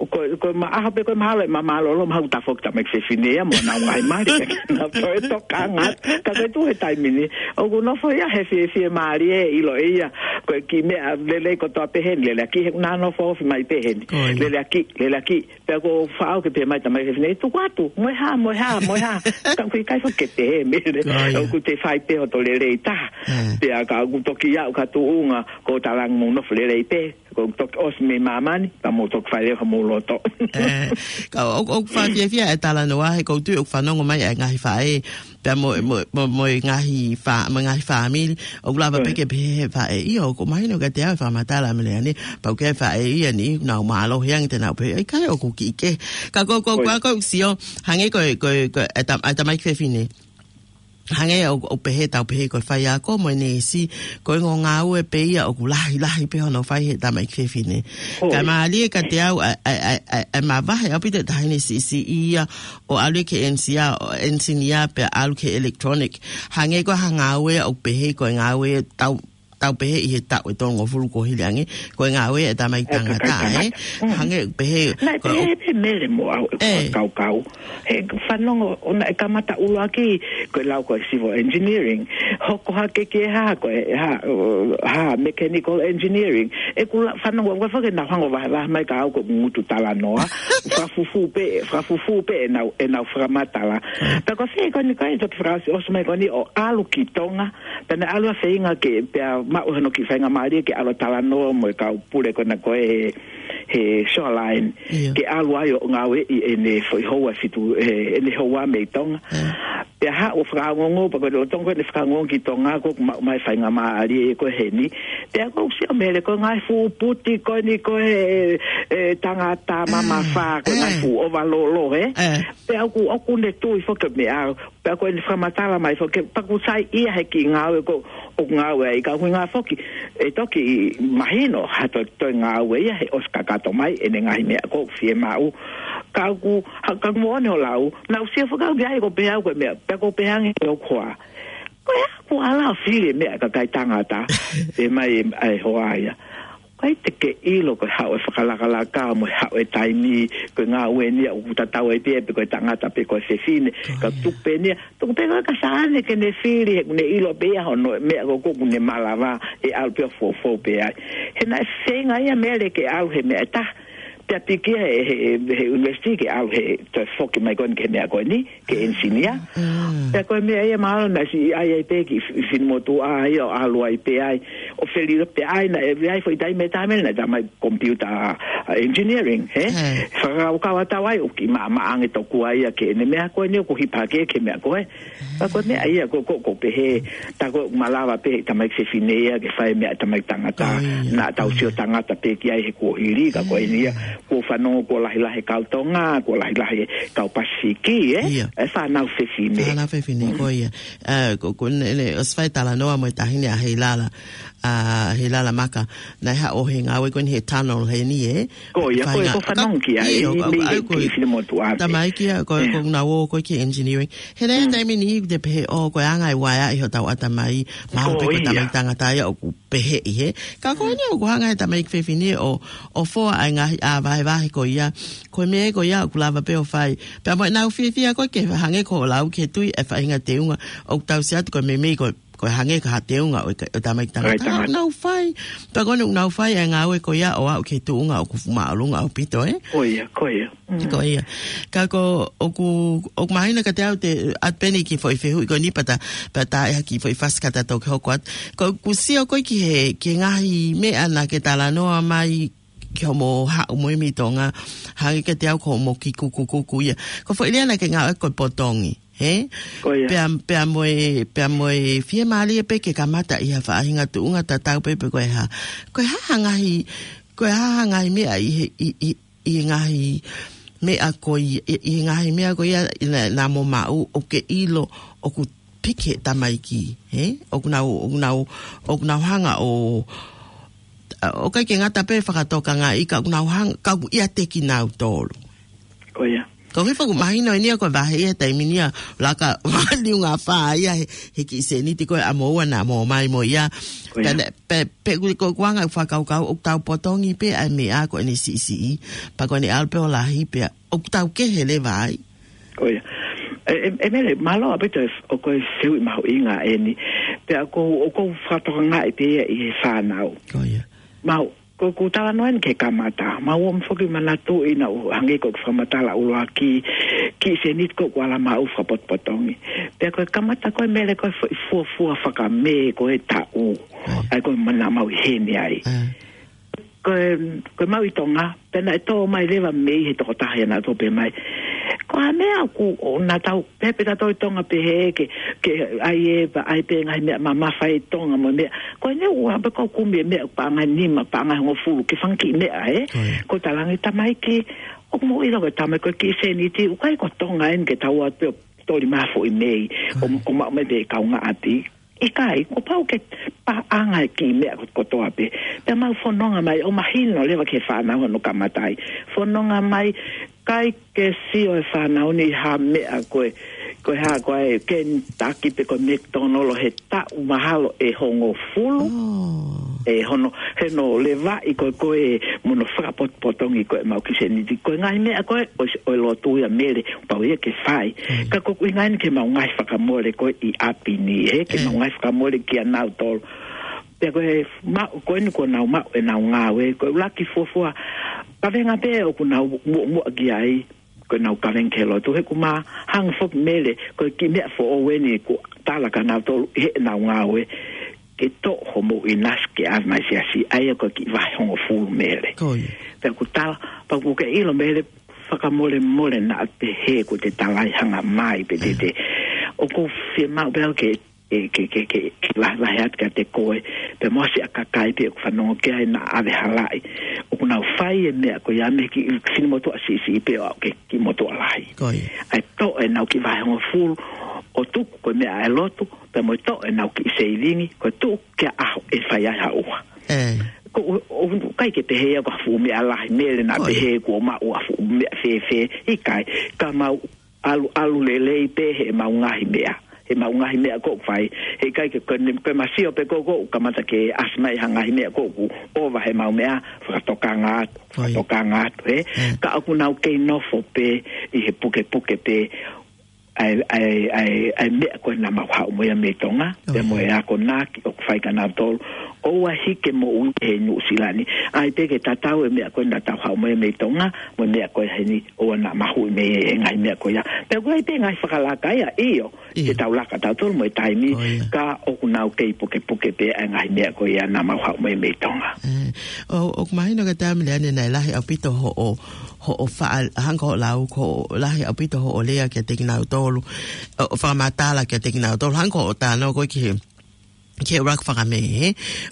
ko, ko e maʻaho pē ko e mahalo, ʻe māmālōlō mahalo ʻoku tafoki tamaiki fefine ia mo ʻenau ngaahi mali. Naʻa toe tokanga. Ka ko e tuʻu he taimi ni, ʻoku nofo ia he fiefiemālie ʻiloʻi ia. Ko e kiʻi meʻa lelei kotoa pē heni, lele ʻaki he naʻa nofo ofi mai pē heni. Ko ia. Lele ʻaki, lele ʻaki. Pea ʻoku ou faʻa ō ke pehē mai tamaiki fefine, tuku atu, mo e hā, mo e hā, mo e hā. Ka ʻoku ʻikai foki ke pehē Mele. Ko ia. ʻOku te fai pē hoto lelei taha. Ē. Pea ka ʻoku toki aʻu ki ha tuʻunga, ʻoku ou talaange mou nofo lelei pē. ʻOku toki ʻosi mei māmani, ka mou toki fai leva homou loto. Ē, ka ʻo, ʻoku fakafiefia e talanoa, he ʻoku ou tui ʻoku fanongo mai e ngaahi faʻē, pea mo, mo, mo, mo e ngaahi fā-, mo e ngaahi fāmili, ʻoku lava pē ke pehē he faʻē, ʻio, ʻoku mahino kiate au e fakamatala Mele ʻanenai, pau ke faʻē ia ni, nau mālohi ange te nau pehē, ʻikai ʻoku kiʻi kehe. Ka ko, ko, ko, ko, sio, hangē ko, ko, ko, e tam-, e tamaiki fefine. Hangē ʻoku, ʻoku pehē tau pehē ko e faiako mo e neesi, ko e ongo ngāue pē ia ʻoku lahi, lahi pē hono fai he tamaiki fefine. Ko ia. Kae mālie kiate au, ʻa, ʻa, ʻa, ʻa, ʻa e mavahe ʻaupito e taʻahine siʻisiʻi ia ʻo ʻalu ki he enisia-, ʻo enisinia pea ʻalu ki he electronic. Hangē ko ha ngāue ʻoku pehē ko e ngāue tau, tau pehē ʻi he taʻu ʻe tolungofulu kuo hili ange, ko e ngāue e tamaiki tangata, ē? Kakai tangata. Mm. Hangē pehē, naʻe ko e pehē pē Mele mo au, ē, kaukau. He fanongo, ʻo naʻe kamata ʻuluaki, ko e lau ko e civil engineering. Hoko hake ki he hā, ko e hā, hā, mechanical engineering. ʻEku la-, fanongo, ʻoku ʻikai foki ke nau hanga ʻo vahevahe mai ka au ko e ngutu talanoa. Fakafufū pē, fakafufū pē ʻenau, ʻenau fakamatala. Mm. Pea ko e fē ko eni kai, toki fakaʻosi, ʻosi mai ko eni ʻo ʻalu ki Tonga. Pea naʻe ʻalu ʻo feinga ke, pea maʻu hono kiʻi faingamālie ke ʻalu ʻo talanoa mo e kau pule ko ena ko ē he, he Shoreline. ʻIo. Ke ʻalu ai ʻo ngāueʻi ʻene foʻi houa fitu, ē, ʻene houa mei Tonga. Ē. Pea haʻu ʻo fakaongoongo, pea ko e lolotonga ko ē ʻene fakaongoongo ki Tonga, ko ʻoku maʻu mai e faingamālie ko ē heni. Pea ʻoku ou sio Mele ko e ngaahi fuʻu puti ko eni ko ē, ē, tangata mamafa, ko e ngaahi fuʻu ʻovalolo, ē? Ē. Pea ʻoku, ʻoku ne tui foki meʻa, pea ko ʻene fakamatala mai foki, pea ʻoku saiʻia he kiʻi ngāue ko ē ʻoku ngāue ai, ka ʻoku ʻuhinga foki, ʻe toki mahino ha toe, toe ngāue ia he ʻosi kakato mai ʻene ngaahi meʻa ko ē ʻoku fiemaʻu. Ka ʻoku, ha, ka ʻoku moʻoni hoʻo lau, naʻa ku sio foki au ki ai ʻoku pehē au ko e meʻa, pea ʻoku pehē ange ʻe hoku hoa. Ko e hā ʻoku ala ʻo fili e meʻa ʻa e kakai tangata, pehē mai e, ʻa e hoa ia. ʻAi te ke ʻilo ko e haʻu e fakalakalaka mo e haʻu e taimi, ko e ngāue ni ia ʻoku tatau ai pē pe ko e tangata pe ko e fefine, ka tuku pē ni ia, tuku pē ko e kasaʻane ke ne fili he ʻoku ne ʻilo pē ia hono meʻa ko ē ʻoku ne malava ʻe ʻalu pē ʻo foufou pē ai. He naʻe feinga ia Mele ke ʻalu he meʻa ʻe taha, pea piki ia he, he, he university ke ʻalu he toe foki mai ko eni ki he meʻa ko eni, ke engineer. Pea ko e meʻa ia mahalo naʻe siʻi ʻai ai pē ki f-, Finemotuʻa ia ʻo ʻalu ai pē ai. ʻO felilo pē ai naʻe ʻi ai foʻi taimi, taimi naʻe tā mai computer, uh, engineering, he? Fakakaukau ʻa tau ai, ʻoku kiʻi maʻamaʻa ange tokua ia ki heʻene meʻa ko eni ʻoku hipa ke, ki he meʻa ko ē. Pea ko e meʻa ia ko, ko, ko pehē, tā ko ē ʻoku malava pē he tamaiki fefine ia ke fai meʻa tamaiki tangata. Naʻa tau sio tangata pē ki ai he kuohili, ka ko eni ia, kuo fanongo kuo lahilahi kau Tonga, kuo lahilahi kau Pasifiki, ē? ʻE fānau fefine. Fānau fefine, ko ia. Ē, ko, ko ne, ne, ʻosi fai talanoa mo e taʻahine ʻa Heilala, ʻa Heilala Maka, naʻe haʻu he ngāue ko eni he tunnel heni, ē? Ko ia, ko ia, ko fanongo ki ai, ʻio, mei he ki Finemotuʻa. Tamaiki ia, ko, ko nau ō ko ē ki engineering. He naʻe taimi ni te pehē ʻo ko e anga e uaea ʻi hotau ʻatamai, mahalo pē ko e tamaiki tangata ia ʻoku pehē ʻi he. Ka ko eni ʻoku hanga he tamaiki fefine ʻo, ʻo foa ai ngaahi ʻā vahevahe ko ia. Ko e meʻa ko ia ʻoku lava pē ʻo fai. Pea mo ʻenau fiefia ko ē ke hangē ko hoʻo lau ki he tui e faʻahinga teunga ʻoku tau sio atu ko e meimei ko, ko e hangē ko ha teunga ʻo e ka-, ʻo e tamaiki tangata. Nau fai. Pea ko eni ʻoku nau fai e ngāue ko ia ʻo aʻu ki he tuʻunga ʻoku fuʻu māʻolunga ʻaupito, ē? Ko ia, ko ia. Ko ia. Ka ko, ʻoku, ʻoku mahino kiate au te, ʻa pē ni ki he foʻi fehuʻi ko eni pea ta, pea ta ʻi ai ha kiʻi foʻi fasi ka ta toki hoko atu. Ko ʻeku sio ko ē ki he, ki he ngaahi meʻa naʻa ke talanoa mai ki hoʻomo haʻu mo e mei Tonga, hangē kiate au ko hoʻomo kiʻi kukukuku ia. Ko e foʻi lea naʻa ke ngāueʻaki ko e potongi, he? Ko ia. Pea, pea mo e, pea mo e fiemālie pē ke kamata ʻi ha faʻahinga tuʻunga tatau pē pe ko e hā. Ko e hā ha ngaahi, ko e hā ha ngaahi meʻa ʻi he, ʻi, ʻi, ʻi he ngaahi meʻa ko ia, ʻi, ʻi he ngaahi meʻa ko ia naʻa, naʻa mo maʻu ʻoku ke ʻilo ʻoku piki he tamaiki, he? ʻOku nau, ʻoku nau, ʻoku nau hanga ʻo, ʻoku ʻikai ke ngata pē fakatokangaʻi ka ʻoku nau hanga, ka ʻoku ʻiate kinautolu. Ko ia. Ko e hifo ʻoku mahino eni ia ko e vahe ia taimi ni ia, laka liunga fā ia he, he kiʻi sēniti ko ē ʻa moua naʻa mo ō mai mo ia. Ko ia. Pea ne, pe, pe ʻoku, ko ʻeku anga ʻeku fakakaukau, ʻoku tau potongi pē ʻa e meʻa ko eni siʻisiʻi. Pea ko eni ʻalu pē ʻo lahi pea ʻoku tau kehe leva ai. Ko ia. ʻE, ʻe, ʻe Mele, mālō ʻaupito ʻo ko e fehuʻi mahuʻinga eni. Pea ʻoku, ʻoku ou fakatokangaʻi pē ia ʻi he fānau. Ko ia. Mau, ko ʻeku talanoa eni ki he kamata. Mau ō mai foki manatuʻi naʻa ku hangē ko ʻeku fakamatala ʻuluaki, kiʻi sēniti ko ē ʻoku ala maʻu fakapotopotongi. Pea ko e kamata ko ē Mele ko e foʻi fuofua fakamē ko e taʻu. Ko ia. ʻAi ko e mana mau ʻi heni ai. Ko e, ko e mau ʻi Tonga, pea naʻe tō mai leva mei he tokotaha ia naʻa tō pē mai. Ko e hā e meʻa ʻoku, ʻo naʻa tau, pehē pē tautolu ʻi Tonga pehē ke, ke ʻai e, pea ʻai pē ngaahi meʻa mamafa ʻi Tonga mo e meʻa. Ko eni ʻoku ʻalu pē ʻo kumi e meʻa paʻanga ʻe nima, paʻanga ʻe hongofulu, ki he fanga kiʻi meʻa, ē? Ko ia. Ko e talaange tamaiki, ʻoku mou ʻilo ko e tamaiki ko e kiʻi sēniti, ʻoku ʻikai ko Tonga eni ke tau ō atu pē ʻo toli mai ha foʻi mei, ʻo, ʻo maʻu mai pē kaungāʻapi. ʻIkai, kuo pau ke paʻanga e kiʻi meʻa ko, kotoa pē. Pea mau fononga mai, ʻo mahino leva ki he fānau hono kamata ai. Fononga mai, ʻikai ke sio e fānau ni ha meʻa ko e, ko e hā ko e Kentucky pe ko e McDonald he taʻu mahalo ʻe hongofulu. Oh. ʻE hono, he hono levaʻi ko e, ko e mo hono fakapotopotongi ko e mau kiʻi sēniti. Ko e ngaahi meʻa ko e, ʻo, ʻo e lotu ia Mele, pau ia ke fai. Mm. Ka ko ʻeku ʻuhinga eni ki he mau ngaahi fakamole ko ē ʻi ʻapi ni, ē, ki he mau ngaahi fakamole kia nautolu. Pea ko e maʻu, ko eni kuo nau maʻu ʻenau ngāue, ko e ʻuluaki fuofua kavenga pē ʻoku nau muʻomuʻa ki ai, ko ʻenau kavenga ki he lotu, he ʻoku ma hanga foki Mele, ko e kiʻi meʻa foʻou eni kuo tala kia nautolu ʻi heʻenau ngāue, ke toʻo homou ʻinasi ke ʻave mai siasi, ʻa ia ko e kiʻi vahe hongofulu Mele. Ko ia. Pea ʻoku tala, pea ʻoku ke ʻilo Mele, fakamolemole naʻa pehē kuo te talaʻi hanga mai pe te te. ʻOku ou fiemaʻu pē au ke, ke, ke, ke, ke, ke vahevahe atu kiate koe, pea mo e siʻa kakai pē ʻoku fanongo ki ai naʻa ʻave halaʻi. ʻOku nau fai e meʻa ko ia mei he kiʻi, kiʻi motuʻa siʻisiʻi pē ʻo aʻu ki he kiʻi motuʻa lahi. Ko ia. ʻAi toʻo ʻenau kiʻi vahe hongofulu, ʻo tuku ko e meʻa ʻa e lotu, pea mo e toʻo ʻenau kiʻi seivingi, ko e tuku ki ha ʻaho ʻe fai ai ha ʻuha. Ē. Ko u, u, ʻikai ke pehē ia ko ha fuʻu meʻa lahi Mele naʻa pehē kuo maʻu ha fuʻu meʻa fēfē, ʻikai. Ka mau ʻalu, ʻalu lelei pē he mau ngaahi meʻa. ʻemau ngaahi meʻa ʻoku fai. Heʻikai ke, ko e, ko e masio pē ʻoku, ʻoku kamata ke ʻasi mai ha ngaahi meʻa ʻoku ʻova heʻemau meʻa, fakatokanga atu, fakatokanga atu, ē? Ka ʻoku nau kei nofo pē ʻi he pukepuke pē ʻa e, ʻa e, ʻa e, ʻa e meʻa ko ē naʻa mau haʻu mo ia mei Tonga, pea mo e akonaki ʻoku fai kia nautolu. ʻOua hiki moʻui he Nuʻusila ni. ʻAi pē ke tatau e meʻa ko ē naʻa tau haʻu mo ia mei Tonga, mo e meʻa ko ē heni, ʻoua naʻa mahuʻi mei he ngaahi meʻa ko ia. Pea ʻoku ʻi ai pē ngaahi fakalaka ia, ʻio, te tau laka tautolu mo e taimi, ka ʻoku nau kei pukepuke pē ʻa e ngaahi meʻa ko ia naʻa mau haʻu mo ia mei Tonga. ʻOku mahino ka taimi lea ne naʻe lahi ʻaupito hoʻo, hoʻo faʻa, hangē ko hoʻo lau, ko e lahi ʻaupito hoʻo lea kiate kinautolu, ʻo, ʻo fakamatala kiate kinautolu, hangē ko hoʻo talanoa ko ē ki he, ki he ʻuluaki fakamē, ē?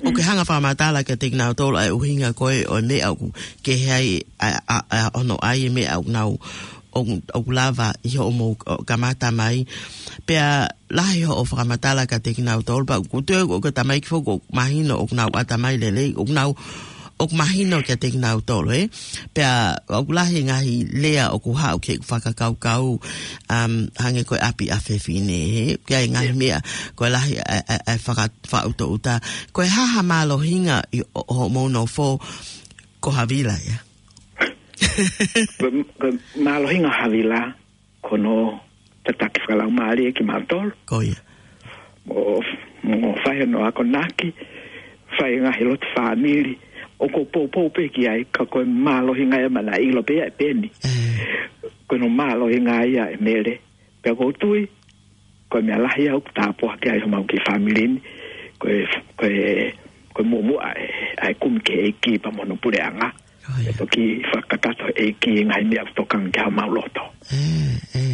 ʻOku ke hanga fakamatala kiate kinautolu ʻa e ʻuhinga ko ē ʻo e meʻa ʻoku kehe ai ʻa, ʻa, ʻa, ʻa hono ʻai e meʻa ʻoku nau, ʻoku, ʻoku lava ʻi hoʻomou, ʻo, kamata mai. Pea lahi hoʻo fakamatala kiate kinautolu, pea ʻoku tui ʻoku, ʻoku tamaiki foki ʻoku mahino ʻoku nau ʻatamai lelei, ʻoku nau, ʻoku mahino kiate kinautolu, ē? Pea ʻoku lahi ngaahi lea ʻoku haʻu ke fakakaukau, um, hangē ko e ʻapi ʻa fefine, ē? Ki ai ngaahi meʻa, ko e lahi ʻa, ʻa, ʻa e faka-, fakaʻutoʻuta. Ko e hā ha mālohinga ʻi ho-, hoʻomou nofo ko Havila ia? Ko, ko e mālohinga Havila, ko hono tataki fakalaumālie kimautolu. Ko ia. Mo, mo fai hono akonaki, fai ngaahi lotu fāmili, ʻoku ou poupou pē ki ai, ka ko e mālohinga ia naʻa na ʻilo pē ia ʻe Peni. Ko hono mālohinga ia ʻe Mele. Pea ʻoku ou tui, ko e meʻa lahi ia ʻoku tāpuaki ai homau kiʻi fāmili ni, ko e, ko e, ko e muʻomuʻa ʻa e, ʻa e kumi ki he ʻEiki pea mo hono puleʻanga. Ko ia. ʻE toki fakakakato ʻEiki ngaahi meʻa ʻoku tokanga ki homau loto. ʻE, ʻe.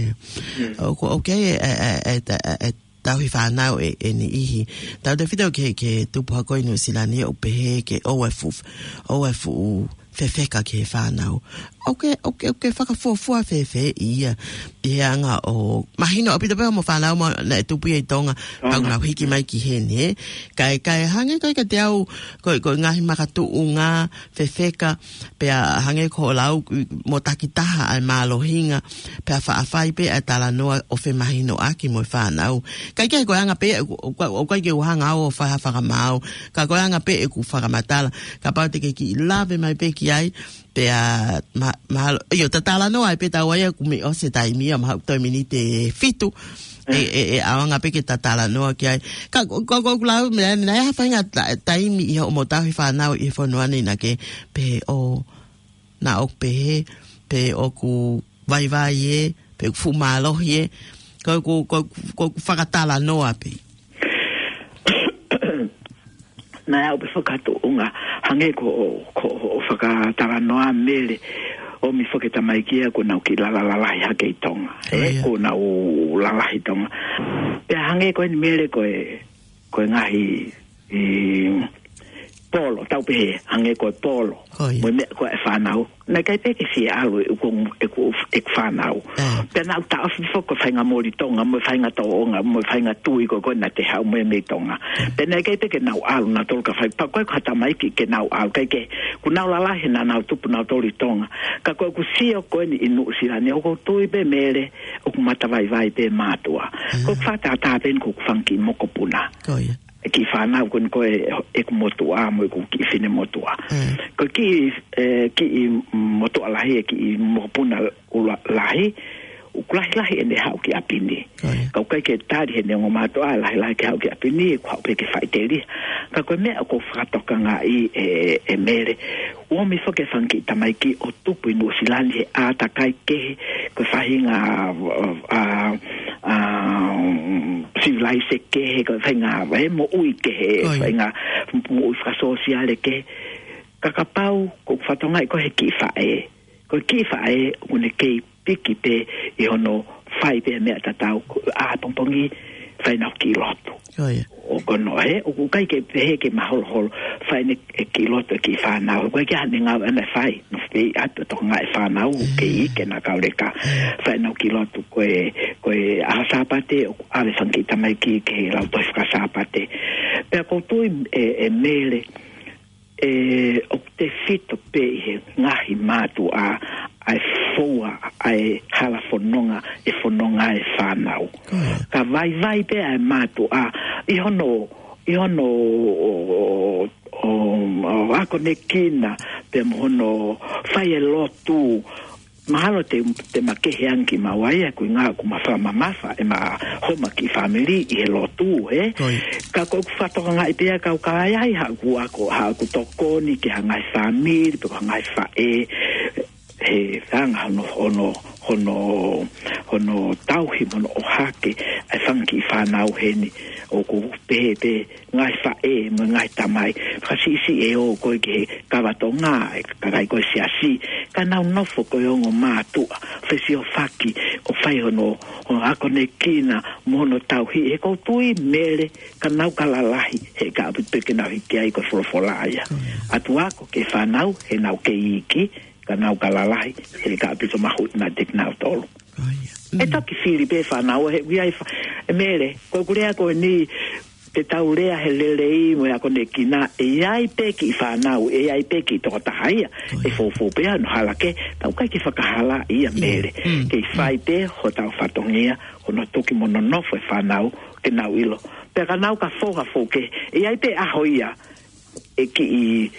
ʻOku, ʻoku ʻi ai e, e, e, e, e tauhi fānau ʻe, ʻe niʻihi. Tautefito ki he, ki he tupu hake ʻi Nuʻusila ni ʻoku pehē ke ʻoua ʻe fuʻu, ʻoua ʻe fuʻu fefeka ki he fānau. ʻOku ke, ʻoku ke, ʻoku ke fakafuofua fēfē ia ʻi he anga ʻo mahino ʻaupito pē hoʻomo fānau mo naʻe tupu ia ʻi Tonga, pea ʻoku nau hiki mai ki heni, ē? Kae, kae hangē ko ē kiate au, ko e, ko e ngaahi makatuʻunga, fefeka, pea hangē ko hoʻo lau, mo takitaha ʻa e mālohinga, pea faʻa fai pē ʻa e talanoa ʻo femahinoʻaki mo e fānau. Kae kehe ko e anga pē, ʻoku, ʻoku, ʻoku ʻikai ke u hanga au ʻo fai ha fakamaau, ka ko e anga pē ʻeku fakamatala, kapau te ke kiʻi lave mai pē ki ai, pea ma-, mahalo, ʻio, ta talanoa ai pē taua ia ʻoku mei ʻosi e taimi ia, mahalo toe miniti ʻe fitu, ʻe, ʻe, ʻe ʻaonga pē ke ta talanoa ki ai. Ka, ko, ko, ko, lau, meʻa, naʻe ʻi ai ha faʻahinga ta-, taimi ʻi hoʻomo tauhi fānau ʻi he fonua ni naʻa ke pehē ʻo, naʻa ʻoku pehē, pe ʻoku vaivai ē, pe ʻoku fuʻu mālohi ē, ko ʻeku, ko, ko ʻeku fakatalanoa pē. Naʻe ʻi ai pē fakatuʻunga, hangē ko, ko, ko fakatalanoa Mele, ʻomi foki e tamaiki ia kuo nau kiʻi lala lalahi hake ʻi Tonga. Ko ia. Kuo nau lalahi ʻi Tonga. Pea hangē ko eni Mele ko e, ko e ngaahi, ʻi, polo, tau pehē, hangē ko e polo. Ko ia. Mo e meʻa ko ē ʻa e fānau. Naʻe ʻikai pē ke fie ʻalu ʻeku, ʻeku, ʻeku fānau. Pea naʻa ku taʻofi foki ko e faʻahinga moli Tonga, mo e faʻahinga tōʻonga, mo e faʻahinga tui ko ē naʻa te haʻu mo ia mei Tonga. Pea naʻe ʻikai pē ke nau ʻalu nautolu ka fai, pea ko e ko ha tamaiki ke nau ʻalu, ʻikai ke, kuo nau lalahi naʻa nau tupu nautolu ʻi Tonga. Ka ko ʻeku sio ko eni ʻi Nuʻusila ni, ʻoku ou tui pē Mele, ʻoku matavaivai pē mātuʻa. Ko e fakatātā pē eni ko ʻeku fanga kiʻi mokopuna. Ko ia. E kiʻi fānau ko eni ko ē ʻeku motuʻa mo ʻeku kiʻi finemotuʻa. Ko e kiʻi, e, kiʻi motuʻa lahi, e kiʻi mokopuna ʻuluaki lahi, ʻoku lahilahi ʻene haʻu ki ʻapi ni. Ko ia. Ka ʻoku ʻikai ke tali heʻene ongo mātuʻa, lahilahi ke haʻu ki ʻapi ni, ʻoku haʻu pē ke faʻiteliha. Ka ko e meʻa ʻoku ou fakatokangaʻi ʻe, ʻe Mele, ʻomi foki e fanga kiʻi tamaiki ʻo tupu ʻi Nuʻusila ni he ʻātakai kehe, ko e faʻahinga, a, a, a, sivilaise kehe, ko e faʻahinga, e moʻui kehe, ko ia, faʻahinga moʻui fakasōsiale kehe. Ka kapau, ko e fakatokangaʻi ko e kiʻi faʻē. Ko e kiʻi faʻē, ʻoku ne kei piki pē ʻi hono fai pē meʻa tatau, ko e ʻā pongipongi, fai ʻene kiʻi lotu. Ko ia. ʻOku ne, ʻoku ʻikai ke pehē ke maholoholo, fai ʻene kiʻi lotu e kiʻi fānau. ʻOku ʻikai ke ʻi ai haʻane ngāue ʻaʻana ʻe fai, nofo pē ʻi ʻapi ʻo tokangaʻi e fānau, kei ʻeke ʻena kauleka. Fai ʻene kiʻi lotu ko e, ko e ʻaho Sāpate, ʻoku ʻave e fanga kiʻi tamaiki ki he lautohi faka-Sāpate. Pea ʻoku ou tui ʻe, ʻe Mele, ʻe, ʻoku tefito pē ʻi he ngaahi mātuʻa, ʻa e foua ʻa e hala fononga ʻe fononga e fānau. Ka vaivai pē ʻa e mātuʻa ʻi hono, ʻi hono ʻo, ʻo, ʻo akonekina pea mo hono fai e lotu. Mahalo te, te ma kehe ange kimaua ia, ko e ʻuhinga ʻoku ma fakamamafa ʻema homa kiʻi fāmili ʻi he lotu, ē? Ka ʻoku ou fakatokangaʻi pē ia ka ʻoku ʻi ai haʻaku ako, haʻaku tokoni ki ha ngaahi fāmili pe ko ha ngaahi faʻē, he anga hono, hono, hono, hono tauhi mo hono ʻohake ʻa e fanga kiʻi fānau heni. ʻOku pehē pē ngaahi faʻē mo e ngaahi tamai, fakasiʻisiʻi ʻe ō ko ē ki he kava Tonga, ʻe kakai ko e siasi, ka nau nofo ko e ongo mātuʻa, fesiofaki, ʻo fai hono, hono akonekina mo hono tauhi. He ʻoku ou tui, Mele, ka nau ka lalahi, he ka ʻaupito pē ke nau hiki ai ko e folofola ia. ʻOatu ako ki he fānau he nau kei iiki, ka nau ka lalahi, he ka ʻaupito mahuʻinga kiate kinautolu. ʻE toki fili pē fānau, he ʻoku ʻi ai fa-, ʻe Mele, ko ʻeku lea ko eni, te tau lea he lelei mo e akonekina, ʻe ʻi ai pē kiʻi fānau, ʻe ʻi ai pē kiʻi tokotaha ia ʻe foufou pē ʻi hono hala kehe, tau ʻikai ke fakahalaʻi ia, Mele. Kei fai pē hotau fatongia, hono tuki mo nonofo e fānau, ke nau ʻilo. Pea ka nau ka fou ha fou kehe, ʻe ʻi ai pē ʻaho ia ʻe kiʻi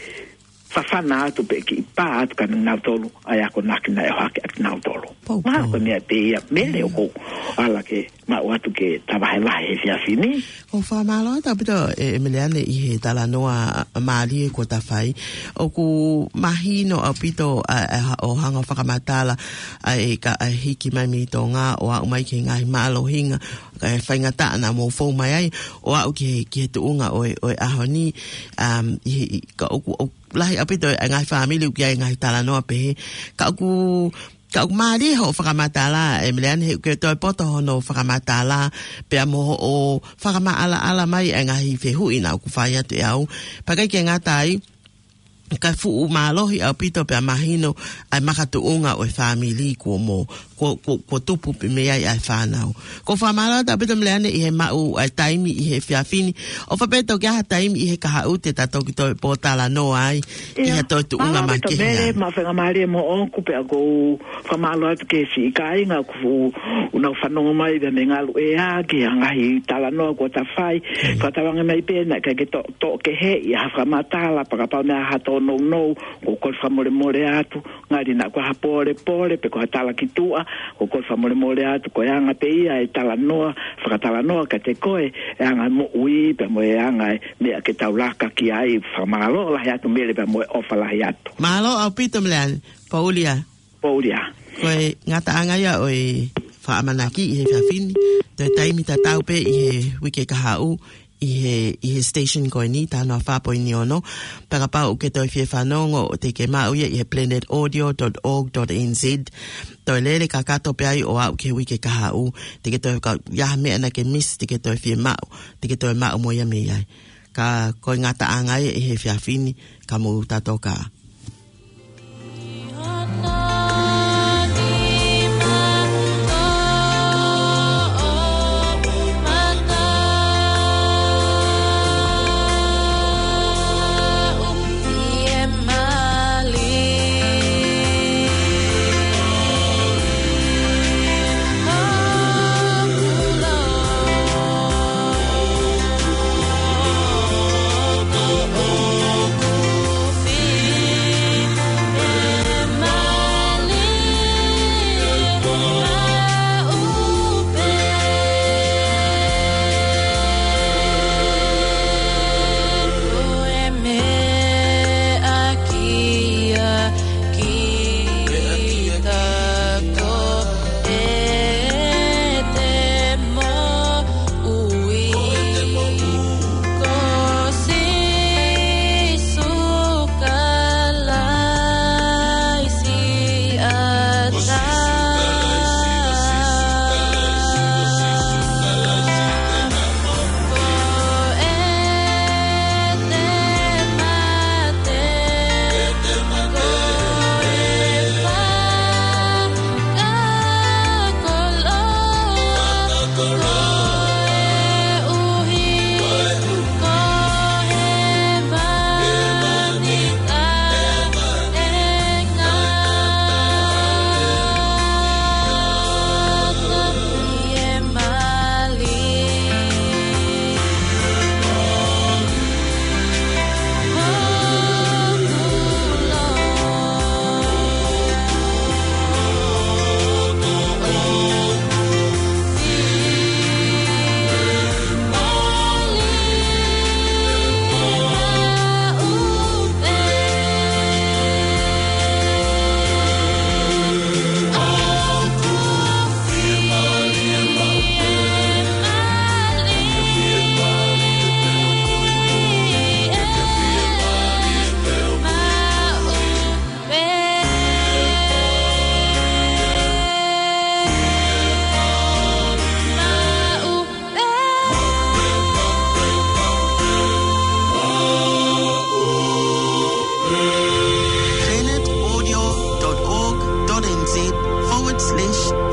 fafana atu pe kiʻi pā atu kia kinautolu ʻa e akonaki naʻe ʻohake ʻaki kinautolu. Mahalo ko e meʻa pē ia, Mele, ʻoku ou ala ke maʻu atu ke ta vahevahe he efiafi ni. ʻOku ou fakamālō atu ʻaupito, ʻe, ʻe Meleane, ʻi he talanoa mālie kuo ta fai. ʻOku mahino ʻaupito ʻa, ʻa, ʻo hanga ʻo fakamatala ʻa e ka, ʻa e hiki mai mei Tonga ʻo aʻu mai ki he ngaahi mālohinga, ʻa e faingataʻa naʻa mou fou mai ai, ʻo aʻu ki he, ki he tuʻunga ʻo e, ʻo e ʻaho ni, um, ʻi, ʻi, ka ʻoku, ʻoku lahi ʻaupito e ngaahi fāmili ʻoku ʻi ai e ngaahi talanoa pehē. Ka ʻoku, ka ʻoku mālie hoʻo fakamatala, ʻe Meleane, he ʻoku toe poto hono fakamatala, pea mo hoʻo fakamaʻalaʻala mai e ngaahi fehuʻi naʻa ku fai atu ʻe au. Pea ʻikai ke ngata ai, ka fuʻu mālohi ʻaupito pea mahino ʻa e makatuʻunga ʻo e fāmili kuo mo, kuo, kuo, kuo tupu pē mei ai ʻa e fānau. ʻOku ou fakamālō atu ʻaupito, Meleane, ʻi he maʻu ʻa e taimi ʻi he efiafi ni. ʻOfa pē toki ʻi ai ha taimi ʻi he kahaʻu te ta toki toe pōtalanoa ai ʻi ha toe tuʻunga makehe. Mālō ʻaupito, Mele, mo e faingamālie moʻoku, pea ʻoku ou fakamālō atu ki he siʻi kāinga ʻoku nau fanongo mai pea mei he ngaluʻea ki he ngaahi talanoa kuo ta fai. Fakatauange mai pē naʻe ʻikai ke to, toʻo kehe ʻi ha fakamatala, pea kapau naʻe ʻi ai ha tōnounou, ʻoku ou kole fakamolemole atu, ngali naʻa ko ha pōlepole pe ko ha tala ki tuʻa, ʻoku ou kole fakamolemole atu, ko e anga pē ia e talanoa, fakatalanoa kiate koe, e anga moʻui, pea mo e anga e meʻa ke tau laka ki ai. Fakamālō lahi atu, Mele, pea mo e ʻofa lahi atu. Mālō ʻaupito, Meleane. Poulia. Poulia. Ko e ngataʻanga ia ʻo e fakaʻamanaki ʻi he efiafi ni, toe taimi tatau pē ʻi he uike kahaʻu, ʻi he, ʻi he station ko eni, Tanoa fā poini ono. Pea kapau ʻoku ke toe fie fanongo, ʻoku te ke maʻu ia ʻi he planet audio dot org dot N Z. Toe lele kakato pē ai ʻo aʻu ki he uike kahaʻu, te ke toe ka, ʻi ai ha meʻa naʻa ke miss, te ke toe fie maʻu, te ke toe maʻu mo ia mei ai. Ka ko e ngataʻanga ia ʻi he efiafi ni, ka mou tātokā.